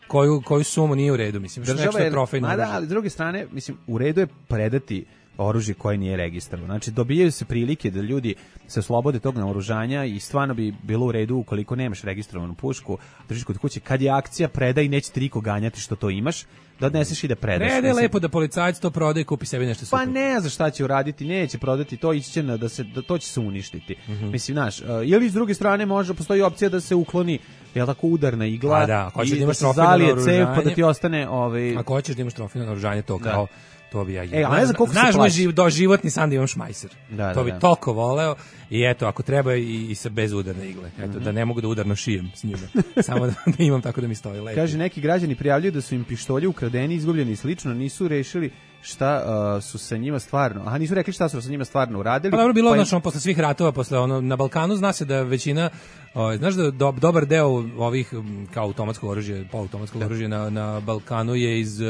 koju, koju sumu nije u redu, mislim, što nešto je trofejno. Ma da, ali s druge strane, mislim, u redu je predati oružje koje nije registrovano. Znači, dobijaju se prilike da ljudi se oslobode tog naoružanja i stvarno bi bilo u redu ukoliko nemaš registrovanu pušku, držiš kod kuće, kad je akcija predaj, neće ti niko ganjati što to imaš, da odneseš i da predaš. Prede je lepo da policajac to prodaje i kupi sebi nešto super. Pa ne, za šta će uraditi, neće prodati, to ići će na, da se, da to će se uništiti. Mm-hmm. Mislim, znaš, uh, ili s druge strane može, postoji opcija da se ukloni, jel tako, udarna igla, a da, i da, da se zalije cev, pa da ti ostane... Ovaj... Ako hoćeš da imaš trofejno naoružanje, to kao... Da. To bi ja e, a ne znam koliko znaš se moj živ, do životni san da imam šmajser. Da, to da, bi da. toliko voleo i eto, ako treba i, i sa bez udarne igle. Eto, mm-hmm. da ne mogu da udarno šijem s njima. Samo da, da imam tako da mi stoji lepo. Kaže, neki građani prijavljuju da su im pištolji ukradeni, izgubljeni i slično, nisu rešili šta uh, su sa njima stvarno. Aha, nisu rekli šta su sa njima stvarno uradili. Pa dobro, bilo pa im... ono posle svih ratova, posle ono na Balkanu zna se da većina, o, znaš da do, dobar deo ovih kao automatskog oružja, poluautomatskog oružja na na Balkanu je iz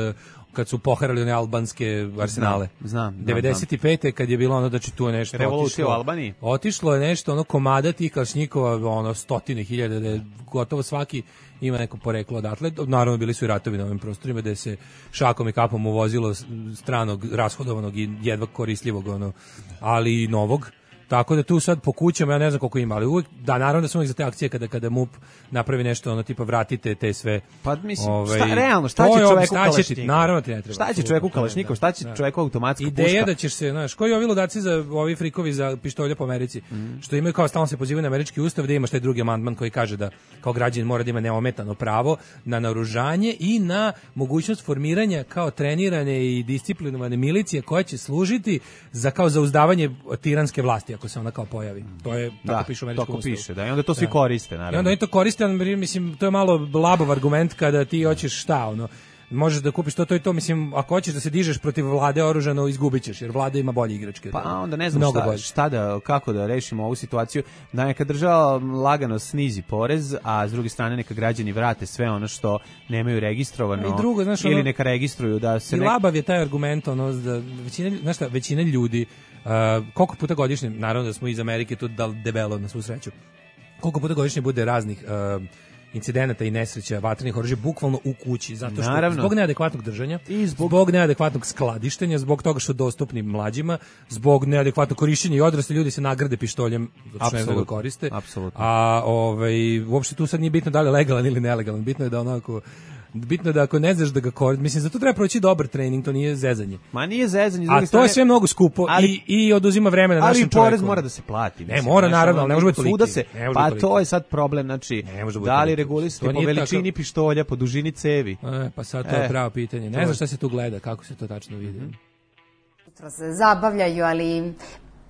kad su poharali one albanske arsenale. Znam, znam. devedeset pete kad je bilo ono da će tu nešto revolucija otišlo. u Albaniji. Otišlo je nešto ono komada tih kalasnjikova, ono stotine hiljada, da je gotovo svaki ima neko poreklo odatle. Naravno bili su i ratovi na ovim prostorima gde se šakom i kapom uvozilo stranog, rashodovanog i jedva koristljivog, ono, ali i novog. Tako da tu sad po kućama, ja ne znam koliko ima, ali uvijek, da, naravno da su uvijek za te akcije kada, kada M U P napravi nešto, ono, tipa vratite te sve... Pa mislim, ovaj, šta, realno, šta će čoveku Kalašnikov? Naravno ti ne treba. Šta će čoveku Kalašnikov, šta će čoveku automatska puška? Ideja da ćeš se, znaš, koji ovi ludaci za ovi frikovi za pištolje po Americi, mm. što imaju kao stalno se pozivaju na američki ustav, da imaš taj drugi amandman koji kaže da kao građanin mora da ima neometano pravo na naoružanje i na mogućnost formiranja kao trenirane i disciplinovane milicije koje će služiti za kao zauzdavanje tiranske vlasti ako se ona kao pojavi. To je tako da, piše u američkom ustavu. Piše, da, i onda to svi da. koriste, naravno. I onda oni to koriste, mislim, to je malo labov argument kada ti hoćeš šta, ono, možeš da kupiš to, to i to, mislim, ako hoćeš da se dižeš protiv vlade oružano, izgubit ćeš, jer vlada ima bolje igračke. Pa onda ne znam šta, šta da, kako da rešimo ovu situaciju, da neka država lagano snizi porez, a s druge strane neka građani vrate sve ono što nemaju registrovano, i drugo, znaš, ili ono, neka registruju. Da se i nek... labav je taj argument, ono, da većina, znaš šta, većina ljudi, uh, koliko puta godišnje, naravno da smo iz Amerike tu dal debelo na svu sreću, koliko puta godišnje bude raznih uh, incidenata i nesreća vatrenih oružja bukvalno u kući, zato što Naravno. zbog neadekvatnog držanja, i zbog... zbog neadekvatnog skladištenja, zbog toga što dostupni mlađima, zbog neadekvatnog korišćenja i odrasli ljudi se nagrade pištoljem, zato što ne znaju da koriste. Apsolutno. A ovaj, uopšte tu sad nije bitno da li je legalan ili nelegalan, bitno je da onako bitno je da ako ne znaš da ga koristiš, mislim, zato treba proći dobar trening, to nije zezanje. Ma nije zezanje. A to strane, je sve mnogo skupo ali, i, i oduzima vremena našem čovjeku. Ali porez mora da se plati. Mislim, ne, mora naravno, ali ne može biti toliki. Se, pa to je sad problem, znači, da li regulisati po veličini tako... pištolja, po dužini cevi? E, pa sad to je e, pravo pitanje. Ne znam šta se tu gleda, kako se to tačno vidi. Jutro se zabavljaju, ali...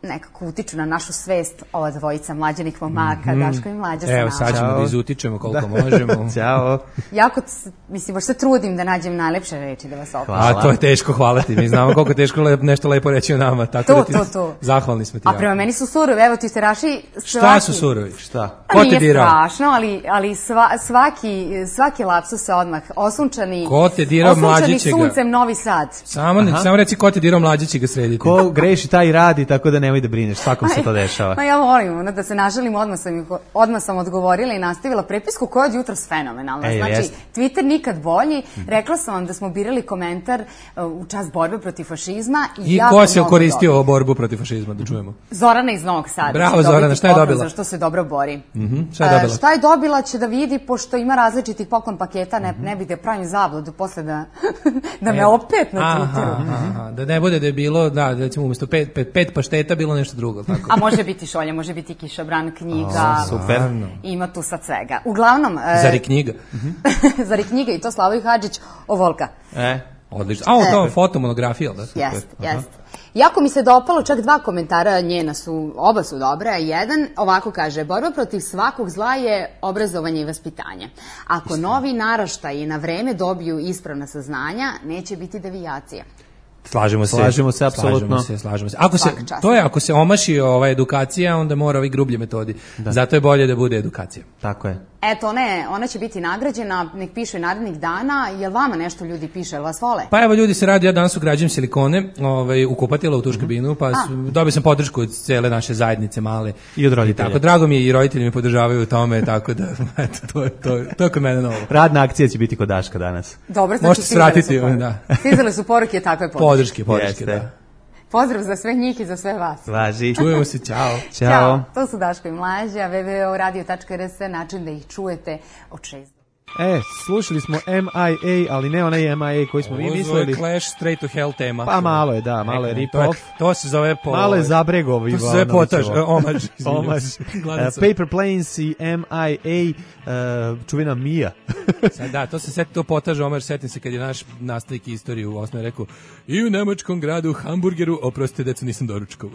nekako utiču na našu svest ova dvojica mlađenih momaka, mm-hmm. Daško i Mlađa sa nama. Evo, sad ćemo da izutičemo koliko da. možemo. Ćao. Jako, mislim, baš se trudim da nađem najlepše reči da vas opišem. A to je teško, hvala ti. Mi znamo koliko teško lep, nešto lepo reći o nama. Tako to, da ti to, to. Zahvalni smo ti. A prema meni su surovi, evo ti se raši svaki... Šta su surovi? Šta? Ko te dirao? Nije strašno, ali, ali sva, svaki, svaki lapsus se odmah osunčani. Ko te dirao Mlađića? Osunčani suncem Novi Sad. Samo, samo reci ko te dirao Mlađića ga srediti. Ko greši taj radi, tako da nemoj da brineš. Tako se to dešava. Ma ja volim, ono, da se nažalim, odmah sam, odmah sam odgovorila i nastavila prepisku koja je od jutros fenomenalna. Ej, znači, jest. Twitter nikad bolji. Rekla sam vam da smo birali komentar uh, u čast borbe protiv fašizma. I, I ko se koristio o borbu protiv fašizma, da čujemo? Zorana iz Novog Sada. Bravo Zorana, šta je dobila? Zašto se dobro bori. Mm-hmm. Šta je dobila? Uh, šta je dobila će da vidi, pošto ima različitih poklon paketa, ne, ne bi da pravim zabludu posle da, da me e, opet na Twitteru. Aha, aha, da ne bude da je bilo, da, recimo umjesto pet, pet, pet pašteta bilo nešto drugo. Tako. A može biti šolja, može biti kišobran, knjiga. O, super. Ima tu sad svega. Uglavnom... Zari knjiga. Zari knjiga i to Slavoj Hadžić o Volka. E, odlično. A, ovo to e. fotomonografija, da? Jeste, jeste. Jako mi se dopalo, čak dva komentara njena su, oba su dobra. Jedan ovako kaže, borba protiv svakog zla je obrazovanje i vaspitanje. Ako novi naraštaji na vreme dobiju ispravna saznanja, neće biti devijacija. Slažemo se, slažemo se apsolutno. Slažemo se, slažemo se. Ako se to je ako se omaši ova edukacija, onda mora ovi grublji metodi. Da. Zato je bolje da bude edukacija. Tako je. Eto, ne, ona će biti nagrađena, nek piše narednih dana. Jel vama nešto ljudi piše, jel vas vole? Pa evo ljudi se radi, ja danas ugrađujem silikone, ovaj u kupatilo u tuš kabinu, pa dobio sam podršku od cele naše zajednice male i od roditelja. Tako drago mi je i roditelji me podržavaju u tome, tako da eto to je to to kod mene novo. Radna akcija će biti kod Daška danas. Dobro, znači možete svratiti, da. Stizale su poruke takve podrške. Podrške, podrške, da. Pozdrav za sve njih i za sve vas. Važi. Čujemo se, čao. Ćao. Ćao. To su Daško i Mlađa, w w w tačka radio tačka r s, način da ih čujete od šest. E, slušali smo M I A, ali ne onaj M I A koji smo mi mislili. Ovo Clash Straight to Hell tema. Pa malo je, da, malo je rip-off. To se zove po... Malo je zabregovi. To se zove potaž, omaž. Omaž. Paper Planes i M I A, uh, čuvena Mija. Sad, da, to se seti, to potaž, omaž, setim se kad je naš nastavnik istoriju u osnovi rekao i u nemačkom gradu Hamburgeru, oprostite, deco, nisam doručkao.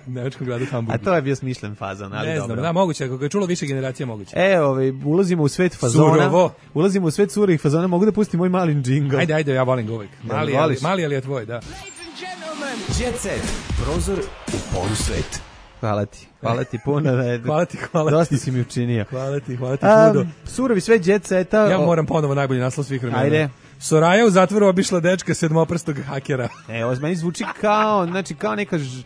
U nemačkom gradu Hamburgeru. A to je bio smišljen fazon, ali ne dobro. Ne znam, da, moguće, ako ga je čulo više generacija, moguće. E, ovaj, ulazimo u svet fazona. Surovo. Ulazimo u svet surovih fazona, mogu da pustim moj mali džingl. Ajde, ajde, ja volim ga uvijek. Mali, ali, mali, ali je tvoj, da. Jet Set, prozor u polusvet. hvala ti. Hvala ti puno. Hvala ti, hvala ti. Dosta si mi učinio. Hvala ti, hvala ti puno. Um, surovi sve jet seta. Ja moram ponovo najbolji naslov svih vremena. Ajde. Soraja u zatvoru obišla dečka sedmoprstog hakera. E, ovo meni zvuči kao, znači kao neka ž...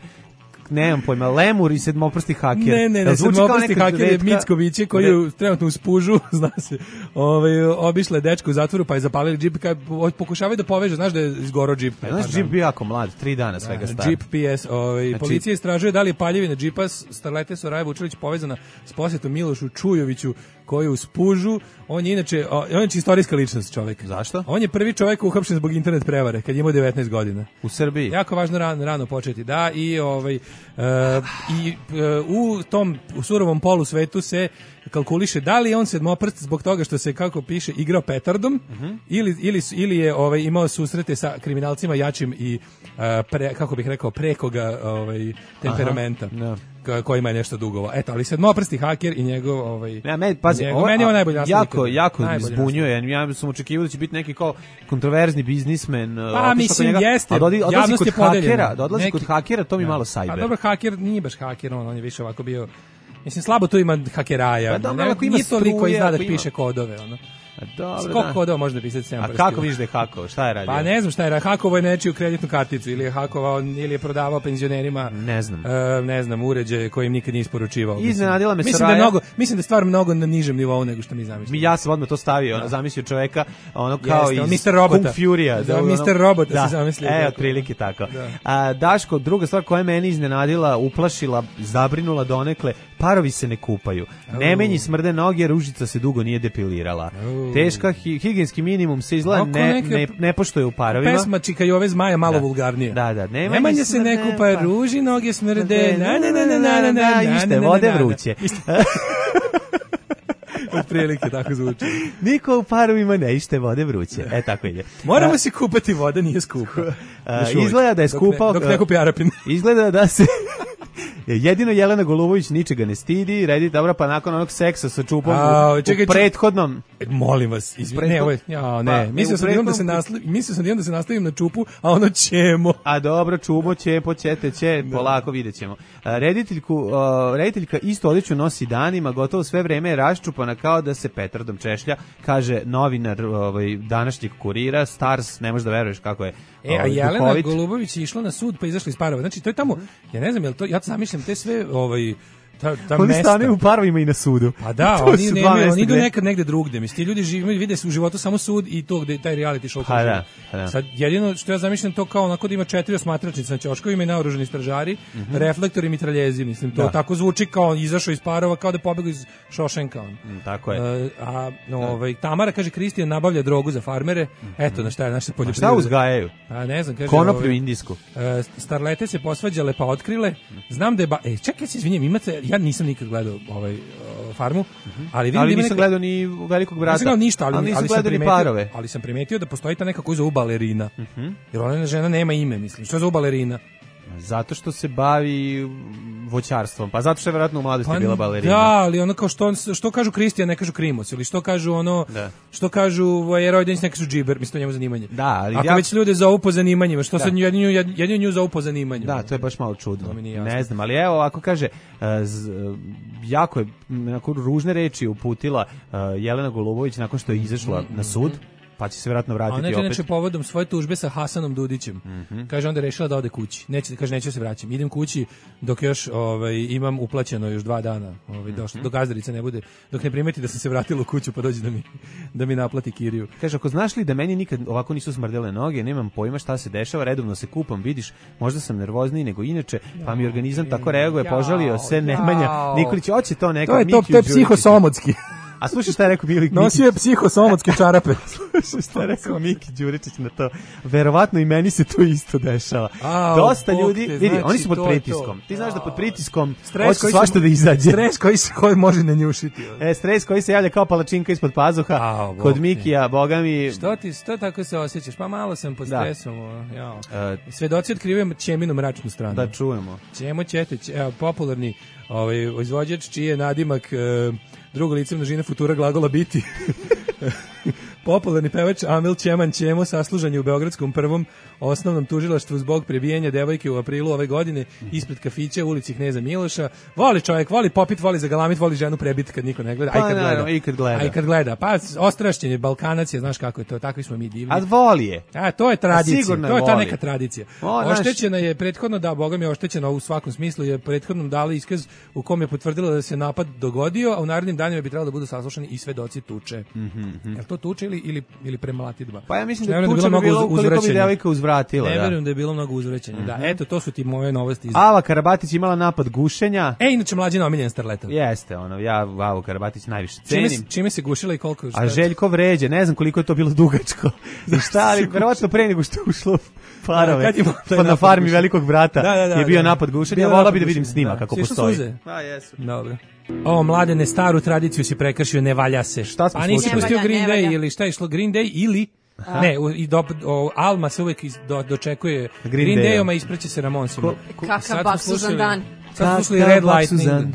nemam pojma, lemur i sedmoprsti haker. Ne, ne, ne, sedmoprsti haker je Mickoviće koji je trenutno u spužu, zna se, ovaj, obišla je dečka u zatvoru pa je zapalili džip, kaj, pokušavaju da poveže, znaš da je izgorao džip. Ja, znaš, džip bio jako mlad, tri dana svega star. Džip P S, ovaj, znači, policija istražuje da li je paljevina džipa starlete Soraje Vučilić povezana s posjetom Milošu Čujoviću koji je u spužu. On je inače, on je inače istorijska ličnost čovjek. Zašto? On je prvi čovjek uhapšen zbog internet prevare kad je imao devetnaest godina. U Srbiji. Jako važno rano, rano početi. Da, i ovaj uh, i uh, u tom u surovom polu svetu se kalkuliše da li je on sedmoprst zbog toga što se, kako piše, igrao petardom, uh -huh. ili, ili, ili je ovaj, imao susrete sa kriminalcima jačim i uh, pre, kako bih rekao, prekoga ovaj, temperamenta. Aha, no. Kojima je nešto dugova. Eto, ali sedmoprsti haker i njegov ovaj ja, meni, pazi, njegov, ovo, meni je najbolji naslov. Jako, jako zbunjuje. Ja sam očekivao da će biti neki kao kontroverzni biznismen. Pa mislim njega, jeste. A da odlazi, odlazi kod hakera, da odlazi neki, kod hakera, to mi ja. malo cyber. A dobro, haker nije baš haker, on, on je više ovako bio. Mislim, slabo tu ima hakeraja. Pa dobro, ne, ako ima struje, toliko izda da ima... piše kodove, ono. Dobro, koliko kodova može da pisati sedam prstiju? A kako vidiš da je hakovao? Šta je radio? Pa ne znam šta je radio. Hakovao je nečiju kreditnu karticu ili je hakovao ili je prodavao penzionerima. Ne znam. Uh, ne znam, uređaje koje im nikad nije isporučivao. Iznenadila me mislim Soraja. Da mnogo, mislim da je stvar mnogo na nižem nivou nego što mi zamislimo. Ja sam odmah to stavio, ono, zamislio čoveka, ono kao Jeste, iz mister Robota. Kung Fury-a. Da, ono, mister Robota da, se zamislio. E, otprilike tako. Da. A, Daško, druga stvar koja je meni iznenadila, uplašila, zabrinula donekle, parovi se ne kupaju. Oh. Nemenji smrde noge, ružica se dugo nije depilirala. Oh. Teška hi, higijenski minimum se izgleda ne, ne, ne poštuje u parovima. Pesma Čika i ove zmaja malo da. vulgarnije. Da, da. Nemanji, Nemanji se ne kupa, ruži noge smrde, na na na na na na na, ište vode vruće. Od prilike tako zvuči. Niko u parovima ne ište vode vruće. E, tako ide. Moramo a, se kupati, voda nije skupa. A, izgleda da je skupa. Dok ne, dok ne kupi Arapin. Izgleda da se... Jedino Jelena Golubović ničega ne stidi, redi dobro, pa nakon onog seksa sa čupom A, čekaj, u prethodnom... Molim vas, izvini, ne, ovo je, ja, ne, pa, mislio sam prethodnom... da se nastavim, mislio sam da se nastavim na čupu, a ono ćemo. A dobro, čumo, ćepo, ćete, će, da. Polako vidjet ćemo. Rediteljku, uh, rediteljka isto odjeću nosi danima, gotovo sve vreme je raščupana kao da se petardom češlja, kaže novinar ovaj, današnjeg Kurira, Stars, ne možeš da veruješ kako je. E, a Jelena duhovit. Golubović je išla na sud pa izašla iz parova. Znači, to je tamo, ja ne znam, jel to, ja to zamišljam, te sve, ovaj, ta, ta oni mesta. Oni stane u parovima i na sudu. Pa da, oni nemaju, oni idu nekad negde drugde. Mislim, ti ljudi žive, vide se u životu samo sud i to gde taj reality show. Pa da, pa da. Sad, jedino što ja zamišljam to kao onako da ima četiri osmatračnice na ćoškovima i naoružani stražari, mm -hmm. reflektori i mitraljezi, mislim, to da. Tako zvuči kao izašao iz parova, kao da pobegao iz Šošenka. Mm, tako je. Uh, a, no, ovaj, Tamara, kaže, Kristijan nabavlja drogu za farmere, mm -hmm. Eto, na šta je naša poljoprivreda. Šta uzgajaju? A ne znam, kaže. Konoplju ovaj, indijsku. Uh, starlete se posvađale pa otkrile. Znam da je, ba... e, čekaj, se izvinjam, imate, ja nisam nikad gledao ovaj uh, farmu, uh -huh. ali vidim ali da nisam neka... gledao ni Velikog brata. Nisam gledao ništa, ali, ali, ali sam primetio, parove. ali sam primetio da postoji ta neka koju zovu balerina. Uh -huh. Jer ona žena nema ime, mislim. Što zovu balerina? Zato što se bavi voćarstvom. Pa zato što je vjerojatno u mladosti pa, bila balerina. Da, ali ono kao što, što kažu Kristijan, ne kažu Krimos, ili što kažu ono, da. Što kažu Vojerojdenić, ne kažu džiber, mislim to njemu zanimanje. Da, ali ako ja... već ljude zovu po zanimanjima, što sad jedinu, jedinu nju zovu po zanimanju. Da, to je baš malo čudno. Ne znam, ali evo, ako kaže, z, jako je, nakon ružne reči uputila uh, Jelena Golubović nakon što je izašla mm -hmm. na sud, pa će se vjerojatno vratiti opet. A ona je inače povodom svoje tužbe sa Hasanom Dudićem. Mm -hmm. Kaže, onda je rešila da ode kući. Neće, kaže, neću se vraćam. Idem kući dok još ovaj, imam uplaćeno još dva dana. Ovaj, mm -hmm. Dok gazdarica ne bude, dok ne primeti da sam se vratila u kuću pa dođe da mi, da mi naplati kiriju. Kaže, ako znaš li da meni nikad ovako nisu smrdele noge, nemam pojma šta se dešava, redovno se kupam, vidiš, možda sam nervozniji nego inače, pa mi organizam tako reaguje, požalio se Nemanja Nikolić, hoće to neka. To je to, to je psihosomotski. A slušaj šta je rekao Mili Mikić. Nosio je psihosomotske čarape. Slušaj šta je rekao Miki Đuričić na to. Verovatno i meni se to isto dešava. A, Dosta ljudi, te, vidi, znači, oni su pod to, pritiskom. To. Ti znaš da pod pritiskom hoće svašta da izađe. Stres koji se koji može nanjušiti. E, stres koji se javlja kao palačinka ispod pazuha. A, kod Mikija, boga mi. Što ti, što tako se osjećaš? Pa malo sam pod stresom. Ja. Uh, Svedoci otkrivaju Ćeminu mračnu stranu. Da čujemo. Ćemo ćete, evo, popularni ovaj izvođač čiji je nadimak uh, drugo lice množine futura glagola biti. Popularni pevač Amil Ćeman Ćemo saslužan je u Beogradskom prvom osnovnom tužilaštvu zbog prebijanja devojke u aprilu ove godine ispred kafića u ulici Kneza Miloša. Voli čovjek, voli popit, voli zagalamit, voli ženu prebit kad niko ne gleda, a i kad gleda. Pa, i kad gleda. A i kad gleda. Pa ostrašćen je, Balkanac je, znaš kako je to, takvi smo mi divni. A voli je. A to je tradicija, to je, je ta neka tradicija. O, oštećena je prethodno, da, Boga mi je oštećena u svakom smislu, je prethodnom dala iskaz u kom je potvrdila da se napad dogodio, a u narednim danima bi trebalo da budu saslušani i svedoci tuče. Mm-hmm. Je li to tuče ili, ili, ili premlatidba? Pa ja mislim da je tuča bi bilo ukoliko bi devojka uzvratila. Ne verujem da je bilo mnogo uzvraćanja. Mm-hmm. Da, eto, to su ti moje novosti. Ava Karabatić imala napad gušenja. E, inače mlađina omiljen starleta. Jeste, ono, ja Avu Karabatić najviše cenim. Čime, čime se gušila i koliko? A Željko vređe, ne znam koliko je to bilo dugačko. Šta, ali verovatno pre nego što ušlo parove. Pa na farmi velikog brata da, da, da, je bio da. napad gušenja. Vola bi da vidim snima da. Kako Svi postoji. Suze. A, jesu. Dobro. O, mladene, staru tradiciju si prekršio, ne valja se. Šta smo A nisi slučili? pustio Ne valja, Green ne Day valja. ili šta je išlo Green Day ili... Aha. Ne, u, i do, o, Alma se uvek iz, do, dočekuje Green Green Dayom. Dayom, a ispreće se Ramonsima. Kakav Baksuzan dan. Sad smo slušali Red Lightning. Dan.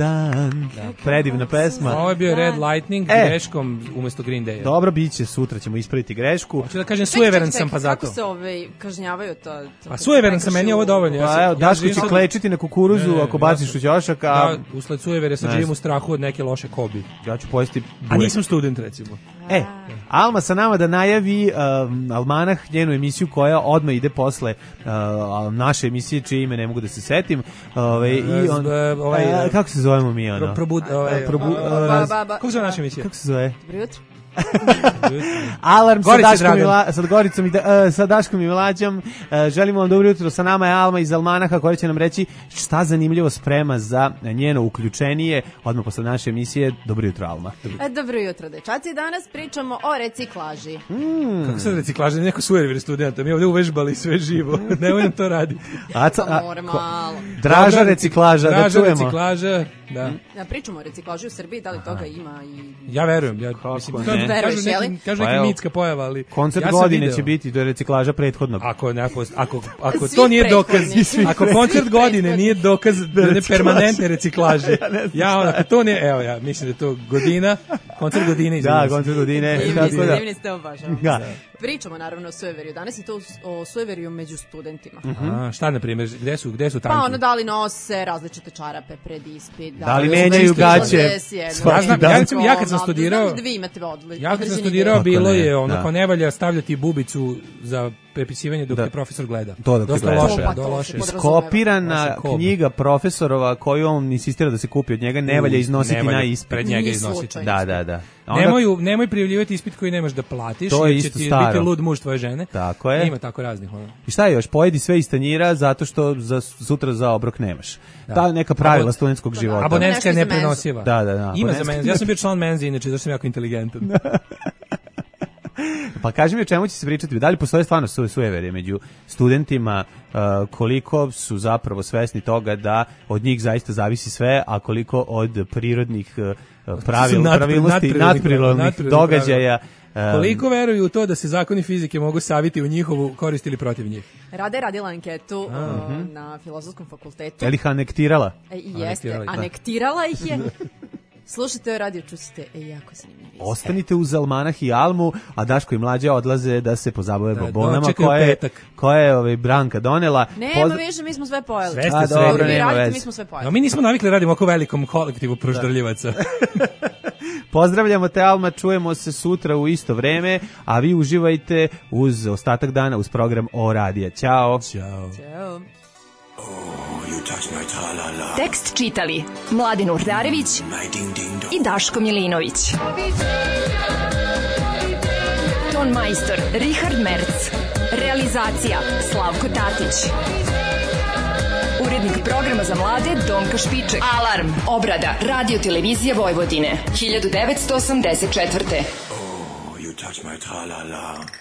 Da. Predivna pesma. Ovo je bio Red Lightning E. greškom umesto Green Daya. Dobro, bit će, sutra ćemo ispraviti grešku. Hoću da kažem, sujeveran sam pa zato. Kako se ovaj kažnjavaju to? to Pa sujeveran sam, meni je ovo dovoljno. Ja Pa sam- evo, ja Daško živim će sad- klečiti na kukuruzu Ne, ne, ako ja baciš sam- u ćošak, a Da, usled sujevere sad Ne živim znam. u strahu od neke loše kobi. ja ću pojesti A burek. nisam student, recimo. E, Alma sa nama da najavi um, Almanah, njenu emisiju koja odmah ide posle uh, naše emisije, čije ime ne mogu da se setim. Ove, i on, E, ovaj, e, kako se zovemo mi ono? Pro, probud, ovaj, Probu- Ba, ba, ba. kako se zove naša emisija? Kako se zove? Dobro jutro. Alarm sa Gorice Daškom, i Dragan. Mla, sa, Goricom i da, uh, sa Daškom i Mlađom. Uh, želimo vam dobro jutro, sa nama je Alma iz Almanaha koja će nam reći šta zanimljivo sprema za njeno uključenije. Odmah posle naše emisije, dobro jutro Alma. E, dobro jutro, dečaci. Danas pričamo o reciklaži. Kako sad reciklaža? Neko sujever studenta. Mi ovdje uvežbali sve živo. Nemoj nam to raditi. Aca, Pa a, more ko- malo. Draža Dobra, reciklaža, da Draža čujemo. reciklaža, da. Ja, pričamo o reciklaži u Srbiji, da li toga ima i... Ja verujem. Ja, Kako mislim, ne? kažu, Veruješ, kažu je li? neki, kažu Pa neki evo, mitska pojava, ali... Koncert ja sam godine video. će biti do reciklaža prethodnog. Ako, ne, ako, ako, ako Svi to nije dokaz, prethodni. Svi ako koncert prethodni. godine nije dokaz da ne reciklaže. permanentne reciklaže, ja, on, ako to nije, evo ja, mislim da je to godina, koncert godine, Da, izvinjam se. koncert godine. Divni tako ste, da. divni ste, obažavam. Da. Pričamo naravno o sujeveriju. Danas je to o sujeveriju među studentima. A, šta, na primjer, gde su, gde su Pa tanki? ono da li nose različite čarape pred ispit. Da li su menjaju nešto gaće izlaze s jednom svaki Ja znam, dan? ja, recimo, ja kad sam Ono, studirao, znam da vi imate odli, ja kad sam određeni studirao, Kako bilo ne, je ono, da. kao ne valja stavljati bubicu za prepisivanje dok Da. te profesor gleda. To dok te Dosta gleda. loše, Pa do to se loše. podrazumeva. Skopirana Osim kob. knjiga profesorova koju on insistira da se kupi od njega ne valja iznositi Ne valja na ispit. pred njega Ni iznositi. slučajno. Da, da, da. A onda- Nemoj, nemoj prijavljivati ispit koji nemaš da platiš, To je jer će isto ti staro. biti lud muž tvoje žene. Tako je. Ima tako raznih. Ono. I šta je još? Pojedi sve iz tanjira zato što za sutra za obrok nemaš. Da, neka pravila Abo- studentskog života. Abonentska je Nešto za menzu. neprenosiva. Da, da, da, Ima za abonentska menzu. Ja sam bio član menze, inače, zato sam jako inteligentan. Pa kaži mi o čemu će se pričati. Da li postoje stvarno su, sujeverje među studentima, uh, koliko su zapravo svesni toga da od njih zaista zavisi sve, a koliko od prirodnih uh, pravil, Nadpri- pravilnosti, nadprirodnih nadprirodnih nadprirodnih događaja. um, Koliko veruju u to da se zakoni fizike mogu saviti u njihovu korist ili protiv njih? Rada je radila anketu o, na Filozofskom fakultetu. Je li ih anektirala? E, jeste, Anektirala ih, da. anektirala ih je. Slušajte radio, čustite, e, jako zanimljivo. Ostanite uz Almanah i Almu, a Daško i Mlađa odlaze da se pozabave Da, bobonama dočekaju koje, petak. koje je ovaj, Branka donela. Nema Pozdrav- više, mi smo sve pojeli. Sve ste A, sredili. dobro, Vi nema radite, veze. mi smo sve No, pojeli. mi nismo navikli da radimo oko velikom kolektivu proždrljivaca. Pozdravljamo te Alma, čujemo se sutra u isto vreme, a vi uživajte uz ostatak dana uz program O radija. Ćao. Ćao. Ćao. Tekst čitali Mladin Urdarević i Daško Milinović. Ton majstor Richard Merc. Realizacija Slavko Tatić. Urednik programa za mlade Donka Špiček. Alarm! Obrada Radio Televizije Vojvodine. hiljadu devetsto osamdeset četvrte. You touch my tra-la-la.